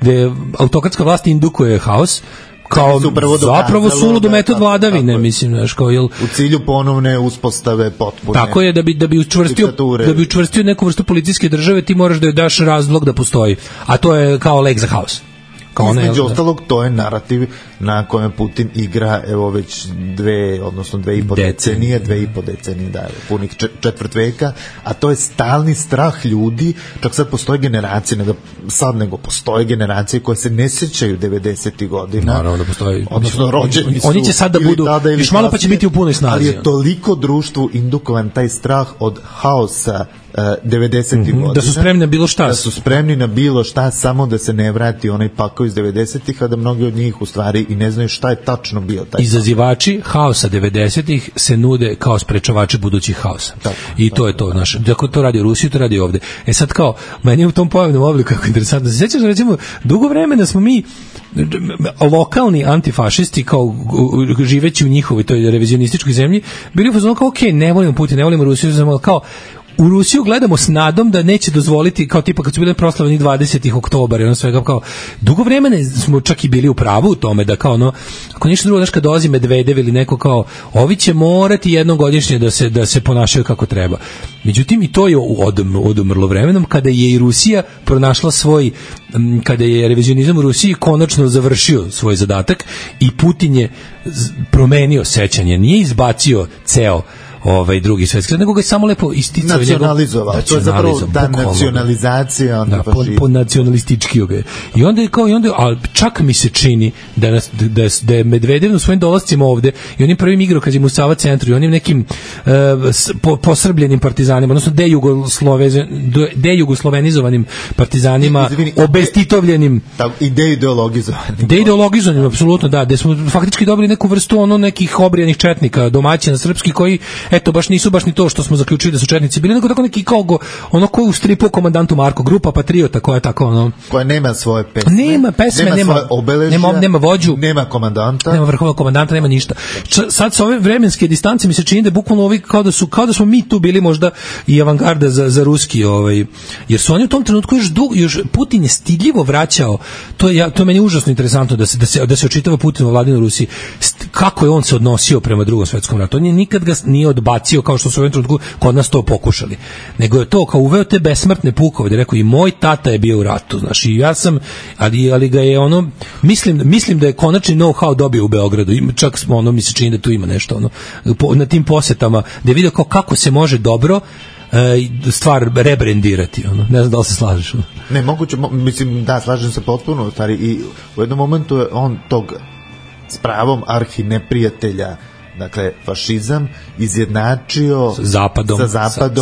gde autokratska vlast indukuje haos, kao zapravo suludu metod vladavine, mislim, znaš, kao jel u cilju ponovne uspostave potpune. Tako je, da bi učvrstio neku vrstu policijske države, ti moraš da joj daš razlog da postoji, a to je kao lek za haos. Između ostalog, to je narativ na kojem Putin igra, evo već 2,5 decenije, 2,5 decenije, da, punih četvrt veka, a to je stalni strah ljudi, čak sad postoje generacije, nego postoje generacije koje se ne sećaju 90. godina. Naravno da postoji. Odnosno, rođeni su. Oni će sad da budu, još malo pa će biti u punoj snazi. Ali je toliko društvu indukovan taj strah od haosa 90. godina. Da su spremni na bilo šta. Da su spremni na bilo šta, samo da se ne vrati onaj pakao iz 90-ih, a da mnogi od njih u stvari i ne znaju šta je tačno bio taj. Izazivači haosa 90-ih se nude kao sprečavači budućih haosa. I to je to, znaš. Dakle, to radi u Rusiji, to radi ovde. Sad kao, meni je u tom pojavnom obliku kako interesantno. Se sjećaš, recimo, dugo vremena smo mi lokalni antifašisti, kao živeći u njihovoj toj revizionističkoj zemlji, bili u fazonu kao, okej, ne volimo Putin, ne volimo Rusiju, kao u Rusiju gledamo s nadom da neće dozvoliti, kao tipa kad su bile proslavljeni 20. oktobara i ono svega, kao dugo vremena smo čak i bili u pravu u tome da kao ono, ako ništa drugo, znaš, kad dolazi Medvedev ili neko, kao ovi će morati jednom godišnje da se ponašaju kako treba. Međutim, i to je odumrlo vremenom kada je i Rusija pronašla kada je revizionizam u Rusiji konačno završio svoj zadatak i Putin je promenio sećanje, nije izbacio ceo drugi svetski, nego ga je samo lepo isticao, nacionalizovao. To je zapravo ta nacionalizacija po nacionalistički ga. I onda a čak mi se čini da je Medvedev u svojim dolascima ovde i onim prvim igrokazima u Sava centru i onim nekim posrbljenim partizanima, odnosno dejugoslovenizovanim partizanima, obestitovljenim i deideologizovanim, apsolutno, da, gde smo faktički dobili neku vrstu nekih obrijanih četnika, domaćina srpski, koji eto, baš nisu baš ni to što smo zaključili da su četnici bili, nego tako neki kao ko u stripu Komandantu Marko, grupa patriota koja je tako koja nema svoje pesme, nema svoje obeležja, nema vođu, nema komandanta, nema vrhovnog komandanta, nema ništa. Sad sa ove vremenske distance mi se čini da bukvalno ovi kao da smo mi tu bili možda i avangarda za ruski, jer su oni u tom trenutku još Putin je stidljivo vraćao, to je meni užasno interesantno da se očitava Putinova vladina u Rusiji, kako je on se odnosio prema Drugom svetskom ratu. On je nikad ga nije odbacio kao što su u ovom trenutku kod nas to pokušali. Nego je to kao uveo te besmrtne pukove, da je rekao i moj tata je bio u ratu, znaš, i ja sam, ali ga je mislim da je konačni know-how dobio u Beogradu. Čak mi se čini da tu ima nešto na tim posetama, da je vidio kako se može dobro stvar rebrendirati, ne znam da li se slažeš. Ne, moguće, mislim, da, slažem se potpuno, stvari, i u jednom momentu je on tog s pravom arhineprijatelja, dakle, fašizam izjednačio sa Zapadom,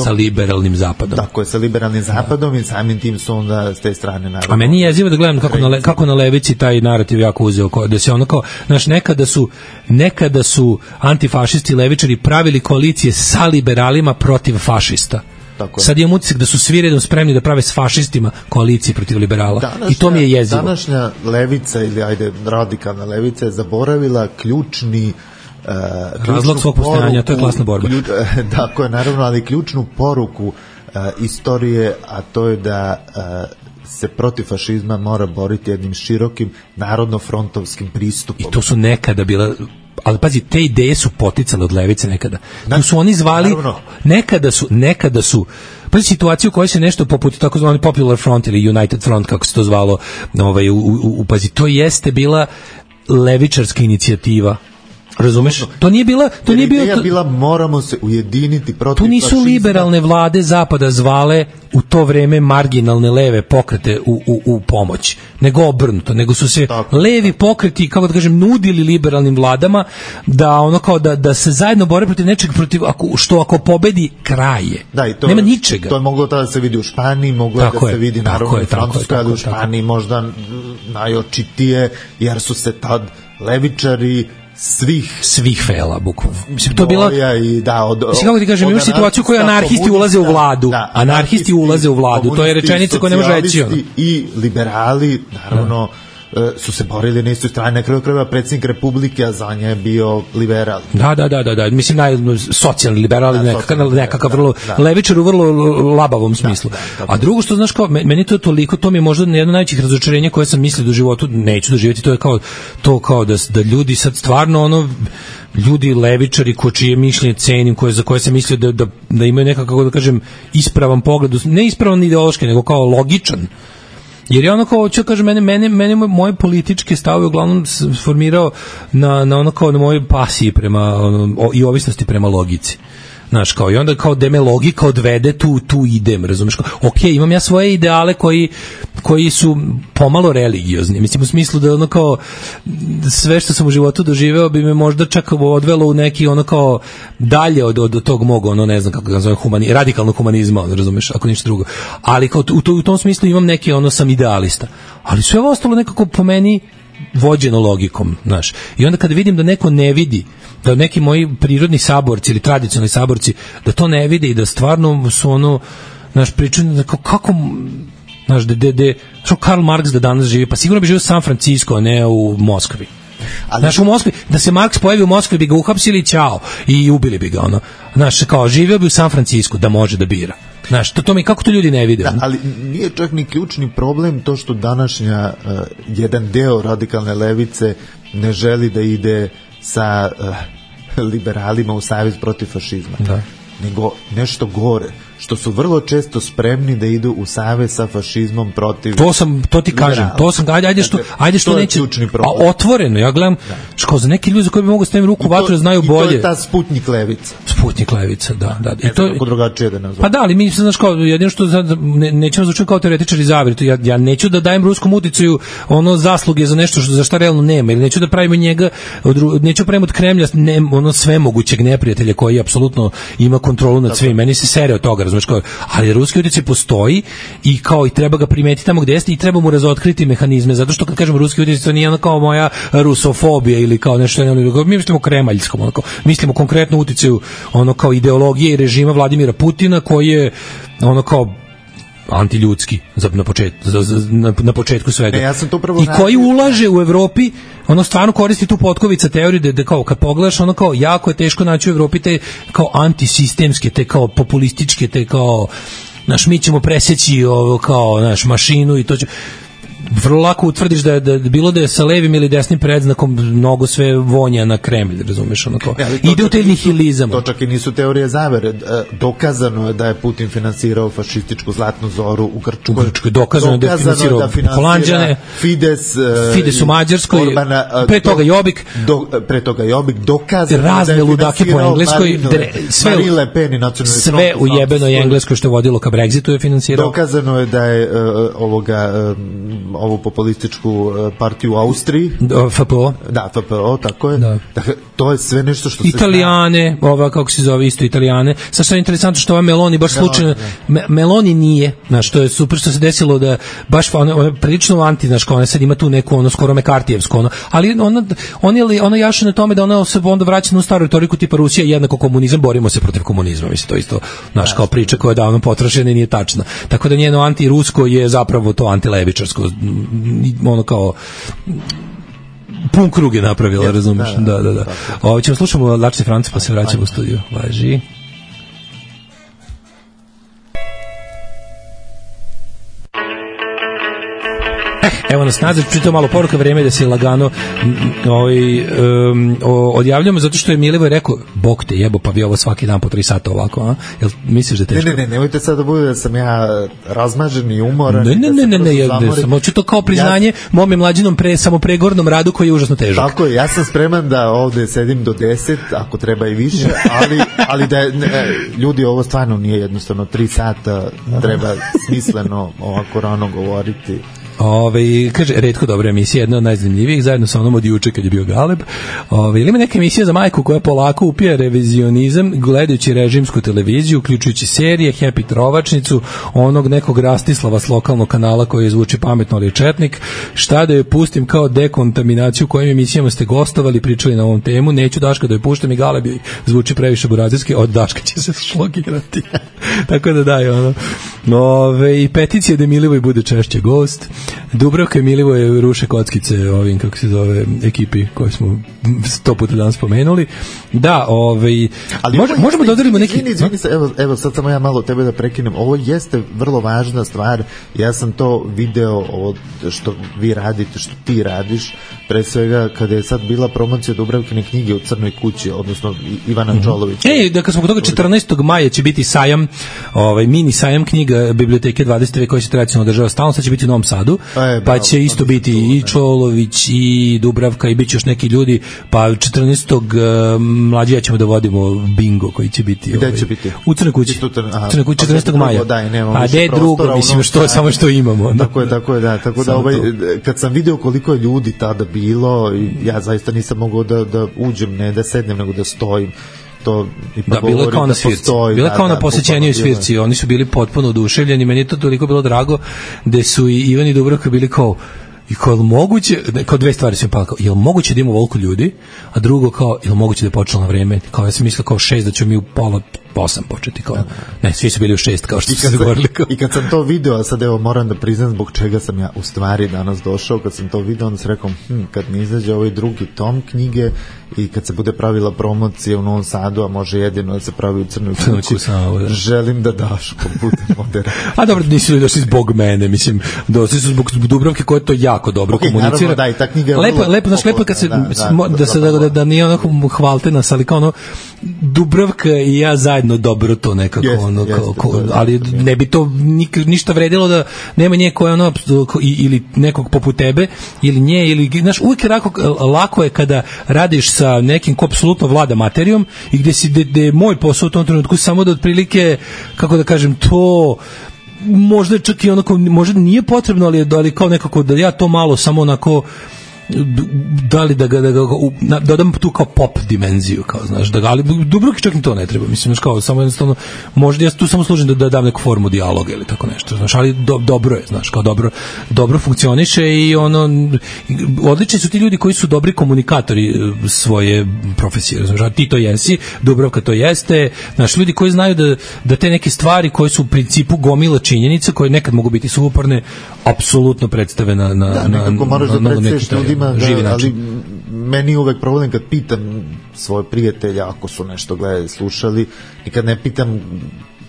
sa liberalnim Zapadom. Tako je, sa liberalnim Zapadom i samim tim su onda s te strane naravno. A meni je jezivo da gledam kako na levici taj narativ jako uzeo, da se kao, znaš, nekada su antifašisti i levičari pravili koalicije sa liberalima protiv fašista. Sad imam utisak da su svi redom spremni da prave s fašistima koalicije protiv liberala. I to mi je jezivo. Današnja levica ili radikalna levica je zaboravila ključni razlog svog postojanja, to je klasna borba. Tako je, naravno, ali ključnu poruku istorije, a to je da se protiv fašizma mora boriti jednim širokim narodno-frontovskim pristupom. I to su nekada bila, ali pazi, te ideje su poticale od levice nekada. Tu su oni zvali, nekada su pazi situaciju u kojoj se nešto poput takozvani Popular Front ili United Front, kako se to zvalo, pazi, to jeste bila levičarska inicijativa. Razumeš? To nije bila moramo se ujediniti protiv fašizma. Tu nisu liberalne vlade Zapada zvale u to vreme marginalne leve pokrete u pomoć, nego obrnuto, nego su se levi pokreti, kako da kažem, nudili liberalnim vladama da se zajedno bore protiv nečeg, što ako pobedi kraje. Nema ničega. To je moglo tada da se vidi u Španiji, moglo da se vidi naravno u Francuskoj, ali u Španiji možda najočitije, jer su se tad levičari svih fela, bukvalno. Mislim, to je bila, kako ti kažem, imaš situaciju koju anarhisti ulaze u vladu. Anarhisti ulaze u vladu, to je rečenica koja ne može reći. I liberali, naravno, su se borili na istoj strani, na kraju krajeva predsjednik Republike, a za nje je bio liberal. Da. Mislim, socijalni liberal, nekakav vrlo levičar u vrlo labavom smislu. A drugo što, znaš, kao, meni to toliko, to mi je možda jedno od najvećih razočarenja koje sam mislio da u životu neću doživjeti, to kao da ljudi sad stvarno ljudi levičari ko čije mišljenje cenim, za koje sam mislio da imaju nekako, da kažem, ispravan pogled, ne ispravan ideološki, nego kao logičan. Jer je ono kao, ću kažem, mene moje političke stavove uglavnom formirao na mojoj pasiji i ovisnosti prema logici. Znaš, kao, i onda kao da me logika odvede, tu idem, razumeš? Ok, imam ja svoje ideale koji su pomalo religiozni. Mislim, u smislu da ono kao sve što sam u životu doživeo bi me možda čak odvelo u neki ono kao dalje od tog mog, ne znam kako ga zove, radikalnog humanizma, razumeš, ako ništa drugo. Ali kao u tom smislu imam neki sam idealista. Ali sve ovo ostalo nekako po meni vođeno logikom, znaš. I onda kada vidim da neko ne vidi, da neki moji prirodni saborci ili tradicionalni saborci, da to ne vide i da stvarno su znaš, pričaju kako, znaš, što Karl Marx da danas živi, pa sigurno bi živio u San Francisco, a ne u Moskvi. Znaš, u Moskvi, da se Marks pojavi u Moskvi bi ga uhapsili i ćao, i ubili bi ga, znaš, kao živio bi u San Francisco, da može da bira. Znaš, to mi, kako to ljudi ne vide? Da, ali nije čak ni ključni problem to što današnja jedan deo radikalne levice ne želi da ide sa liberalima u savez protiv fašizma. Da. Nego nešto gore, što su vrlo često spremni da idu u savez sa fašizmom protiv... To ti kažem, ajde što neće... A otvoreno, ja gledam, što za neki ljudi za koji bi mogu staviti ruku u vatru da znaju bolje. I to je ta Sputnik levica. Sputnik levica, da. I to je drugačije da nazvam. Pa da, ali mi se, znaš, kao, jedino što nećemo zvučati kao teoretičar i zavjer, ja neću da dajem ruskom uticaju zasluge za nešto za šta realno nema, ili neću da pravimo njega, neću pravimo od Kremlja svemogućeg neprijatelja koji apsolutno ima kontrolu nad svim. Meni se sere od toga, razumeš, kao, ali ruski utjecaj postoji i kao i treba ga primetiti tamo gde jeste i treba mu razotkriti mehanizme, zato što kad kažem ruski utjecaj, to nije kao moja rusofobija ili kao nešto, mi mislimo kremaljskom, mislimo konkretno utjecaju kao ideologije i režima Vladimira Putina koji je kao antiljudski na početku svega. I koji ulaže u Evropi, stvarno koristi tu potkovica teoriju da kao kad pogledaš, kao jako je teško naći u Evropi te kao antisistemske, te kao populističke, te kao mi ćemo preseći kao mašinu i to će... Vrlo lako utvrdiš da bilo da je sa levim ili desnim predznakom mnogo sve vonja na Kremlj, razumeš, ide u taj nihilizam. To čak i nisu teorije zavere. Dokazano je da je Putin finansirao fašističku Zlatnu zoru u Grčkoj. Dokazano da je finansirao Holanđane, Fides u Mađarskoj, pre toga Jobbik, dokazano razne ludake po Engleskoj, sve u jebenoj Engleskoj što je vodilo ka Brexitu je finansirao. Dokazano je da je ovu populističku partiju u Austriji. FPO. Da, FPO, tako je. Da. Dakle, to je sve nešto što se Italijane, kako se zove isto Italijane. Sad što je interesantno što ova Meloni baš slučajno... Meloni nije, znaš, to je super što se desilo da baš ona prilično anti, znaš, ona sad ima tu neku skoro mekartijevsko, ali ona jaše na tome da ona se onda vraća na staru retoriku tipa Rusija jednako komunizam, borimo se protiv komunizma, mislim, to isto, znaš, kao priča koja je davno potrošena i nije tačna. Tako da njeno antirusko je zapravo to antilevičarsko, kao pun krug je napravila, razumiješ? Da. Ovo ćemo slušamo Lačni Franci pa se vraćamo u studiju. Važi. Evo nas nazad, pritom malo poruka, vreme da se lagano odjavljamo, zato što je Milivoj rekao, Bog te jebo, pa vi ovo svaki dan po 3 sata ovako, a? Jel misliš da je teško? Ne, nemojte sad da bude da sam ja razmažen i umoran. Ne, samo ću to kao priznanje mome mlađinom samopregornom radu koji je užasno težak. Tako je, ja sam spreman da ovde sedim do 10, ako treba i više, ali da ljudi, ovo stvarno nije jednostavno 3 sata, treba smisleno ovako rano govoriti. Kaže, retko dobra emisija, jedna od najzanimljivijih, zajedno sa onom od juče kad je bio Galeb. Ili ima neka emisija za majku koja polako upija revizionizam gledajući režimsku televiziju, uključujući serije, Happy Trovačnicu, onog nekog Rastislava s lokalnog kanala koji zvuči pametno, ali je četnik. Šta da joj pustim kao dekontaminaciju, kojim emisijama ste gostovali, pričali na ovom temu, neću Daška da joj puštam i Galeb joj zvuči previše burazirski, od Daška će se šlogirati. Tako da daj, i peticija da Milivoj bude češće gost. Dubravka i Milivoje ruše kockice ovim, kako se zove, ekipi koju smo 100 puta danas spomenuli. Da, ali možemo da odarimo neki... Izvini se, evo sad samo ja malo tebe da prekinem. Ovo jeste vrlo važna stvar. Ja sam to video, ovo što vi radite, što ti radiš, pre svega kada je sad bila promocija Dubravkine knjige u Crnoj kući, odnosno Ivana Čolovića. Da kad smo kod toga 14. maja će biti sajam, mini sajam knjiga Biblioteke 20. veka koji se tradicionalno održava stalno, sad će biti u Novom Sadu, pa će isto biti i Čolović i Dubravka i bit će još neki ljudi, pa 14. mlađija ćemo da vodimo bingo koji će biti. Gde će biti? U Crnoj kući. Crnoj kući 14. maja. A gde drugo, mislim što samo što imamo. Tako je, da. Tako da kad sam video koliko je ljudi tada bilo, ja zaista nisam mogao da uđem, ne da sednem, nego da stojim. Da, bilo je kao na svirci. Bilo je kao na posećenju svirci. Oni su bili potpuno oduševljeni. Meni je to toliko bilo drago da su i Ivan i Dubravka bili kao moguće, kao dve stvari su mi pala, je li moguće da ima ovoliko ljudi, a drugo kao, je li moguće da je počelo na vreme, kao ja sam mislio kao 6 da ćemo mi u pola 8 početi, kao, ne, svi su bili u 6 kao što su se govorili. I kad sam to video, a sad evo moram da priznam zbog čega sam ja u stvari danas došao, kad sam to video, onda sam rekao, kad mi izađe ovaj drugi tom knjige i kad se bude pravila promocija u Novom Sadu, a može jedino da se pravi u Crnoj kući, želim da Daško bude moderator. A dobro, nisu li došli zbog mene, mislim, došli su zbog Dubravke koja to jako dobro komunicira. Naravno, da, i ta knjiga je lepo kad se, da nije onako hvalte nas, ali kao ono, Dubravka i ja zajedno dobro to nekako, ali ne bi to ništa vredilo da nema nje koja ono, ili nekog poput tebe, ili nje, ili, znaš, uvijek je lako je kada radiš sa nekim ko apsolutno vlada materijom i gde je moj posao u tom trenutku samo da otprilike, kako da kažem, to možda čak i onako, možda nije potrebno, ali kao nekako da ja to malo samo onako da li da ga dodam tu kao pop dimenziju, kao, znaš, ali Dubravki čak ni to ne treba, mislim, znaš, kao, samo jednostavno, možda ja tu samo služim da dam neku formu dijaloga ili tako nešto, znaš, ali dobro je, znaš, kao dobro funkcioniše i ono, odlični su ti ljudi koji su dobri komunikatori svoje profesije, znaš, ti to jesi, Dubravka to jeste, znaš, ljudi koji znaju da te neke stvari koje su u principu gomila činjenica, koje nekad mogu biti suvoparne, apsolutno predstave na neki živi način. Ali meni je uvek problem kad pitam svoje prijatelje, ako su nešto gledali, slušali, nikad ne pitam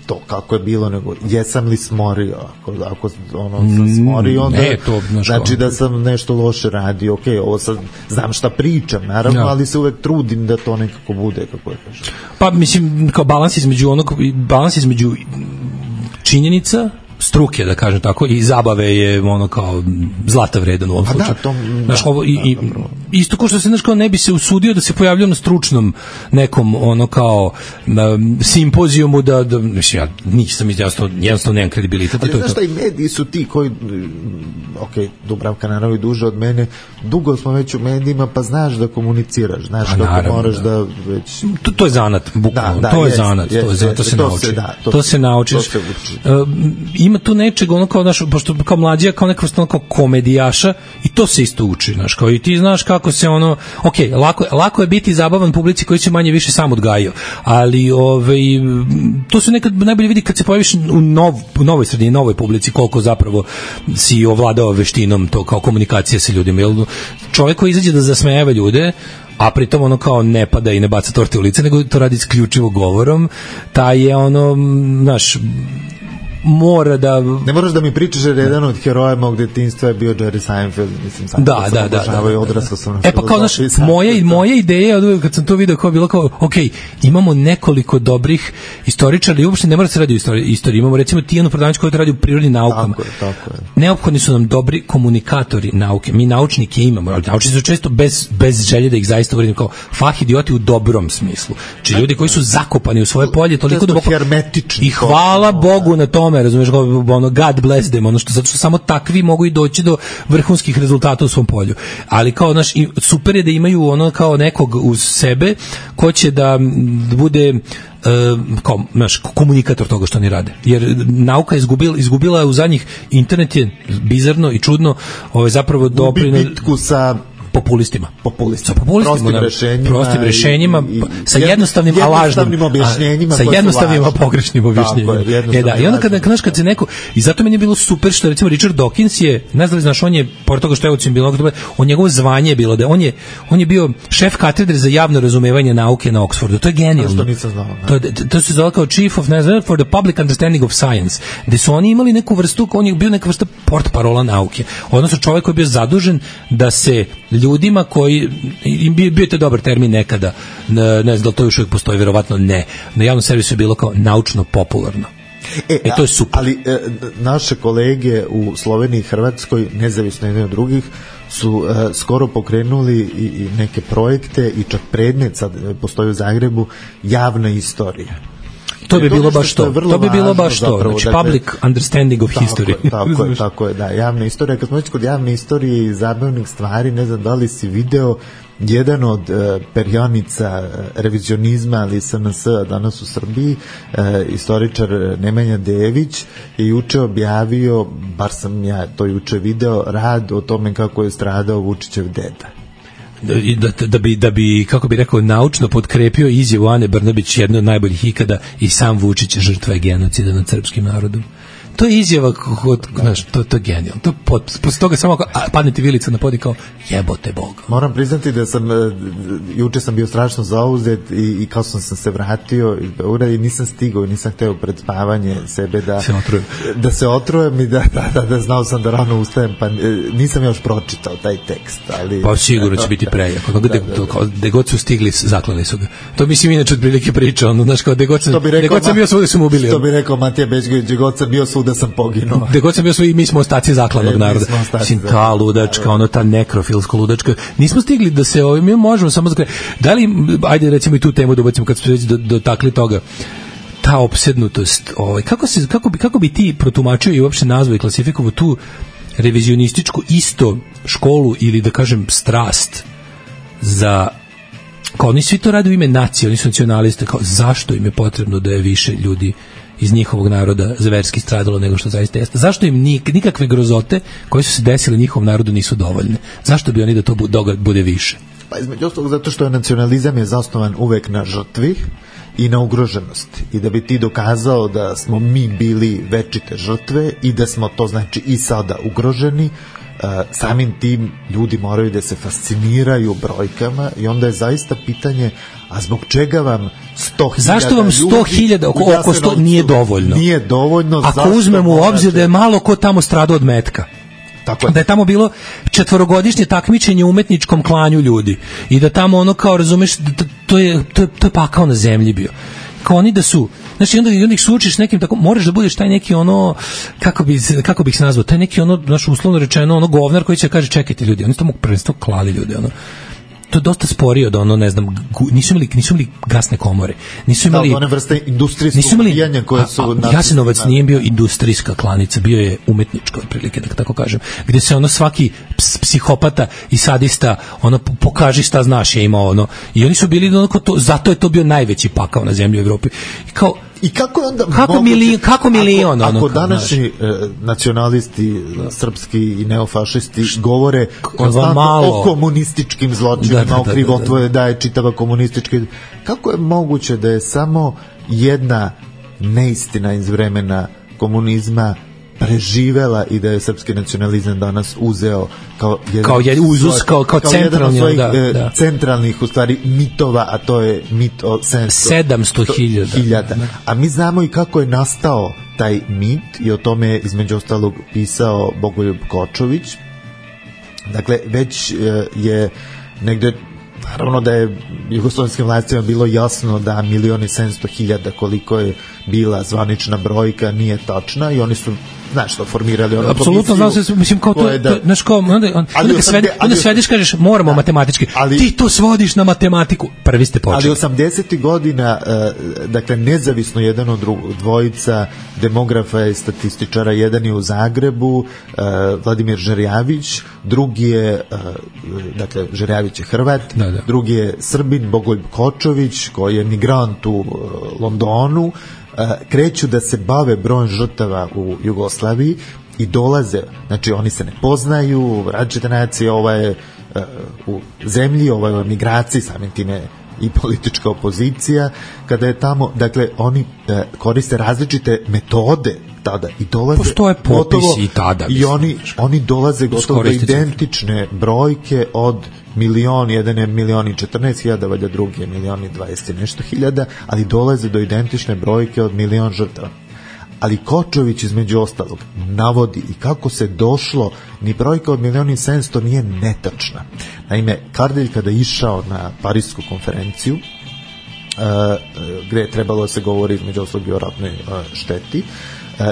to kako je bilo, nego jesam li smorio, ako sam smorio, onda znači da sam nešto loše radio, ok, ovo sad znam šta pričam, naravno, ali se uvek trudim da to nekako bude, kako je kažem. Pa mislim, kao balans između činjenica, struke, da kažem tako, i zabave je ono kao zlata vredan u ovom slučaju. Znaš, ovo isto ko što se, znaš, kao ne bi se usudio da se pojavljao na stručnom nekom ono kao simpozijumu da mislim, ja nisam jednostavno nemam kredibilitet. Ali znaš šta, i mediji su ti koji, ok, Dubravka naravno i duže od mene, dugo smo već u medijima, pa znaš da komuniciraš, znaš kako moraš da već... To je zanat, bukvalno, to je zanat, to se nauči. To se naučiš. Ima tu nečeg, ono kao, znaš, pošto kao mlađija, kao neka vrsta kao komedijaša, i to se isto uči, znaš, kao i ti znaš kako se ono, ok, lako je biti zabavan publici koji se manje više sam odgajio, ali to se nekad najbolje vidi kad se pojaviš u novoj sredini, novoj publici, koliko zapravo si ovladao veštinom to kao komunikacija sa ljudima, jer čovjek koji izađe da zasmejava ljude, a pritom ono kao ne pada i ne baca torte u lice, nego to radi isključivo govorom, taj je ono, znaš, mora da... Ne moraš da mi pričaš jer jedan od heroja mog detinjstva je bio Jerry Seinfeld, mislim, sam obožavao i odrastao sam na pa kao, znaš, moja ideja od kad sam to video kao bilo kao, ok, imamo nekoliko dobrih istoričara i uopšte ne mora se radi o istoriji, imamo recimo Tijanu Prodavnić koja radi u prirodnim naukama. Tako je. Neophodni su nam dobri komunikatori nauke, mi naučnike imamo, ali naučnici su često bez želje da ih zaista uredim kao fah idioti u dobrom smislu. Či ljudi koji su zakopani u svoje polje toliko duboko i hvala Bogu na tome, razumiješ, ono, God bless them, ono što, zato što samo takvi mogu i doći do vrhunskih rezultata u svom polju. Ali kao, znaš, super je da imaju ono kao nekog uz sebe ko će da bude kao, znaš, komunikator toga što oni rade. Jer nauka izgubila je u zadnjih, internet je bizarno i čudno, zapravo gubi bitku sa populistima. Prostim rešenjima, sa jednostavnim, a lažnim objašnjenjima, sa jednostavnim, a pogrešnim objašnjenjima. I onda kad se neko, i zato meni je bilo super što recimo Richard Dawkins je, ne znam, znaš, on je, pored toga što je on njegovo zvanje je bilo da on je bio šef katedre za javno razumevanje nauke na Oxfordu. To je genijalno. Što nisam znao. To se zove kao Chief of for the Public Understanding of Science, gde su oni imali neku vrstu, on je bio neka vrsta portparola nauke. Odnosno čovjek koji je bio zadužen da se ljudima koji, bio je to dobar termin nekada, ne znam da to još uvijek postoji, verovatno ne, na javnom servisu je bilo kao naučno popularno. To je super. Ali naše kolege u Sloveniji i Hrvatskoj, nezavisno jedni od drugih, su skoro pokrenuli i neke projekte i čak predmet sad postoji u Zagrebu, javna istorija. To bi bilo baš to. To bi bilo baš to. Znači, public understanding of history. Tako je, da. Javna istorija. Kad smo već kod javne istorije i zabavnih stvari, ne znam da li si video, jedan od perionica revizionizma, ali SNS danas u Srbiji, istoričar Nemanja Dević, je juče objavio, bar sam ja to juče video, rad o tome kako je stradao Vučićev deda. Da bi, kako bi rekao, naučno potkrepio izjavu Ane Brnabić, jedno od najboljih ikada, i sam Vučić žrtva je genocida nad srpskim narodom. To je izjava, znaš, to je genijalno. Posle toga samo padne ti vilica na pod i kao, jebote Boga. Moram priznati da juče sam bio strašno zauzet i kao sam se vratio iz Beograda i nisam stigao, nisam hteo pred spavanje sebe da se otrujem i da znao sam da rano ustajem, pa nisam još pročitao taj tekst. Ali, pa sigurno će biti prejako. Gde god su stigli, zaklali su ga. To mislim inače od prilike priča, ono, znaš, kao gde god sam bio svuda su mu ubili. Što bi rekao Matija Bećković, gde god sam bio svuda sam poginuo. Gde god sam bio svi, mi smo ostaci zaklanog naroda. Mislim, ta ludačka, ono, ta nekrofilska ludačka. Nismo stigli da se, mi možemo samo da li, ajde recimo i tu temu da ubacimo kad smo već dotakli toga, ta opsednutost, kako bi ti protumačio i uopšte nazvao i klasifikovao tu revizionističku isto školu ili da kažem strast za, kao oni svi to rade u ime nacije, oni su nacionaliste, kao zašto im je potrebno da je više ljudi iz njihovog naroda zverski stradalo nego što zaista jeste. Zašto im nikakve grozote koje su se desile njihovom narodu nisu dovoljne? Zašto bi oni da to bude više? Pa između ostalog zato što je nacionalizam je zasnovan uvek na žrtvi i na ugroženosti. I da bi ti dokazao da smo mi bili večite žrtve i da smo to znači i sada ugroženi, samim tim ljudi moraju da se fasciniraju brojkama i onda je zaista pitanje, a zbog čega vam 100.000 zašto vam 100.000 oko 100 nije dovoljno? Nije dovoljno. Ako uzmemo u obzir da je malo ko tamo stradao od metka. Tako da je tamo bilo 4-godišnje takmičenje u umetničkom klanju ljudi i da tamo ono kao razumeš to je pakao na zemlji bio. Kao oni da su, znači onda ih sučiš nekim tako, moraš da budeš taj neki ono, kako bih se nazvao, taj neki ono, znaš, uslovno rečeno, ono govnar koji će kaže čekajte ljudi, oni su tamo prvenstvo klali ljudi, ono. To je dosta sporije od ono, ne znam, nisu imali gasne komore. Nisu imali one vrste industrijskog ubijanja koje su Jasenovac nije bio industrijska klanica, bio je umetnička otprilike, da tako kažem. Gde se ono svaki psihopata i sadista ono pokaži šta znaš je imao ono. I oni su bili onako to, zato je to bio najveći pakao na zemlji u Evropi. I kao i kako je onda kako milion ako današnji nacionalisti srpski i neofašisti govore o komunističkim zločinima, o krivotvoje da je čitava komunistička, kako je moguće da je samo jedna neistina iz vremena komunizma preživela i da je srpski nacionalizam danas uzeo kao centralni jedan od svojih centralnih u stvari mitova, a to je mit o 700.000. A mi znamo i kako je nastao taj mit i o tome je između ostalog pisao Bogoljub Kočović. Dakle, već je negde, naravno da je jugoslovenskim vlastima bilo jasno da 1.700.000 koliko je bila zvanična brojka nije tačna i oni su znaš što formirali ono apsolutno znam se, mislim kao to znaš kao onda svediš kažeš moramo matematički, ti to svodiš na matematiku, prvi ste počeli. Ali 80. godina dakle nezavisno jedan od dvojica demografa i statističara, jedan je u Zagrebu, Vladimir Žerjavić, drugi je dakle Žerjavić je Hrvat, drugi je Srbin Bogoljub Kočović koji je migrant u Londonu, kreću da se bave brojem žrtava u Jugoslaviji i dolaze, znači oni se ne poznaju, različite nacije, ova je u zemlji, ovoj migraciji, samim time i politička opozicija, kada je tamo, dakle, oni koriste različite metode tada i dolaze postoje popisi i tada i oni dolaze gotovo do identične brojke od milion, jedan je 1.014.000, valjda drugi je 1.020 i nešto hiljada, ali dolaze do identične brojke od 1.000.000 žrtava. Ali Kočović između ostalog navodi i kako se došlo, ni brojka od 1.700.000 nije netačna. Naime, Kardelj kada je išao na Parisku konferenciju, gde je trebalo da se govori između ostalog o ratnoj šteti,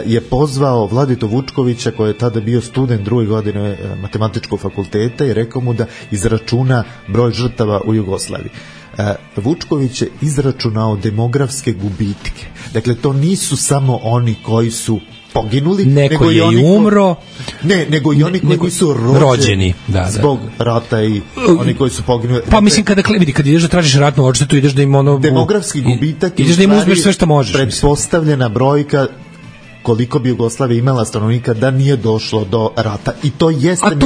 je pozvao Vladito Vučkovića, koji je tada bio student druge godine matematičkog fakulteta, i rekao mu da izračuna broj žrtava u Jugoslaviji. Vučković je izračunao demografske gubitke. Dakle, to nisu samo oni koji su poginuli, neko je i umro, nego i oni koji su rođeni zbog rata i oni koji su poginuli. Pa mislim, kada ideš da tražiš ratnu odštetu, ideš da im demografski gubitak, ideš da im uzmeš sve što možeš. Pretpostavljena brojka koliko bi Jugoslavija imala stanovnika da nije došlo do rata, i to jeste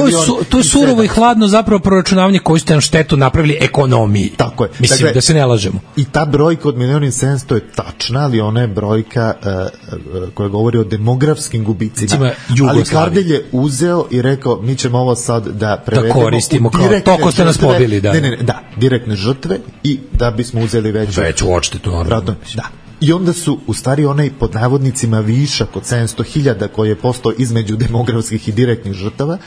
to je surovo i hladno zapravo proračunavanje koju ste na štetu napravili ekonomiji. Tako je. Mislim, dakle, da se ne lažemo. I ta brojka od 1.700.000 je tačna, ali ona je brojka koja govori o demografskim gubicima. Ali Kardelj je uzeo i rekao, mi ćemo ovo sad da prevedemo, da koristimo kao toko ste nas pobili. Direktne žrtve, i da bismo uzeli veću odštetu. Da. I onda su u stvari onaj pod navodnicima višak od 700.000 koji je postao između demografskih i direktnih žrtava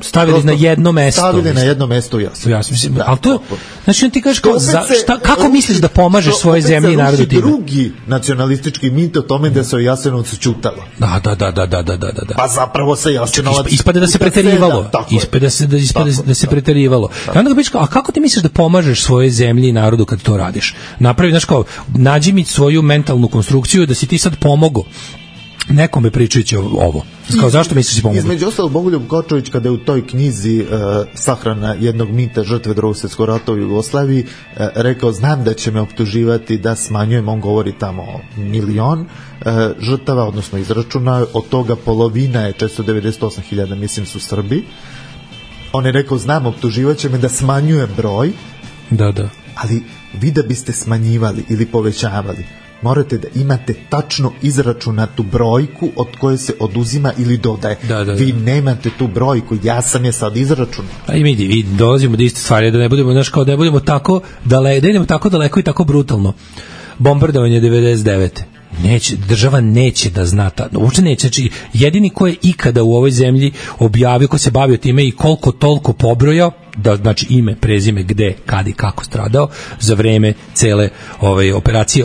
stavili na jedno mesto. Stavili na jedno mesto, mislim. Ali to, znači on ti kažeš kako misliš da pomažeš svoje zemlji i narodu time? Drugi nacionalistički mit o tome da se o Jasenovcu ćutalo. Da. Pa zapravo se Jasenovac ispade da se preterivalo. Da se preterivalo. I onda ga biš kao, a kako ti misliš da pomažeš svoje zemlji i narodu kad to radiš? Napravi, znaš kao, nađi mi svoju mentalnu konstrukciju da si ti sad pomogao nekome pričajući ovo. Kao, zašto misliš si pomogao? Između ostalog, Bogoljub Kočović, kada je u toj knjizi Sahrana jednog mita žrtve Drugog svjetskog rata u Jugoslaviji rekao, znam da će me optuživati da smanjujem, on govori tamo o 1.000.000 žrtava, odnosno izračuna, od toga polovina je 498.000, mislim, su Srbi. On je rekao, znam, optuživat će me da smanjujem broj, ali vi da biste smanjivali ili povećavali, morate da imate tačno izračunatu brojku od koje se oduzima ili dodaje. Vi nemate tu brojku, ja sam je sad izračunao. A i mi dolazimo do iste stvari, da ne budemo, znaš, kao da ne budemo tako daleko, da idemo tako daleko i tako brutalno. Bombardovanje 99. Država neće da zna, uopšte neće. Znači, jedini ko je ikada u ovoj zemlji objavio, ko se bavio time i koliko toliko pobrojao, da, znači ime, prezime, gde, kad i kako stradao za vreme cele operacije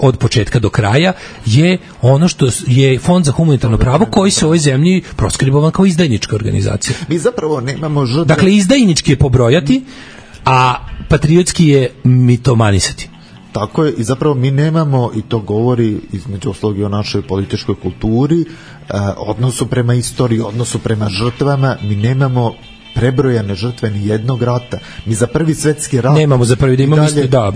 od početka do kraja, je ono što je Fond za humanitarno pravo, koji se u ovoj zemlji proskribovan kao izdajnička organizacija. Mi zapravo nemamo žrtve. Dakle, izdajnički je pobrojati, a patriotski je mitomanisati. Tako je, i zapravo mi nemamo, i to govori između ostalog i o našoj političkoj kulturi, odnosu prema istoriji, odnosu prema žrtvama, mi nemamo prebrojane žrtve ni jednog rata. Mi za prvi svetski rat nemamo, za prvi da imamo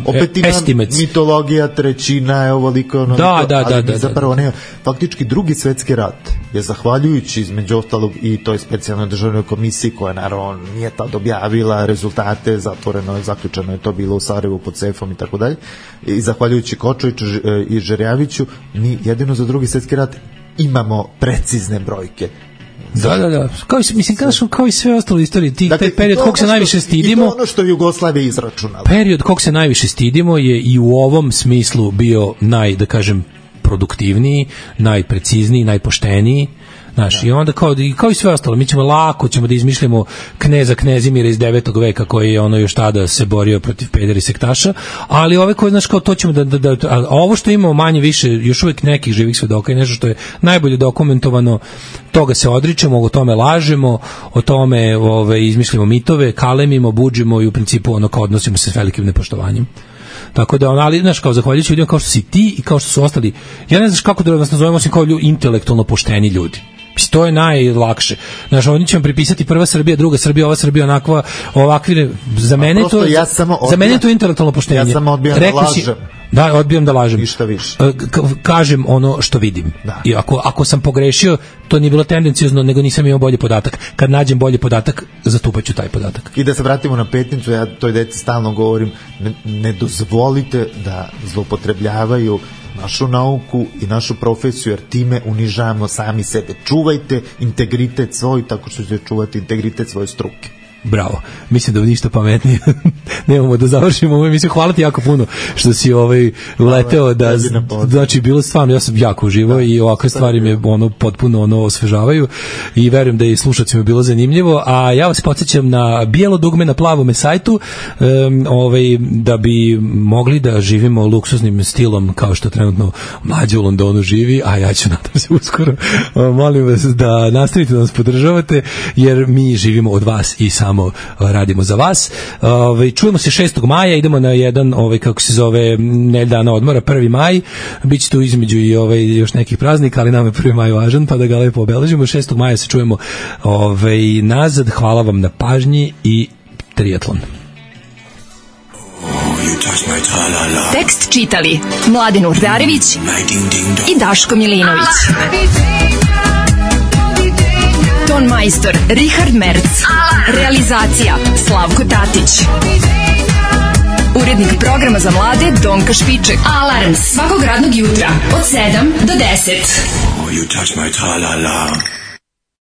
opet ima mitologija, trećina je ovoliko, ali zapravo nema. Faktički drugi svetski rat je, zahvaljujući između ostalog i toj specijalnoj državnoj komisiji, koja naravno nije tad objavila rezultate, zatvoreno je, zaključeno je to bilo u Sarajevu pod sefom i tako dalje, i zahvaljujući Kočoviću i Žerjaviću, mi jedino za drugi svetski rat imamo precizne brojke. Da. Kao i sve ostalo istorije, taj period kog se najviše stidimo. I to ono što Jugoslavija izračunala. Period kog se najviše stidimo je i u ovom smislu bio produktivniji, najprecizniji, najpošteniji. Znaš, i onda kao i sve ostalo, mi ćemo da izmišljamo kneza Knezimira iz 9. veka koji je još tada se borio protiv pedera i sektaša, ali ove koje, znaš, kao to ćemo a ovo što imamo manje više, još uvijek nekih živih svedoka i nešto što je najbolje dokumentovano, toga se odričemo, o tome lažemo, o tome izmišljamo mitove, kalemimo, budžimo i u principu kao odnosimo se s velikim nepoštovanjem. Tako da, ali, znaš, kao zahvaljujući ljudima kao što si ti i kao što su ostali, ja ne znaš kako da nas nazovemo, osim kao intelektualno pošteni ljudi. To je najlakše. Znaš, oni će vam pripisati prva Srbija, druga Srbija, ova Srbija, onakva, ovakvi, za mene to, za mene to je intelektualno poštenje. Ja samo odbijam da lažem. Da, odbijam da lažem. Ništa više. Kažem ono što vidim. Da. I ako sam pogrešio, to nije bilo tendencijozno, nego nisam imao bolji podatak. Kad nađem bolji podatak, zatupaću taj podatak. I da se vratimo na Petnicu, ja toj deci stalno govorim, ne dozvolite da zloupotrebljavaju našu nauku i našu profesiju, jer time unižavamo sami sebe. Čuvajte integritet svoj tako što ćete čuvati integritet svoje struke. Bravo. Mislim da ništa pametnije nemamo da završimo ovu emisiju. Hvala ti jako puno što si uleteo da, znači bilo stvarno, ja sam jako uživao i ovakve stvari me potpuno osvežavaju i verujem da i slušacima bilo zanimljivo, a ja vas podsjećam na bijelo dugme na plavome sajtu, da bi mogli da živimo luksuznim stilom kao što trenutno Mlađa u Londonu živi, a ja ću nadam se uskoro. Molim vas da nastavite da nas podržavate, jer mi živimo od vas i samo radimo za vas. Čujemo se 6. maja, idemo na jedan, kako se zove, nedeljna odmora, 1. maj. Biće tu između i još nekih praznika, ali nam je 1. maj važan, pa da ga lepo obeležimo. 6. maja se čujemo nazad. Hvala vam na pažnji i triatlon. Tekst čitali Mladen Urdarević i Daško Milinović. Ton majstor Richard Merc. Realizacija Slavko Tatić. Urednik programa za mlade Donka Špiček. Alarms svakog radnog jutra od 7 do 10. Oh, you touch my tra-la-la.